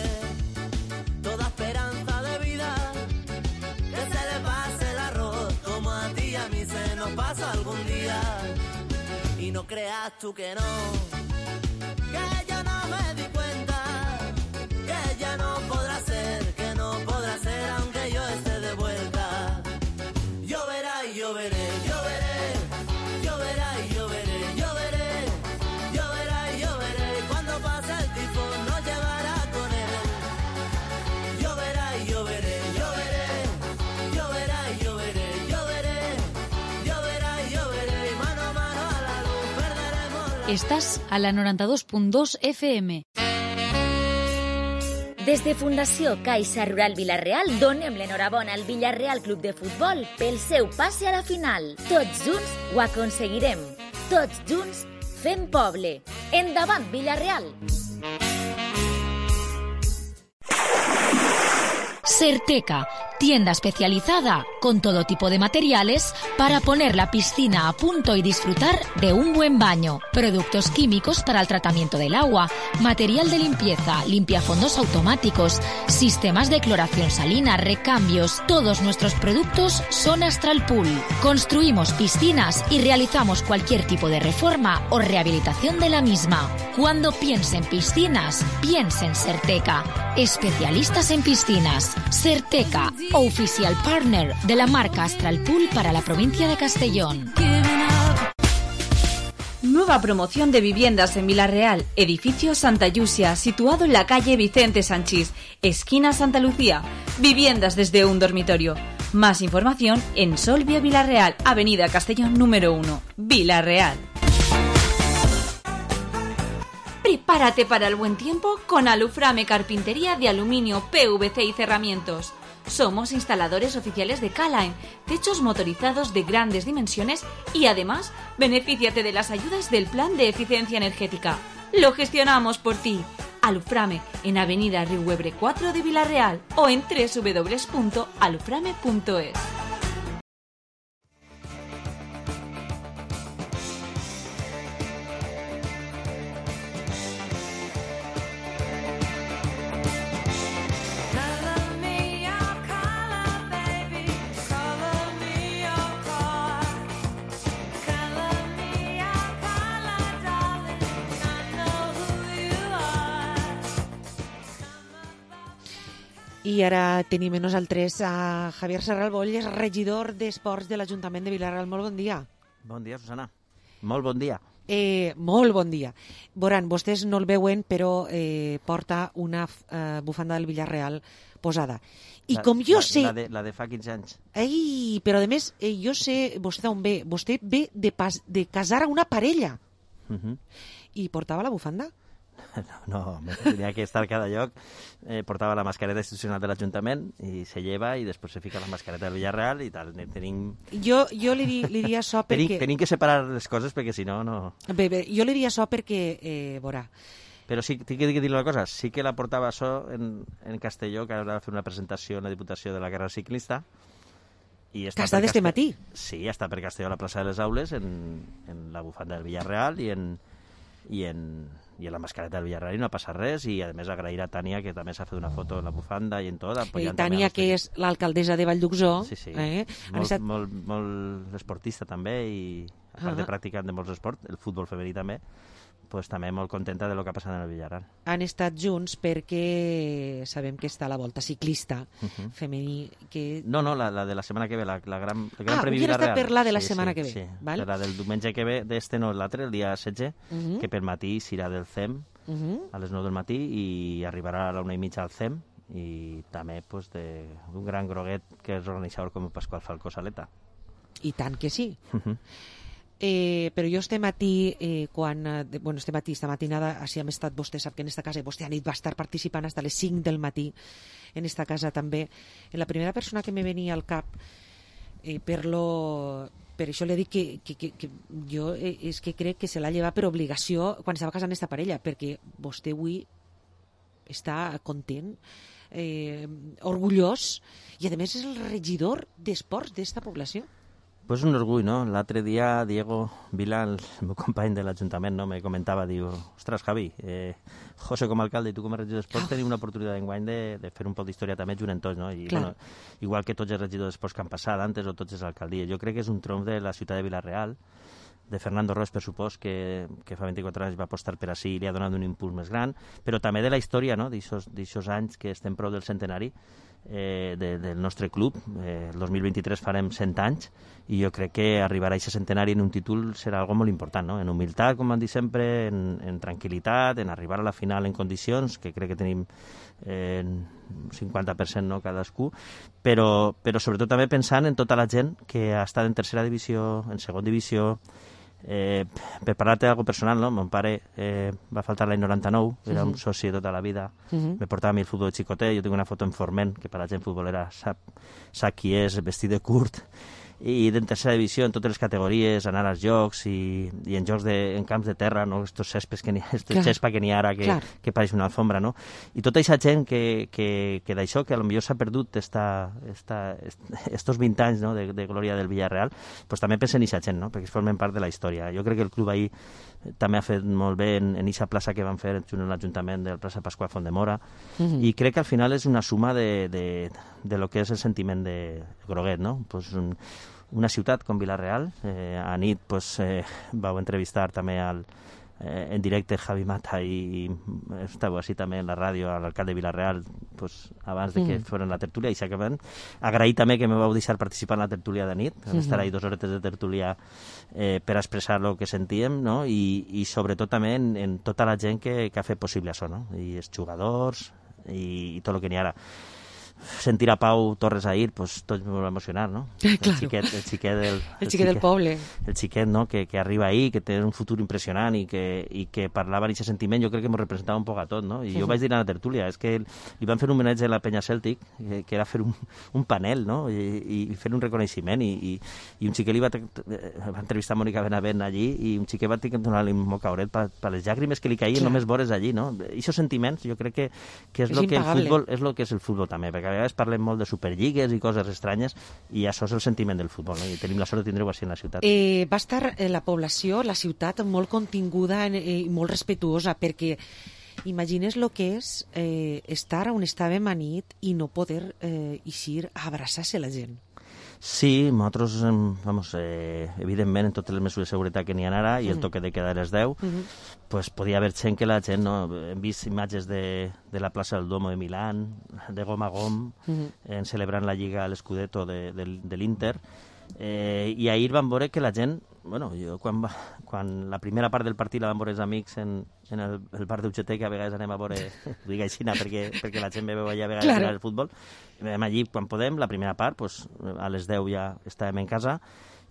[SPEAKER 1] toda esperanza de vida, que se le pase el arroz como a ti y a mí se nos pasa algún día. Y no creas tú que no, que yo no me di cuenta, que ya no podrá ser, que no podrá ser aunque yo esté de vuelta. Lloverá y lloveré, lloveré, lloverá y lloveré, lloveré, lloverá y lloveré, cuando pase el tifón nos llevará con él. Lloverá y lloveré, lloveré, lloverá y lloveré, lloveré, lloverá y lloveré, y mano a mano a la luz perderemos la...
[SPEAKER 4] Estàs a la noranta-dos punt dos F M.
[SPEAKER 2] Des de Fundació Caixa Rural Vila-real donem l'enhorabona al Villarreal Club de Futbol pel seu passe a la final. Tots junts ho aconseguirem. Tots junts fem poble. Endavant, Villarreal!
[SPEAKER 22] Certeca, tienda especializada con todo tipo de materiales para poner la piscina a punto y disfrutar de un buen baño. Productos químicos para el tratamiento del agua, material de limpieza, limpiafondos automáticos, sistemas de cloración salina, recambios. Todos nuestros productos son Astral Pool. Construimos piscinas y realizamos cualquier tipo de reforma o rehabilitación de la misma. Cuando piense en piscinas, piense en Certeca. Especialistas en piscinas. Certeca, oficial partner de la marca Astral Pool para la provincia de Castellón.
[SPEAKER 4] Nueva promoción de viviendas en Vila-real, edificio Santa Llucia, situado en la calle Vicente Sanchís, esquina Santa Lucía. Viviendas desde un dormitorio. Más información en Solvia Vila-real, avenida Castellón número uno, Vila-real. Prepárate para el buen tiempo con Aluframe Carpintería de Aluminio, P V C y Cerramientos. Somos instaladores oficiales de K-Line, techos motorizados de grandes dimensiones y además benefíciate de las ayudas del Plan de Eficiencia Energética. Lo gestionamos por ti. Aluframe en avenida Riuebre cuatro de Vila-real o en doble u doble u doble u punto aluframe punto es.
[SPEAKER 5] I ara tenim a nosaltres a Javier Serral Bolles, regidor d'Esports de l'Ajuntament de Vila-real. Molt bon dia.
[SPEAKER 23] Bon dia, Susana. Molt bon dia.
[SPEAKER 5] Eh, molt bon dia. Veuran, vostès no el veuen, però eh, porta una eh, bufanda del Villarreal posada. I
[SPEAKER 23] la,
[SPEAKER 5] com jo
[SPEAKER 23] la,
[SPEAKER 5] sé...
[SPEAKER 23] La de, la de fa quinze anys.
[SPEAKER 5] Ei, però a més, eh, jo sé vostè d'on ve. Vostè ve de, pas, de casar a una parella.
[SPEAKER 23] Uh -huh.
[SPEAKER 5] I portava la bufanda?
[SPEAKER 23] No, no, tenia que estar a cada lloc. Eh, portava la mascareta institucional de l'Ajuntament i se lleva i després se fica la mascareta del Villarreal i tal. Tenim...
[SPEAKER 5] Jo, jo li, li diria això perquè...
[SPEAKER 23] Tenim, tenim que separar les coses perquè si no, no...
[SPEAKER 5] Bé, bé, jo li diria això perquè, eh, veurà...
[SPEAKER 23] Però sí, tinc que dir una cosa, sí que la portava això en, en Castelló, que ara va fer una presentació en la Diputació de la Guerra Ciclista. I
[SPEAKER 5] està que està d'este matí?
[SPEAKER 23] Sí, està per Castelló a la plaça de les Aules, en, en la bufanda del Villarreal i en... i en, i en la mascareta del Villarreal i no passa res, i a més agrair a Tània que també s'ha fet una foto en la bufanda i en tot.
[SPEAKER 5] Eh, Tània, que és l'alcaldessa de Vallduxó.
[SPEAKER 23] Sí, sí,
[SPEAKER 5] eh?
[SPEAKER 23] molt,
[SPEAKER 5] estat...
[SPEAKER 23] molt, molt esportista també i a part uh -huh. de practicant de molts esports, el futbol femení també, pues, també molt contenta de lo que ha passat en el Villarreal.
[SPEAKER 5] Han estat junts perquè sabem que està a la volta ciclista uh -huh. femení. Que...
[SPEAKER 23] No, no, la, la de la setmana que ve, la, la gran, el gran
[SPEAKER 5] ah,
[SPEAKER 23] Premi Villarreal.
[SPEAKER 5] Ah, per la de la
[SPEAKER 23] sí,
[SPEAKER 5] setmana
[SPEAKER 23] sí,
[SPEAKER 5] que ve.
[SPEAKER 23] Sí,
[SPEAKER 5] val?
[SPEAKER 23] la del diumenge que ve, d'este no, l'altre, el dia setze, uh -huh. que per matí serà del C E M, uh -huh. a les nou del matí, i arribarà a la una i mitja al C E M, i també pues, de, un gran groguet que és organitzador com el Pasqual Falcó Saleta.
[SPEAKER 5] I tant que sí.
[SPEAKER 23] Uh -huh.
[SPEAKER 5] Eh, però jo este matí, eh, quan, eh, bueno, este matí, esta matinada, així hem estat, vostè sap que en esta casa, vostè a nit va estar participant fins a les cinc del matí, en esta casa també. En la primera persona que me venia al cap, eh, per lo... Per això li dic que, que, que, que jo eh, és que crec que se l'ha llevat per obligació quan estava casant esta parella, perquè vostè avui està content, eh, orgullós, i a més és el regidor d'esports d'esta població.
[SPEAKER 23] Pues un orgull, no? L'altre dia Diego Vila, el meu company de l'Ajuntament, no? me comentava, diu, ostres, Javi, eh, José com a alcalde i tu com a regidor d'Esports tenim una oportunitat d'enguany de, de fer un poc d'història també junts tots, no? I, bueno, igual que tots els regidors d'Esports que han passat antes o tots els alcaldies. Jo crec que és un triomf de la ciutat de Vila-real, de Fernando Roes, per supòs, que, que fa vint-i-quatre anys va apostar per així i li ha donat un impuls més gran, però també de la història, no? d'aixòs anys que estem prou del centenari eh, de, del nostre club. Eh, el dos mil vint-i-tres farem cent anys i jo crec que arribar a aquest centenari en un títol serà algo molt important, no? En humilitat, com van dir sempre, en, en tranquil·litat, en arribar a la final en condicions, que crec que tenim eh, un cinquanta per cent no, cadascú, però, però sobretot també pensant en tota la gent que ha estat en tercera divisió, en segona divisió. Eh, per parlar-te d'algo personal, no? Mon pare eh, va faltar l'any noranta-nou, era uh -huh. un soci tota la vida, uh -huh. me portava a mi el futbol de xicotet, jo tinc una foto en Forment, que per la gent futbolera sap, sap qui és, vestit de curt, i en tercera divisió, en totes les categories, anar als jocs i, i en jocs de, en camps de terra, no? Estos cespes que n'hi ha, estos xespa que n'hi ha ara que, que pareix una alfombra, no? I tota aquesta gent que, que, que d'això, que potser s'ha perdut esta, esta, estos vint anys no? de, de glòria del Villarreal, pues també pensen en aquesta gent, no? Perquè formen part de la història. Jo crec que el club ahir també ha fet molt bé en aquesta plaça que van fer junt amb l'Ajuntament del plaça Pasqual Font de Mora, uh-huh. i crec que al final és una suma de, de, de lo que és el sentiment de Groguet, no? Pues un, una ciutat com Vila-real, eh, a nit pues, eh, vau entrevistar també al, eh, en directe Javi Mata i, i estàveu així també en la ràdio a l'alcalde de Vila-real pues, abans de que mm. foren la tertúlia i s'acaben. Agrair també que me vau deixar participar en la tertúlia de nit, mm -hmm. estar ahí dos horetes de tertúlia eh, per expressar el que sentíem, no? I, i sobretot també en, en tota la gent que, que ha fet possible això, no? I els jugadors i, i tot el que n'hi ha ara. Sentir a Pau Torres ahir, pues tots me va emocionar, ¿no?
[SPEAKER 5] Claro.
[SPEAKER 23] El xiquet, el xiquet del...
[SPEAKER 5] El, el xiquet del poble.
[SPEAKER 23] El xiquet, no?, que, que arriba ahí, que té un futur impressionant i que, i que parlava d'aquest sentiment, jo crec que m'ho representava un poc a tot, no? I uh-huh. jo vaig dir a la tertúlia, és que li van fer un homenatge a la penya Celtic, que, que era fer un, un panel, no?, i, i fer un reconeixement, i, i, i un xiquet li va, va entrevistar a Mònica Benavent allí, i un xiquet va tenir que donar-li un mocauret per, per les llàgrimes que li caïen només vores allí, no? I aquests sentiments, jo crec que, que és, és lo que el futbol, és lo que és el futbol també, perquè a vegades parlem molt de superlligues i coses estranyes i això és el sentiment del futbol, no? I tenim la sort de tindre-ho així en la ciutat.
[SPEAKER 5] Eh, va estar eh, la població, la ciutat, molt continguda i eh, molt respetuosa, perquè imagines el que és eh, estar on estàvem a nit i no poder eh, eixir a abraçar-se la gent.
[SPEAKER 23] Sí, nosaltres, vamos, eh, evidentment, en totes les mesures de seguretat que n'hi ha ara i el toque de queda a les deu, uh-huh. pues podia haver gent que la gent, no? Hem vist imatges de, de la plaça del Duomo de Milán, de gom a gom, uh-huh. en celebrant la Lliga a l'Scudetto de, de, de l'Inter, eh, i ahir vam veure que la gent, bueno, jo quan, va, quan la primera part del partit la vam veure els amics en, en el, el bar d'U G T, que a vegades anem a veure, ho dic així, perquè, perquè la gent ve allà a vegades claro. el futbol, vam allí quan podem, la primera part, pues, a les deu ja estàvem en casa,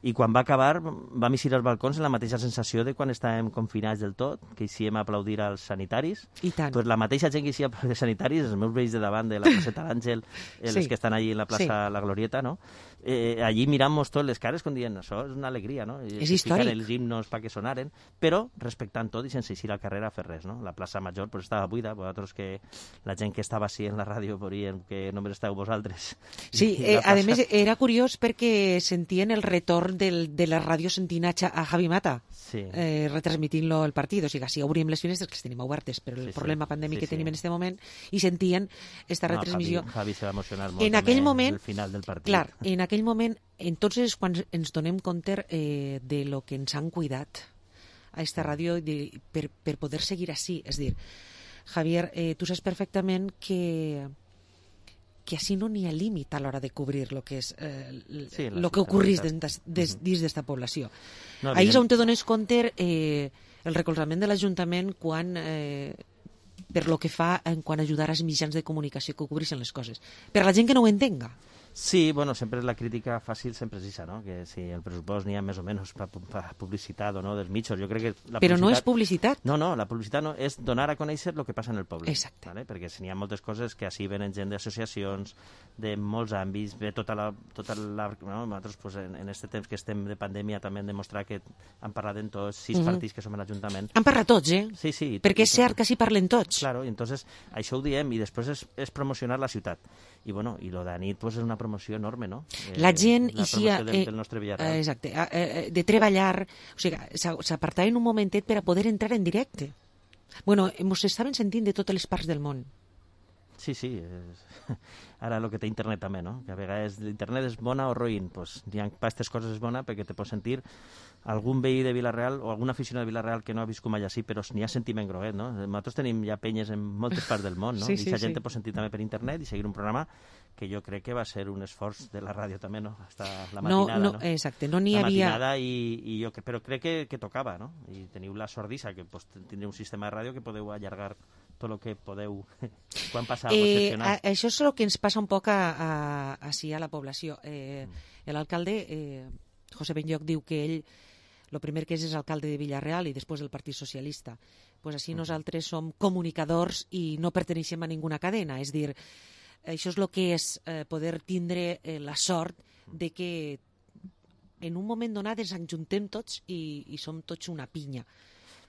[SPEAKER 23] i quan va acabar vam eixir als balcons amb la mateixa sensació de quan estàvem confinats del tot, que eixíem a aplaudir als sanitaris.
[SPEAKER 5] I tant.
[SPEAKER 23] Pues la mateixa gent que eixia a aplaudir als sanitaris, els meus veïns de davant de la placeta l'Àngel, sí. els que estan allí en la plaça sí. La Glorieta, no? Eh, allí mirant-nos tots les cares com dient, això és una alegria, no? I
[SPEAKER 5] és històric.
[SPEAKER 23] Els himnos perquè sonaren, però respectant tot i sense eixir al carrer a fer res, no? La plaça Major pues, estava buida, vosaltres que la gent que estava així en la ràdio veurien que només esteu vosaltres.
[SPEAKER 5] Sí, eh, a més era curiós perquè sentien el retorn del, de la ràdio sentint a Javi Mata
[SPEAKER 23] sí.
[SPEAKER 5] eh, retransmitint-lo el partit, o sigui, sí, obríem les finestres que les tenim obertes per el
[SPEAKER 23] sí,
[SPEAKER 5] problema
[SPEAKER 23] sí.
[SPEAKER 5] pandèmic
[SPEAKER 23] sí,
[SPEAKER 5] que
[SPEAKER 23] sí.
[SPEAKER 5] tenim en aquest moment i sentien esta
[SPEAKER 23] no,
[SPEAKER 5] retransmissió.
[SPEAKER 23] Javi, Javi se va emocionar molt
[SPEAKER 5] en aquell moment,
[SPEAKER 23] al final del partit.
[SPEAKER 5] Clar, en aquell moment, entonces quan ens donem compte eh, de lo que ens han cuidat a esta ràdio de, per, per poder seguir així, és dir, Javier, eh, tu saps perfectament que que així no n'hi ha límit a l'hora de cobrir lo que és eh,
[SPEAKER 23] sí,
[SPEAKER 5] lo que ocorrís dins d'esta població. No, ahir és on te dones compte eh, el recolzament de l'Ajuntament quan eh, per lo que fa en quan ajudar als mitjans de comunicació que cobreixen les coses. Per a la gent que no ho entenga.
[SPEAKER 23] Sí, bueno, sempre la crítica fàcil sempre és això, no? Que si el pressupost n'hi ha més o menys per pa publicitat o no dels mitjos, jo crec que... La
[SPEAKER 5] Però no és publicitat.
[SPEAKER 23] No, no, la publicitat no, és donar a conèixer el que passa en el poble.
[SPEAKER 5] Exacte.
[SPEAKER 23] ¿vale? Perquè si n'hi ha moltes coses que així venen gent d'associacions, de molts àmbits, ve tota la... Tota la no? Nosaltres, pues, en, en este temps que estem de pandèmia, també hem demostrat que han parlat en tots, sis mm-hmm. partits que som a l'Ajuntament.
[SPEAKER 5] Han parlat tots, eh?
[SPEAKER 23] Sí, sí.
[SPEAKER 5] Perquè és cert que s'hi parlen tots.
[SPEAKER 23] Claro, i entonces això ho diem, i després és, és promocionar la ciutat. I bueno, i lo de nit, pues, és una promoció enorme, no? Eh,
[SPEAKER 5] la gent
[SPEAKER 23] la
[SPEAKER 5] hi ha,
[SPEAKER 23] del, del nostre Villarreal.
[SPEAKER 5] Eh, exacte, eh, de treballar, o sigui, s'apartaven un momentet per a poder entrar en directe. Bueno, ens estaven sentint de totes les parts del món.
[SPEAKER 23] Sí, sí. És... Ara el que té internet també, no? Que a vegades l'internet és bona o roïn. Pues, n'hi ha per aquestes coses és bona perquè te pots sentir algun veí de Vilareal o algun aficionat de Vilareal que no ha viscut mai així, però n'hi ha sentiment groguet, no? Nosaltres tenim ja penyes en moltes parts del món, no?
[SPEAKER 5] Sí,
[SPEAKER 23] I
[SPEAKER 5] sí,
[SPEAKER 23] la gent
[SPEAKER 5] sí.
[SPEAKER 23] te pot sentir també per internet i seguir un programa que jo crec que va ser un esforç de la ràdio també, no? Hasta la matinada,
[SPEAKER 5] no,
[SPEAKER 23] no?
[SPEAKER 5] no? Exacte, no n'hi
[SPEAKER 23] la
[SPEAKER 5] havia...
[SPEAKER 23] matinada i, i jo, però crec que, que tocava, no? I teniu la sordissa que pues, tindreu un sistema de ràdio que podeu allargar tot el que podeu quan passa alguna cosa
[SPEAKER 5] Eh,
[SPEAKER 23] excepcional.
[SPEAKER 5] a, això és el que ens passa un poc a, a, així a la població. Eh, L'alcalde, eh, José Benlloch, diu que ell el primer que és és alcalde de Villarreal i després del Partit Socialista. Pues així nosaltres som comunicadors i no perteneixem a ninguna cadena. És dir, això és el que és eh, poder tindre eh, la sort de que en un moment donat ens enjuntem tots i, i som tots una pinya.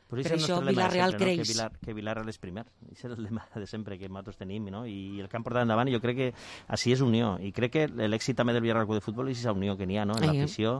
[SPEAKER 23] Però
[SPEAKER 5] per això Vilareal creix.
[SPEAKER 23] No? Que, Vilar, que Vilareal és primer. Això és el lema de sempre que nosaltres tenim, no? I el que han portat endavant, jo crec que així és unió. I crec que l'èxit també del Villarreal Club de Futbol és aquesta unió que n'hi ha, no? En l'afició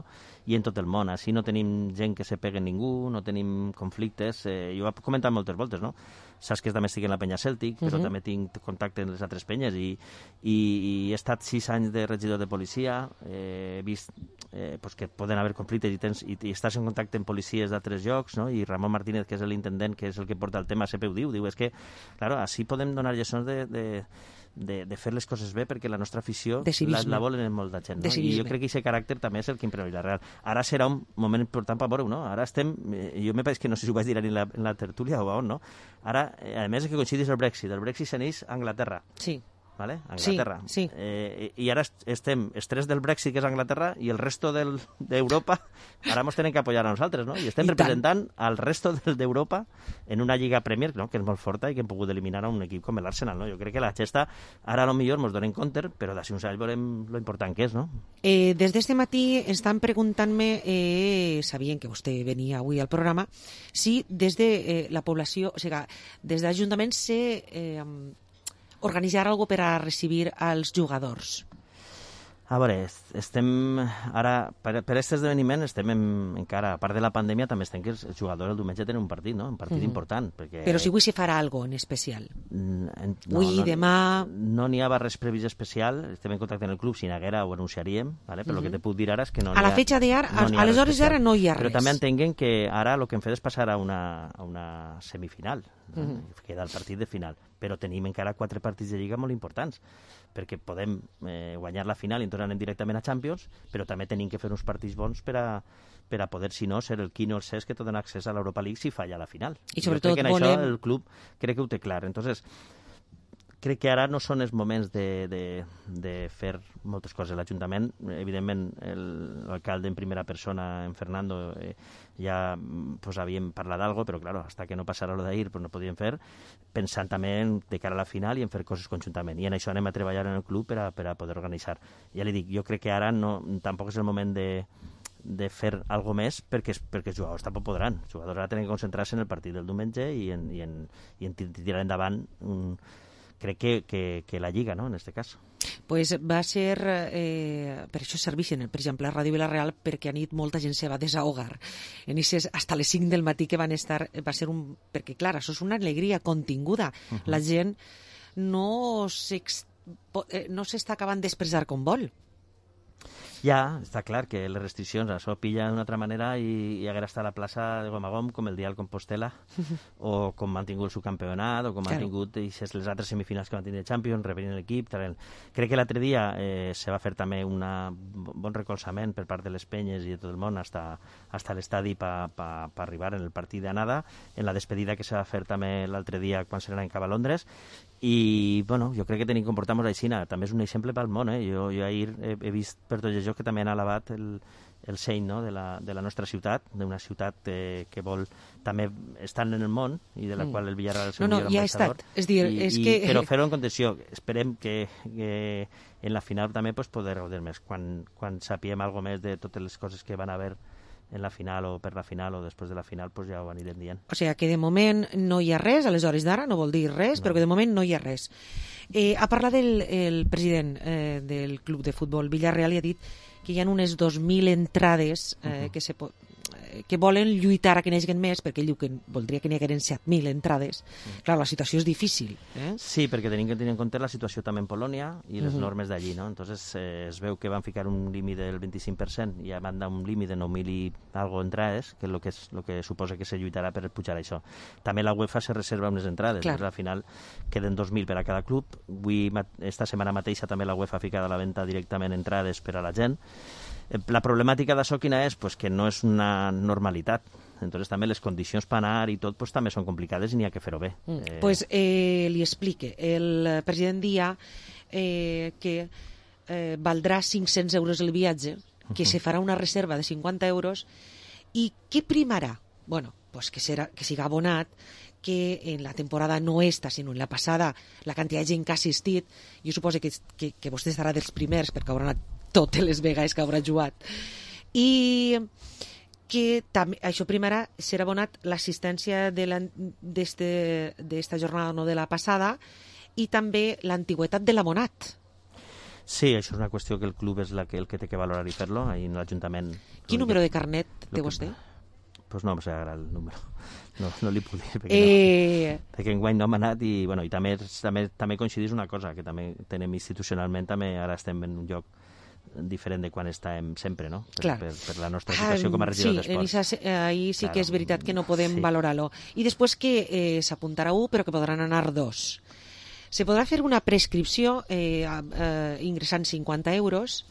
[SPEAKER 23] i en tot el món. Així no tenim gent que se pegue ningú, no tenim conflictes. Eh, jo ho he comentat moltes voltes, no? Saps que també estic en la penya Cèltic, però uh -huh. també tinc contacte amb les altres penyes i, i, i he estat sis anys de regidor de policia, eh, he vist eh, pues que poden haver conflictes i, tens, i, i estàs en contacte amb policies d'altres llocs, no? I Ramon Martínez, que és l'intendent, que és el que porta el tema, sempre ho diu, diu, és que, claro, així podem donar lliçons de, de, de, de fer les coses bé perquè la nostra afició la, la volen en molta gent, no? I jo crec que aquest caràcter també és el que impera Vilareal. Ara serà un moment important per veure-ho, no? Ara estem, eh, jo me pareix que no sé si ho vaig dir en la, en la tertúlia o on, no? Ara, eh, a més és que coincidís el Brexit, el Brexit s'aneix a Anglaterra.
[SPEAKER 5] Sí.
[SPEAKER 23] ¿Vale? Anglaterra.
[SPEAKER 5] Sí, sí.
[SPEAKER 23] Eh, I ara estem els tres del Brexit, que és Anglaterra, i el resto d'Europa, ara ens tenen que apoyar a nosaltres, no? I estem I representant tant. al resto d'Europa en una Lliga Premier, no? Que és molt forta i que hem pogut eliminar a un equip com l'Arsenal, no? Jo crec que la gesta, ara a lo millor ens donem compte, però d'ací uns anys veurem lo important que és, no?
[SPEAKER 5] Eh, des d'este matí estan preguntant-me, eh, sabien que vostè venia avui al programa, si des de eh, la població, o sigui, des de l'Ajuntament se... Eh, organitzar algo per a recibir als jugadors.
[SPEAKER 23] A veure, estem ara, per, per aquest esdeveniment estem en, encara, a part de la pandèmia, també estem que els jugadors el diumenge tenen un partit, no? Un partit mm-hmm. important. Perquè...
[SPEAKER 5] Però si avui se farà algo en especial.
[SPEAKER 23] No,
[SPEAKER 5] avui,
[SPEAKER 23] no,
[SPEAKER 5] demà...
[SPEAKER 23] No n'hi ha res previst especial, estem en contacte amb el club, si n'haguera ho anunciaríem, ¿vale? Però mm-hmm. el que te puc dir ara és que no n'hi ha...
[SPEAKER 5] A la fetxa d'ara, no a les hores d'ara no hi ha res.
[SPEAKER 23] Però també entenguen que ara el que hem fet és passar a una, a una semifinal, no? Mm-hmm. Queda el partit de final. Però tenim encara quatre partits de Lliga molt importants, perquè podem eh, guanyar la final i entonces anem directament a Champions, però també tenim que fer uns partits bons per a, per a poder, si no, ser el quinto o el sexto que te dona accés a l'Europa League si falla la final.
[SPEAKER 5] I sobretot
[SPEAKER 23] jo crec que en
[SPEAKER 5] volem...
[SPEAKER 23] això el club crec que ho té clar. Entonces, crec que ara no són els moments de, de, de fer moltes coses. L'Ajuntament, evidentment, l'alcalde en primera persona, en Fernando, eh, ja pues, havíem parlat d'algo, però claro, hasta que no passara lo d'ahir pues, no podíem fer, pensant també en, de cara a la final i en fer coses conjuntament. I en això anem a treballar en el club per a, per a poder organitzar. Ja li dic, jo crec que ara no, tampoc és el moment de, de fer algo més perquè, perquè els jugadors tampoc podran. Els jugadors ara tenen que concentrar-se en el partit del diumenge i en, i en, i en tirar endavant un crec que, que, que la Lliga, ¿no?, en este cas.
[SPEAKER 5] Pues va ser, eh, per això serveixen, per exemple, a Ràdio Vilareal, perquè a nit molta gent se va desahogar. En eixes, hasta les cinc del matí que van estar, va ser un... Perquè, clar, això és una alegria continguda. Uh-huh. La gent no s'està acabant d'expressar com vol.
[SPEAKER 23] Ja, està clar que les restriccions això pilla d'una altra manera i, i haguera estat a la plaça de Gomagom com el dia al Compostela o com han tingut el subcampionat o com han tingut les altres semifinals que van tenir el Champions, revenint l'equip. Crec que l'altre dia eh, se va fer també un bon recolzament per part de les penyes i de tot el món hasta, hasta l'estadi per pa, pa arribar en el partit d'anada, en la despedida que se va fer també l'altre dia quan se n'anava cap a Londres. I, bueno, jo crec que tenim que comportar-nos així. També és un exemple pel món, eh? Jo, jo ahir he, he vist per tots els jocs que també han alabat el, el seny, no?, de, la, de la nostra ciutat, d'una ciutat eh, que vol també estar en el món i de la mm. qual el Villarreal és el
[SPEAKER 5] no, no,
[SPEAKER 23] millor
[SPEAKER 5] ja
[SPEAKER 23] ambaixador.
[SPEAKER 5] Ha és dir,
[SPEAKER 23] I,
[SPEAKER 5] és
[SPEAKER 23] i,
[SPEAKER 5] que...
[SPEAKER 23] Però fer-ho en contenció. Esperem que, que en la final també pues, poder gaudir més. Quan, quan sapiem alguna més de totes les coses que van haver en la final o per la final o després de la final, pues ja ho anirem dient.
[SPEAKER 5] O sigui que de moment no hi ha res, a les hores d'ara no vol dir res, no. Però que de moment no hi ha res. Eh, ha parlat el, el president eh, del club de futbol Villarreal i ha dit que hi ha unes dos mil entrades eh, uh-huh. que se pot que volen lluitar a que n'hagin més, perquè ell diu que voldria que n'hi hagueren set mil entrades. Mm. Clar, la situació és difícil. Eh?
[SPEAKER 23] Sí, perquè tenim que tenir en compte la situació també en Polònia i les
[SPEAKER 5] Uh-huh.
[SPEAKER 23] normes d'allí, no? Entonces eh, es veu que van ficar un límit del vint-i-cinc per cent i van dar un límit de nou mil i algo entrades, que és el que, és, lo que suposa que se lluitarà per pujar això. També la UEFA se reserva unes entrades,
[SPEAKER 5] Clar.
[SPEAKER 23] al final queden dos mil per a cada club. Avui, esta setmana mateixa també la UEFA ha ficat a la venda directament entrades per a la gent. La problemàtica d'això quina és? Pues que no és una normalitat. Entonces també les condicions per anar i tot pues, també són complicades i n'hi ha que fer-ho bé.
[SPEAKER 5] Mm.
[SPEAKER 23] Eh...
[SPEAKER 5] Pues eh, li explique. El president dia eh, que eh, valdrà cinc-cents euros el viatge, que uh-huh. se farà una reserva de cinquanta euros i què primarà? Bueno, pues que, serà, que siga abonat, que en la temporada no esta, sinó en la passada, la quantitat de gent que ha assistit, jo suposo que, que, que vostè estarà dels primers perquè haurà anat totes les vegades que haurà jugat. I que també, això primarà serà abonat l'assistència d'esta jornada, no de la passada, i també l'antigüetat de l'abonat.
[SPEAKER 23] Sí, això és una qüestió que el club és la que, el que té que valorar i fer-lo, ahí en l'Ajuntament...
[SPEAKER 5] Quin número de carnet té vostè?
[SPEAKER 23] Doncs pues no em sé ara el número. No, no li puc dir, perquè,
[SPEAKER 5] eh...
[SPEAKER 23] no, perquè enguany no hem anat i, bueno, i també, també, també coincidís una cosa, que també tenem institucionalment, també ara estem en un lloc diferent de quan estàvem sempre, no? Per, per, per la nostra situació com a regidor
[SPEAKER 5] sí,
[SPEAKER 23] d'esports.
[SPEAKER 5] Sí, ahí sí
[SPEAKER 23] claro.
[SPEAKER 5] que és veritat que no podem
[SPEAKER 23] Sí.
[SPEAKER 5] valorar-lo. I després que eh, s'apuntarà un, però que podran anar dos. Se podrà fer una prescripció eh, eh, ingressant cinquanta euros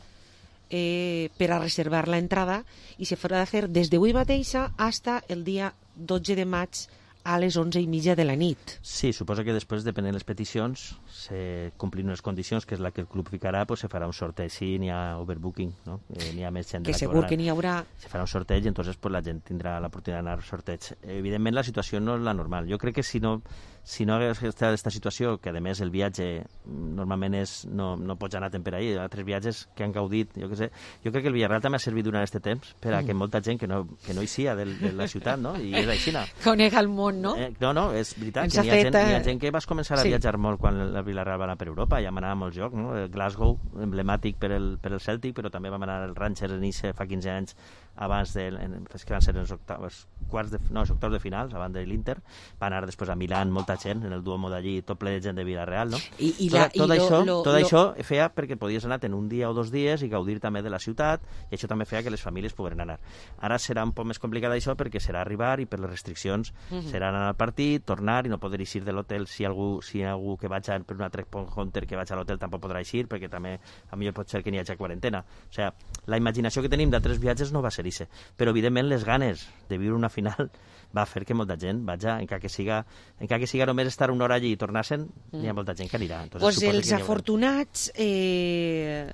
[SPEAKER 5] eh, per a reservar la entrada i se farà fer des d'avui mateixa fins el dia dotze de maig a les onze i mitja de la nit.
[SPEAKER 23] Sí, suposa que després, depenent de les peticions, se complint unes condicions, que és la que el club ficarà, pues se farà un sorteig. Sí, n'hi ha overbooking, no? Eh, n'hi ha més gent de
[SPEAKER 5] Que
[SPEAKER 23] la
[SPEAKER 5] segur
[SPEAKER 23] que,
[SPEAKER 5] que n'hi haurà.
[SPEAKER 23] Se farà un sorteig i entonces pues, la gent tindrà l'oportunitat d'anar al sorteig. Evidentment, la situació no és la normal. Jo crec que si no, si no hagués estat aquesta situació, que a més el viatge normalment és, no, no pots anar per ahir, altres viatges que han gaudit, jo què sé, jo crec que el Villarreal també ha servit durant aquest temps per a que molta gent que no, que no hi sia de, de la ciutat, no? I és així.
[SPEAKER 5] Conega el món, no?
[SPEAKER 23] Eh, no, no, és veritat,
[SPEAKER 5] Ens
[SPEAKER 23] que n'hi ha,
[SPEAKER 5] fet,
[SPEAKER 23] gent, n'hi ha
[SPEAKER 5] eh,
[SPEAKER 23] gent que vas començar a
[SPEAKER 5] sí.
[SPEAKER 23] viatjar molt quan el Villarreal va anar per Europa, ja m'anava a molts llocs, no? Glasgow, emblemàtic per el, per el Celtic, però també vam anar al Rangers a Nice fa quinze anys, abans de, en, que van ser els octaves, quarts de, no, els octaves de finals, abans de l'Inter, va anar després a Milán, molta gent, en el Duomo d'allí, tot ple de gent de Villarreal, no?
[SPEAKER 5] I, i
[SPEAKER 23] tot,
[SPEAKER 5] la,
[SPEAKER 23] tot,
[SPEAKER 5] i
[SPEAKER 23] això,
[SPEAKER 5] lo, lo,
[SPEAKER 23] tot
[SPEAKER 5] lo...
[SPEAKER 23] això feia perquè podies anar en un dia o dos dies i gaudir també de la ciutat, i això també feia que les famílies pogueren anar. Ara serà un poc més complicat això perquè serà arribar i per les restriccions
[SPEAKER 5] Mhm.
[SPEAKER 23] serà anar al partit, tornar i no poder eixir de l'hotel si algú, si algú que vaig a, per una Trek Point Hunter que vaig a l'hotel tampoc podrà eixir perquè també a millor pot ser que n'hi hagi quarantena. O sigui, la imaginació que tenim d'altres viatges no va ser ixe, però evidentment les ganes de viure una final va fer que molta gent vaja, encara que siga, encara que siga només estar una hora allí i tornar-se'n, mm. n'hi ha molta gent que anirà. Entonces,
[SPEAKER 5] pues
[SPEAKER 23] suposo
[SPEAKER 5] els
[SPEAKER 23] que
[SPEAKER 5] afortunats eh,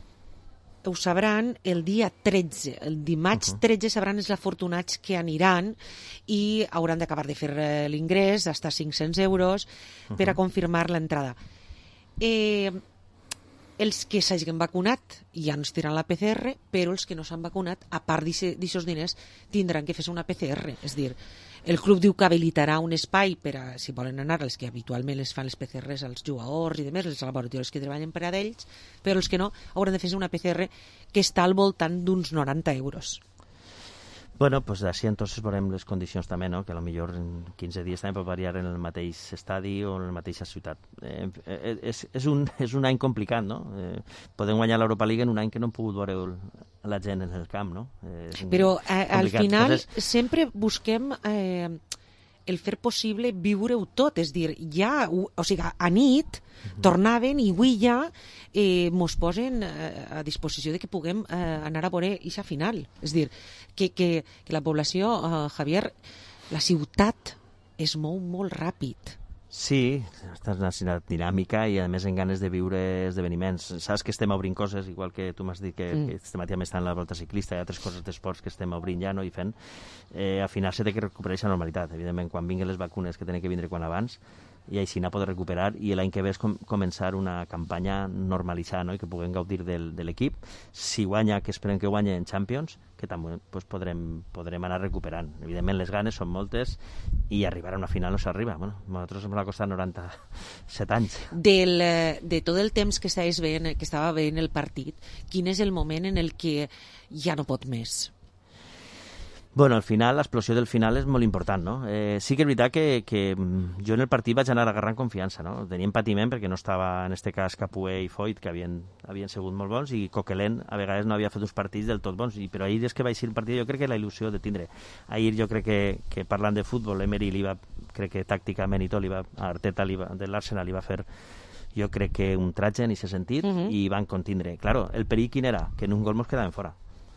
[SPEAKER 5] ho sabran el dia tretze. El dimarts uh -huh. tretze sabran els afortunats que aniran i hauran d'acabar de fer eh, l'ingrés, d'estar cinc-cents euros, uh -huh. per a confirmar l'entrada. Eh, els que s'hagin vacunat ja no es tiran la P C R, però els que no s'han vacunat, a part d'aixòs diners, tindran que fer una P C R. És dir, el club diu que habilitarà un espai per a, si volen anar, els que habitualment les fan les P C Rs als jugadors i demés, els laboratoris que treballen per a d'ells, però els que no hauran de fer una P C R que està al voltant d'uns noranta euros.
[SPEAKER 23] Bueno, pues així entonces veurem les condicions també, no? Que a lo millor en quinze dies també pot variar en el mateix estadi o en la mateixa ciutat. Eh, eh, és, és, un, és un any complicat, no? Eh, podem guanyar l'Europa League en un any que no hem pogut veure la gent en el camp, no? Eh,
[SPEAKER 5] Però eh, al final
[SPEAKER 23] entonces...
[SPEAKER 5] sempre busquem eh, el fer possible viure-ho tot, és dir, ja, o sigui, a nit uh-huh. tornaven i avui ja eh, mos posen eh, a disposició de que puguem eh, anar a veure aquesta final. És dir, que, que, que la població, eh, Javier, la ciutat es mou molt ràpid.
[SPEAKER 23] Sí, estàs en una ciutat dinàmica i a més en ganes de viure esdeveniments. Saps que estem obrint coses, igual que tu m'has dit que, mm. que este matí també està en la volta ciclista, hi ha altres coses d'esports que estem obrint ja, no? I fent. Eh, al final s'ha de recuperar aquesta normalitat. Evidentment, quan vinguin les vacunes que tenen que vindre quan abans, i així anar a poder recuperar i l'any que ve és com, començar una campanya normalitzada, no? I que puguem gaudir del, de l'equip. Si guanya, que esperem que guanya en Champions, que també pues, podrem, podrem anar recuperant. Evidentment les ganes són moltes i arribar a una final no s'arriba. Bueno, a nosaltres ens va costar noranta-set anys.
[SPEAKER 5] Del, de tot el temps que estaves veient, que estava veient el partit, quin és el moment en el que ja no pot més?
[SPEAKER 23] Bueno, al final, l'explosió del final és molt important, no? Eh, sí que és veritat que, que jo en el partit vaig anar agarrant confiança, no? Teníem patiment perquè no estava, en este cas, Capué i Foyt, que havien, havien sigut molt bons, i Coquelin a vegades no havia fet uns partits del tot bons, i, però ahir és que vaig ser un partit, jo crec que la il·lusió de tindre. Ahir jo crec que, que parlant de futbol, Emery li va, crec que tàcticament i tot, li va, Arteta li va, de l'Arsenal li va fer jo crec que un tratge en aquest sentit, uh-huh. i van contindre. Claro, el perill quin era? Que en un gol mos quedaven fora.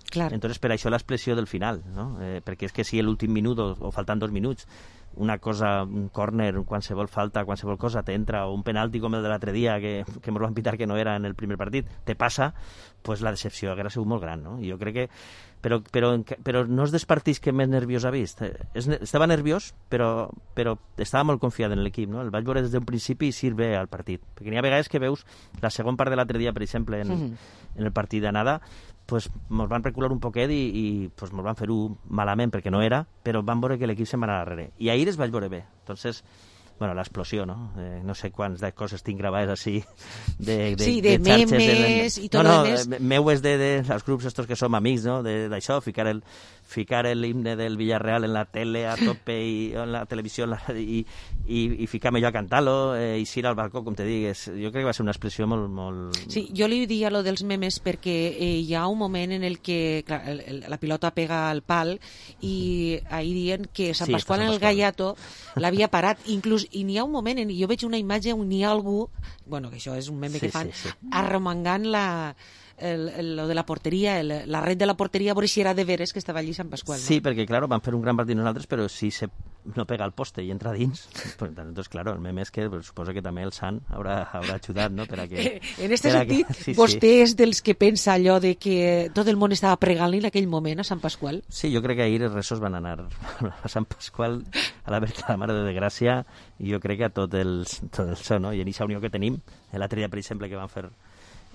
[SPEAKER 5] Clar.
[SPEAKER 23] Entonces, per això l'expressió del final, no? Eh, perquè és que si l'últim minut o, o faltant dos minuts una cosa, un córner, qualsevol falta, qualsevol cosa t'entra, o un penalti com el de l'altre dia que, que ens van pitar que no era en el primer partit, te passa, pues la decepció hauria sigut molt gran, no? I jo crec que però, però, però no és dels partits que més nerviós ha vist. És, estava nerviós, però, però estava molt confiat en l'equip, no? El vaig veure des d'un principi i sirve al partit. Perquè n'hi ha vegades que veus la segona part de l'altre dia, per exemple, en, mm-hmm. en el partit d'anada, pues ens van recular un poquet i, i pues ens van fer-ho malament perquè no era, però van veure que l'equip se'n va anar darrere. I ahir es vaig veure bé. Entonces, bueno, l'explosió, no? Eh, no sé quants de coses tinc gravades així de, de,
[SPEAKER 5] sí, de,
[SPEAKER 23] de xarxes.
[SPEAKER 5] memes
[SPEAKER 23] de,
[SPEAKER 5] i tot
[SPEAKER 23] no, no,
[SPEAKER 5] el més.
[SPEAKER 23] Meu és de, de els grups estos que som amics, no? D'això, ficar el ficar l'himne del Villarreal en la tele a tope i en la televisió en la, i, i, i ficar-me jo a cantar-lo eh, i ir al balcó, com te digues. Jo crec que va ser una expressió molt... molt...
[SPEAKER 5] Sí, jo li diria lo dels memes perquè eh, hi ha un moment en el que clar, el, el, la pilota pega al pal i ahir diuen que Sant
[SPEAKER 23] Sí,
[SPEAKER 5] Pasqual
[SPEAKER 23] Sant
[SPEAKER 5] en el
[SPEAKER 23] Pasqual.
[SPEAKER 5] Gallato l'havia parat, inclús, i n'hi ha un moment en, jo veig una imatge on hi ha algú, bueno, que això és un meme
[SPEAKER 23] Sí,
[SPEAKER 5] que fan,
[SPEAKER 23] sí, sí.
[SPEAKER 5] arromangant la el, el, lo de la porteria, el, la red de la porteria, a veure si era de veres que estava allí Sant Pasqual, no?
[SPEAKER 23] Sí, perquè, claro, van fer un gran partit nosaltres, però si se no pega al poste i entra dins, pues, entonces, claro, el meme és que pues, suposo que també el Sant haurà, haurà ajudat, no?, per a que...
[SPEAKER 5] En este
[SPEAKER 23] per a
[SPEAKER 5] sentit,
[SPEAKER 23] que, sí,
[SPEAKER 5] vostè
[SPEAKER 23] sí.
[SPEAKER 5] és dels que pensa allò de que tot el món estava pregant-li en aquell moment a Sant Pasqual?
[SPEAKER 23] Sí, jo crec que ahir els resos van anar a Sant Pasqual, a la Verge de la Mare de Gràcia, i jo crec que a tot el, tot el so, no? I en aquesta unió que tenim, l'altre dia, per exemple, que van fer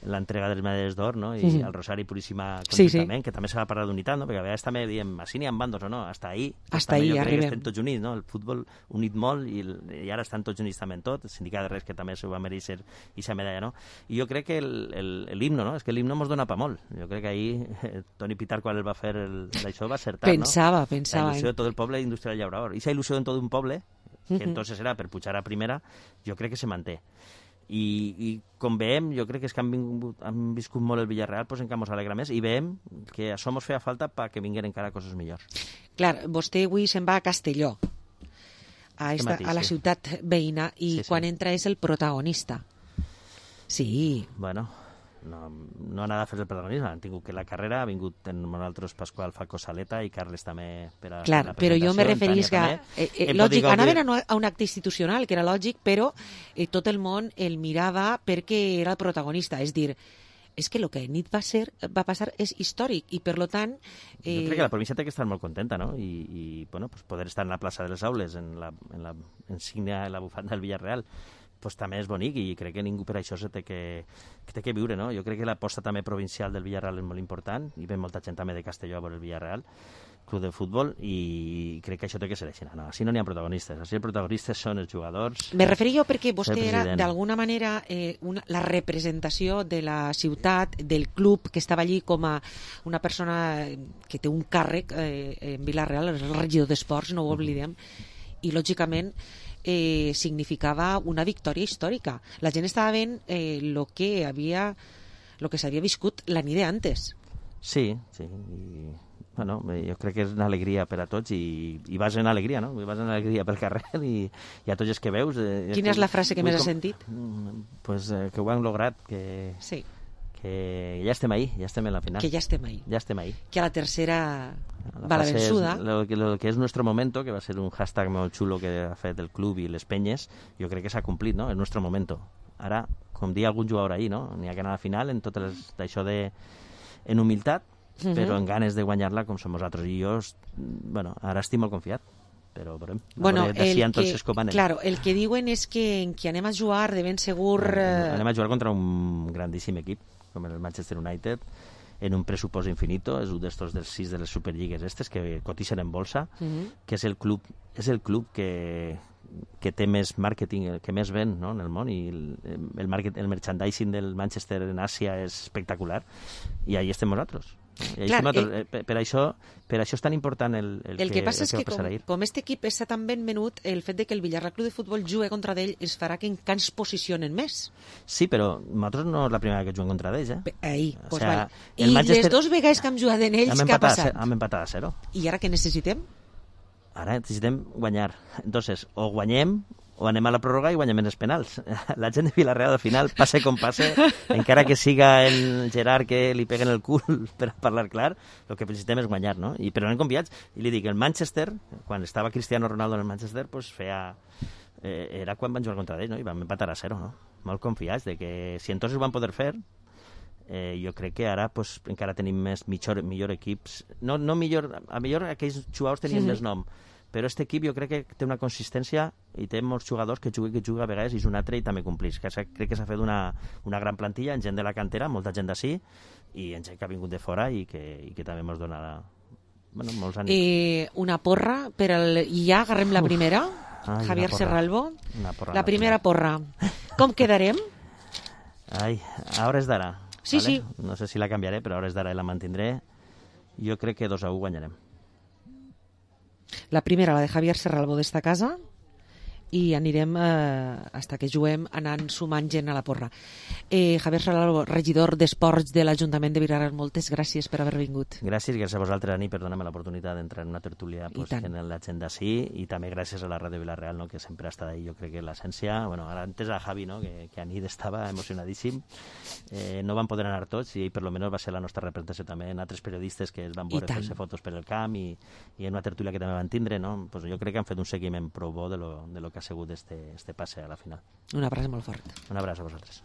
[SPEAKER 23] l'entrega de les medalles d'or, no? I
[SPEAKER 5] Mhm.
[SPEAKER 23] el Rosari Puríssima
[SPEAKER 5] Sí,
[SPEAKER 23] conjuntament,
[SPEAKER 5] sí.
[SPEAKER 23] que també s'ha de parlar d'unitat, no? Perquè a vegades també diem, així n'hi ha bandos o no, hasta ahí.
[SPEAKER 5] Hasta
[SPEAKER 23] també
[SPEAKER 5] ahí
[SPEAKER 23] jo crec que
[SPEAKER 5] arribem.
[SPEAKER 23] estem tots units, no? El futbol unit molt i, el, i ara estan tots units també en tot, el sindicat de res que també s'ho va mereixer i sa medalla, no? I jo crec que l'himno, no? És que l'himno mos dona pa molt. Jo crec que ahir eh, Toni Pitar, quan el va fer el, d'això, va acertar,
[SPEAKER 5] Pensava,
[SPEAKER 23] no?
[SPEAKER 5] pensava,
[SPEAKER 23] La il·lusió
[SPEAKER 5] eh?
[SPEAKER 23] de tot el poble industrial llaurador. I esa il·lusió en tot un poble, que
[SPEAKER 5] Mhm.
[SPEAKER 23] entonces era per pujar a primera, jo crec que se manté. I, i com veiem, jo crec que és que han, vingut, han viscut molt el Villarreal, doncs encara mos alegra més, i veiem que això mos feia falta perquè vinguin encara coses millors.
[SPEAKER 5] Clar, vostè avui se'n va a Castelló, a, esta,
[SPEAKER 23] matí,
[SPEAKER 5] a la
[SPEAKER 23] sí.
[SPEAKER 5] ciutat veïna, i
[SPEAKER 23] Sí, sí.
[SPEAKER 5] quan entra és el protagonista. Sí.
[SPEAKER 23] Bueno, no, no anava a fer el protagonisme, han tingut que la carrera, ha vingut en nosaltres Pasqual Falcó Saleta i Carles també per a
[SPEAKER 5] Clar,
[SPEAKER 23] la
[SPEAKER 5] però jo me
[SPEAKER 23] presentació,
[SPEAKER 5] referís que...
[SPEAKER 23] Tània
[SPEAKER 5] Eh,
[SPEAKER 23] també.
[SPEAKER 5] eh,
[SPEAKER 23] Hem
[SPEAKER 5] lògic,
[SPEAKER 23] pogut
[SPEAKER 5] anaven a,
[SPEAKER 23] gaudir-
[SPEAKER 5] una- a un acte institucional, que era lògic, però eh, tot el món el mirava perquè era el protagonista. És dir, és que el que nit va ser va passar és històric i, per lo tant...
[SPEAKER 23] Jo crec que la província té que estar molt contenta, no? I, i bueno, pues poder estar en la plaça de les Aules, en la, en la insígnia, en la bufanda del Villarreal, pues també és bonic i crec que ningú per això se té que, que té que viure, no? Jo crec que l'aposta també provincial del Villarreal és molt important i ve molta gent també de Castelló a veure el Villarreal, club de futbol, i crec que això té que ser així. No, així no n'hi ha protagonistes, així els protagonistes són els jugadors.
[SPEAKER 5] Me referia jo perquè vostè
[SPEAKER 23] el
[SPEAKER 5] era,
[SPEAKER 23] president.
[SPEAKER 5] d'alguna manera, eh, una, la representació de la ciutat, del club, que estava allí com a una persona que té un càrrec eh, en Vila-real, és el regidor d'Esports, no ho oblidem, i, lògicament, eh, significava una victòria històrica. La gent estava veient eh, lo que havia lo que s'havia viscut la nit d'antes.
[SPEAKER 23] Sí, sí, i, bueno, eh, jo crec que és una alegria per a tots i, i vas en alegria, no? Vas en alegria pel carrer i, i a tots els que veus... Eh,
[SPEAKER 5] Quina és la frase que
[SPEAKER 23] vull
[SPEAKER 5] més has
[SPEAKER 23] com-
[SPEAKER 5] sentit?
[SPEAKER 23] Mm, Pues eh, que ho han lograt, que,
[SPEAKER 5] Sí.
[SPEAKER 23] que ja estem ahí, ja estem en la final.
[SPEAKER 5] Que ja estem ahí.
[SPEAKER 23] Ja estem ahí.
[SPEAKER 5] Que a la tercera
[SPEAKER 23] La
[SPEAKER 5] va la
[SPEAKER 23] frase és
[SPEAKER 5] vençuda.
[SPEAKER 23] Lo que, lo que és nuestro momento, que va ser un hashtag molt xulo que ha fet el club i les penyes, jo crec que s'ha complit, no? És nuestro momento. Ara, com dia algun jugador ahir, no? N'hi ha que anar a la final en tot les- d'això de... en humilitat,
[SPEAKER 5] Mhm.
[SPEAKER 23] però en ganes de guanyar-la com som nosaltres. I jo, es- bueno, ara estic molt confiat. però veurem.
[SPEAKER 5] Bueno,
[SPEAKER 23] el que,
[SPEAKER 5] anem. Claro, el que diuen és que en qui anem a jugar de ben segur...
[SPEAKER 23] Eh... Anem a jugar contra un grandíssim equip, com el Manchester United, en un pressupost infinito, és un d'estos dels sis de les superlligues estes que cotixen en bolsa, uh-huh. que és el club, és el club que, que té més màrqueting, que més ven, no?, en el món, i el, el, market, el merchandising del Manchester en Àsia és espectacular, i ahí estem nosaltres. I Clar, nosaltres. Eh, per, per, això, per això és tan important el, el,
[SPEAKER 5] el que, que passa
[SPEAKER 23] el
[SPEAKER 5] és que, com, com este equip està tan ben venut, el fet de que el Villarreal Club de Futbol jugui contra d'ell els farà que encara ens posicionen més.
[SPEAKER 23] Sí, però nosaltres no és la primera que juguem contra d'ells, eh?
[SPEAKER 5] Ahí,
[SPEAKER 23] o
[SPEAKER 5] pues
[SPEAKER 23] sea,
[SPEAKER 5] vale. I Manchester... les dos vegades que hem jugat en ells, què ha passat?
[SPEAKER 23] Hem empatat a zero.
[SPEAKER 5] I ara què necessitem?
[SPEAKER 23] Ara necessitem guanyar. Entonces, o guanyem o anem a la pròrroga i guanyem els penals. La gent de Villarreal, al final, passe com passe, encara que siga el Gerard que li peguen el cul per parlar clar, el que necessitem és guanyar, no? I, però anem confiats. I li dic, el Manchester, quan estava Cristiano Ronaldo en el Manchester, pues feia... Eh, era quan van jugar contra ell, no? I vam empatar a zero, no? Molt confiats de que si entonces ho van poder fer, eh, jo crec que ara pues, encara tenim més millor, millor equips. No, no millor... A millor aquells jugadors tenien mm-hmm. més nom, però aquest equip jo crec que té una consistència i té molts jugadors que juguen, que juguen a vegades i és un altre i també complís. Que crec que s'ha fet una, una gran plantilla en gent de la cantera, molta gent d'ací i en gent que ha vingut de fora i que, i que també ens donarà bueno, molts ànims.
[SPEAKER 5] Eh, una porra per al... I ja agarrem la primera,
[SPEAKER 23] Ai,
[SPEAKER 5] Javier Serralbo.
[SPEAKER 23] Porra,
[SPEAKER 5] la primera porra. Com quedarem?
[SPEAKER 23] Ai, a hores d'ara.
[SPEAKER 5] Sí,
[SPEAKER 23] vale?
[SPEAKER 5] sí.
[SPEAKER 23] No sé si la canviaré, però a hores d'ara la mantindré. Jo crec que dos a u guanyarem.
[SPEAKER 5] La primera, la de Javier Serralbo d'esta casa, i anirem eh, hasta que juguem anant sumant gent a la porra. Eh, Javier Serralbo, regidor d'Esports de l'Ajuntament de Villarreal, moltes gràcies per haver vingut.
[SPEAKER 23] Gràcies, gràcies a vosaltres, Ani, per donar-me l'oportunitat d'entrar en una tertúlia pues, en l'agenda sí, i també gràcies a la Ràdio Villarreal, no, que sempre ha estat ahí. Jo crec que l'essència, bueno, ara antes a Javi, no, que, que Anit estava emocionadíssim, eh, no van poder anar tots i per lo menos va ser la nostra representació també en altres periodistes que es van veure fer-se fotos per el camp i, i en una tertúlia que també van tindre, no? Pues jo crec que han fet un seguiment prou bo de lo, de lo que ha sigut este, este passe a la final.
[SPEAKER 5] Un abraç molt fort.
[SPEAKER 23] Un abraç a vosaltres.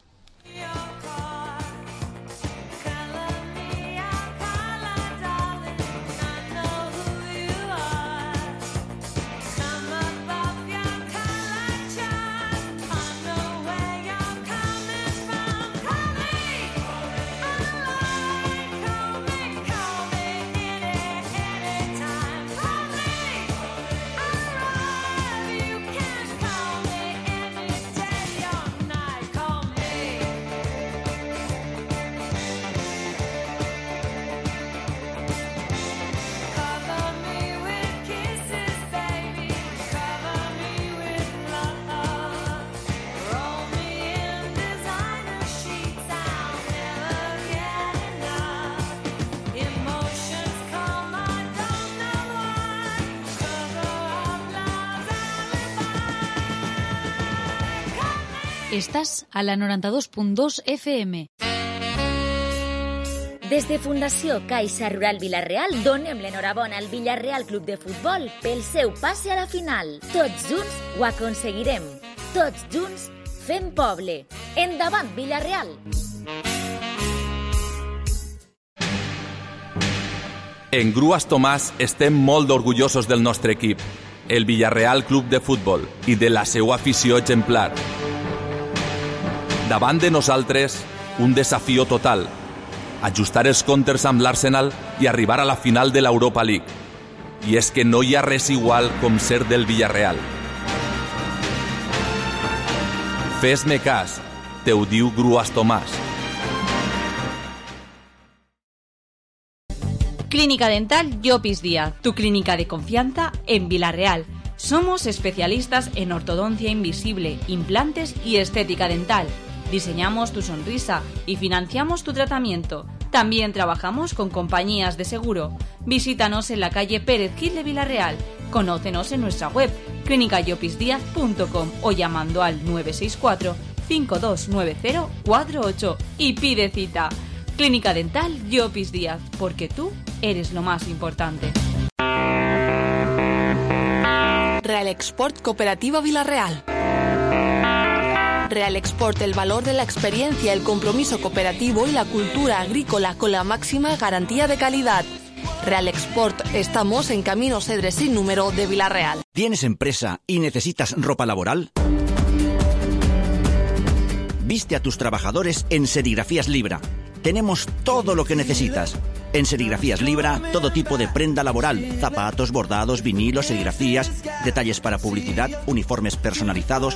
[SPEAKER 22] Estás a la noranta-dos punt dos F M.
[SPEAKER 2] Des de Fundació Caixa Rural Vila-real donem l'enhorabona al Villarreal Club de Futbol pel seu passe a la final. Tots junts ho aconseguirem. Tots junts fem poble. Endavant, Villarreal!
[SPEAKER 3] En Grues Tomàs estem molt orgullosos del nostre equip, el Villarreal Club de Futbol, i de la seva afició exemplar. Davant de nosaltres, un desafió total, ajustar els comptes amb l'Arsenal i arribar a la final de l'Europa League. I és que no hi ha res igual com ser del Villarreal. Fes-me cas, te ho diu Grues Tomàs.
[SPEAKER 4] Clínica Dental Llopis Díaz, tu clínica de confianza en Villarreal. Somos especialistas en ortodoncia invisible, implantes y estética dental. Diseñamos tu sonrisa y financiamos tu tratamiento. También trabajamos con compañías de seguro. Visítanos en la calle Pérez Gil de Villarreal. Conócenos en nuestra web clínica llopis díaz punto com o llamando al nueve seis cuatro, cinco dos nueve cero, cuatro ocho y pide cita. Clínica Dental Llopis Díaz, porque tú eres lo más importante.
[SPEAKER 13] Real Export Cooperativa Villarreal. Real Export, el valor de la experiencia, el compromiso cooperativo y la cultura agrícola con la máxima garantía de calidad. Real Export, estamos en Camino Cedres sin número de Villarreal.
[SPEAKER 15] ¿Tienes empresa y necesitas ropa laboral? Viste a tus trabajadores en Serigrafías Libra. Tenemos todo lo que necesitas. En Serigrafías Libra, todo tipo de prenda laboral, zapatos, bordados, vinilos, serigrafías, detalles para publicidad, uniformes personalizados.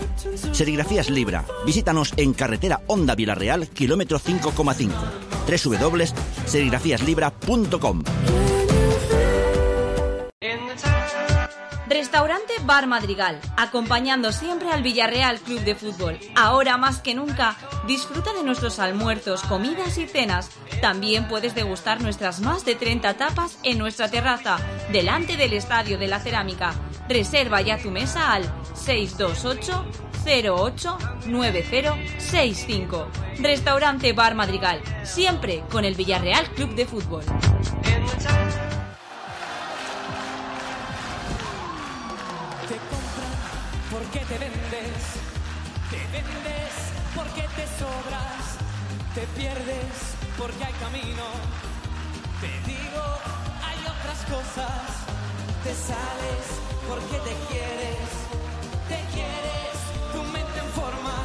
[SPEAKER 15] Serigrafías Libra. Visítanos en carretera Honda Villarreal, kilómetro cinco coma cinco. doble u doble u doble u punto serigrafías libra punto com.
[SPEAKER 4] Restaurante Bar Madrigal, acompañando siempre al Villarreal Club de Fútbol. Ahora más que nunca, disfruta de nuestros almuerzos, comidas y cenas. También puedes degustar nuestras más de treinta tapas en nuestra terraza, delante del Estadio de la Cerámica. Reserva ya tu mesa al seis dos ocho cero ocho nueve cero seis cinco. Restaurante Bar Madrigal, siempre con el Villarreal Club de Fútbol.
[SPEAKER 6] Porque te vendes, te vendes porque te sobras, te pierdes porque hay camino, te digo, hay otras cosas, te sales porque te quieres, te quieres, tu mente en forma.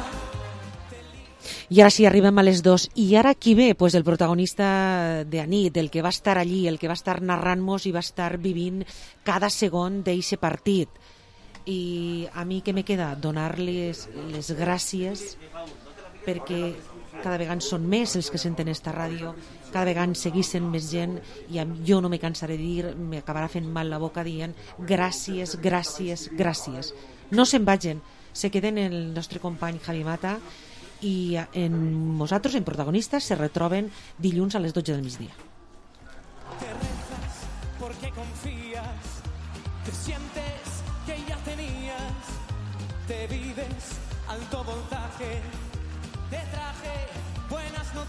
[SPEAKER 5] I ara sí, arribem a les dos. I ara qui ve? Pues el protagonista de Anit, el que va estar allí, el que va estar narrant-nos i va estar vivint cada segon d'eixe partit. I a mi què me queda? Donar-les les gràcies perquè cada vegada són més els que senten esta ràdio, cada vegada seguissin més gent i jo no me cansaré de dir, m'acabarà fent mal la boca dient gràcies, gràcies, gràcies. No se'n vagin, se queden el nostre company Javi Mata i en nosaltres, en protagonistes, se retroben dilluns a les dotze del migdia.
[SPEAKER 6] Te rezas porque confías, te sientes que ya tenías, te vives alto voltaje, te traje buenas noticias.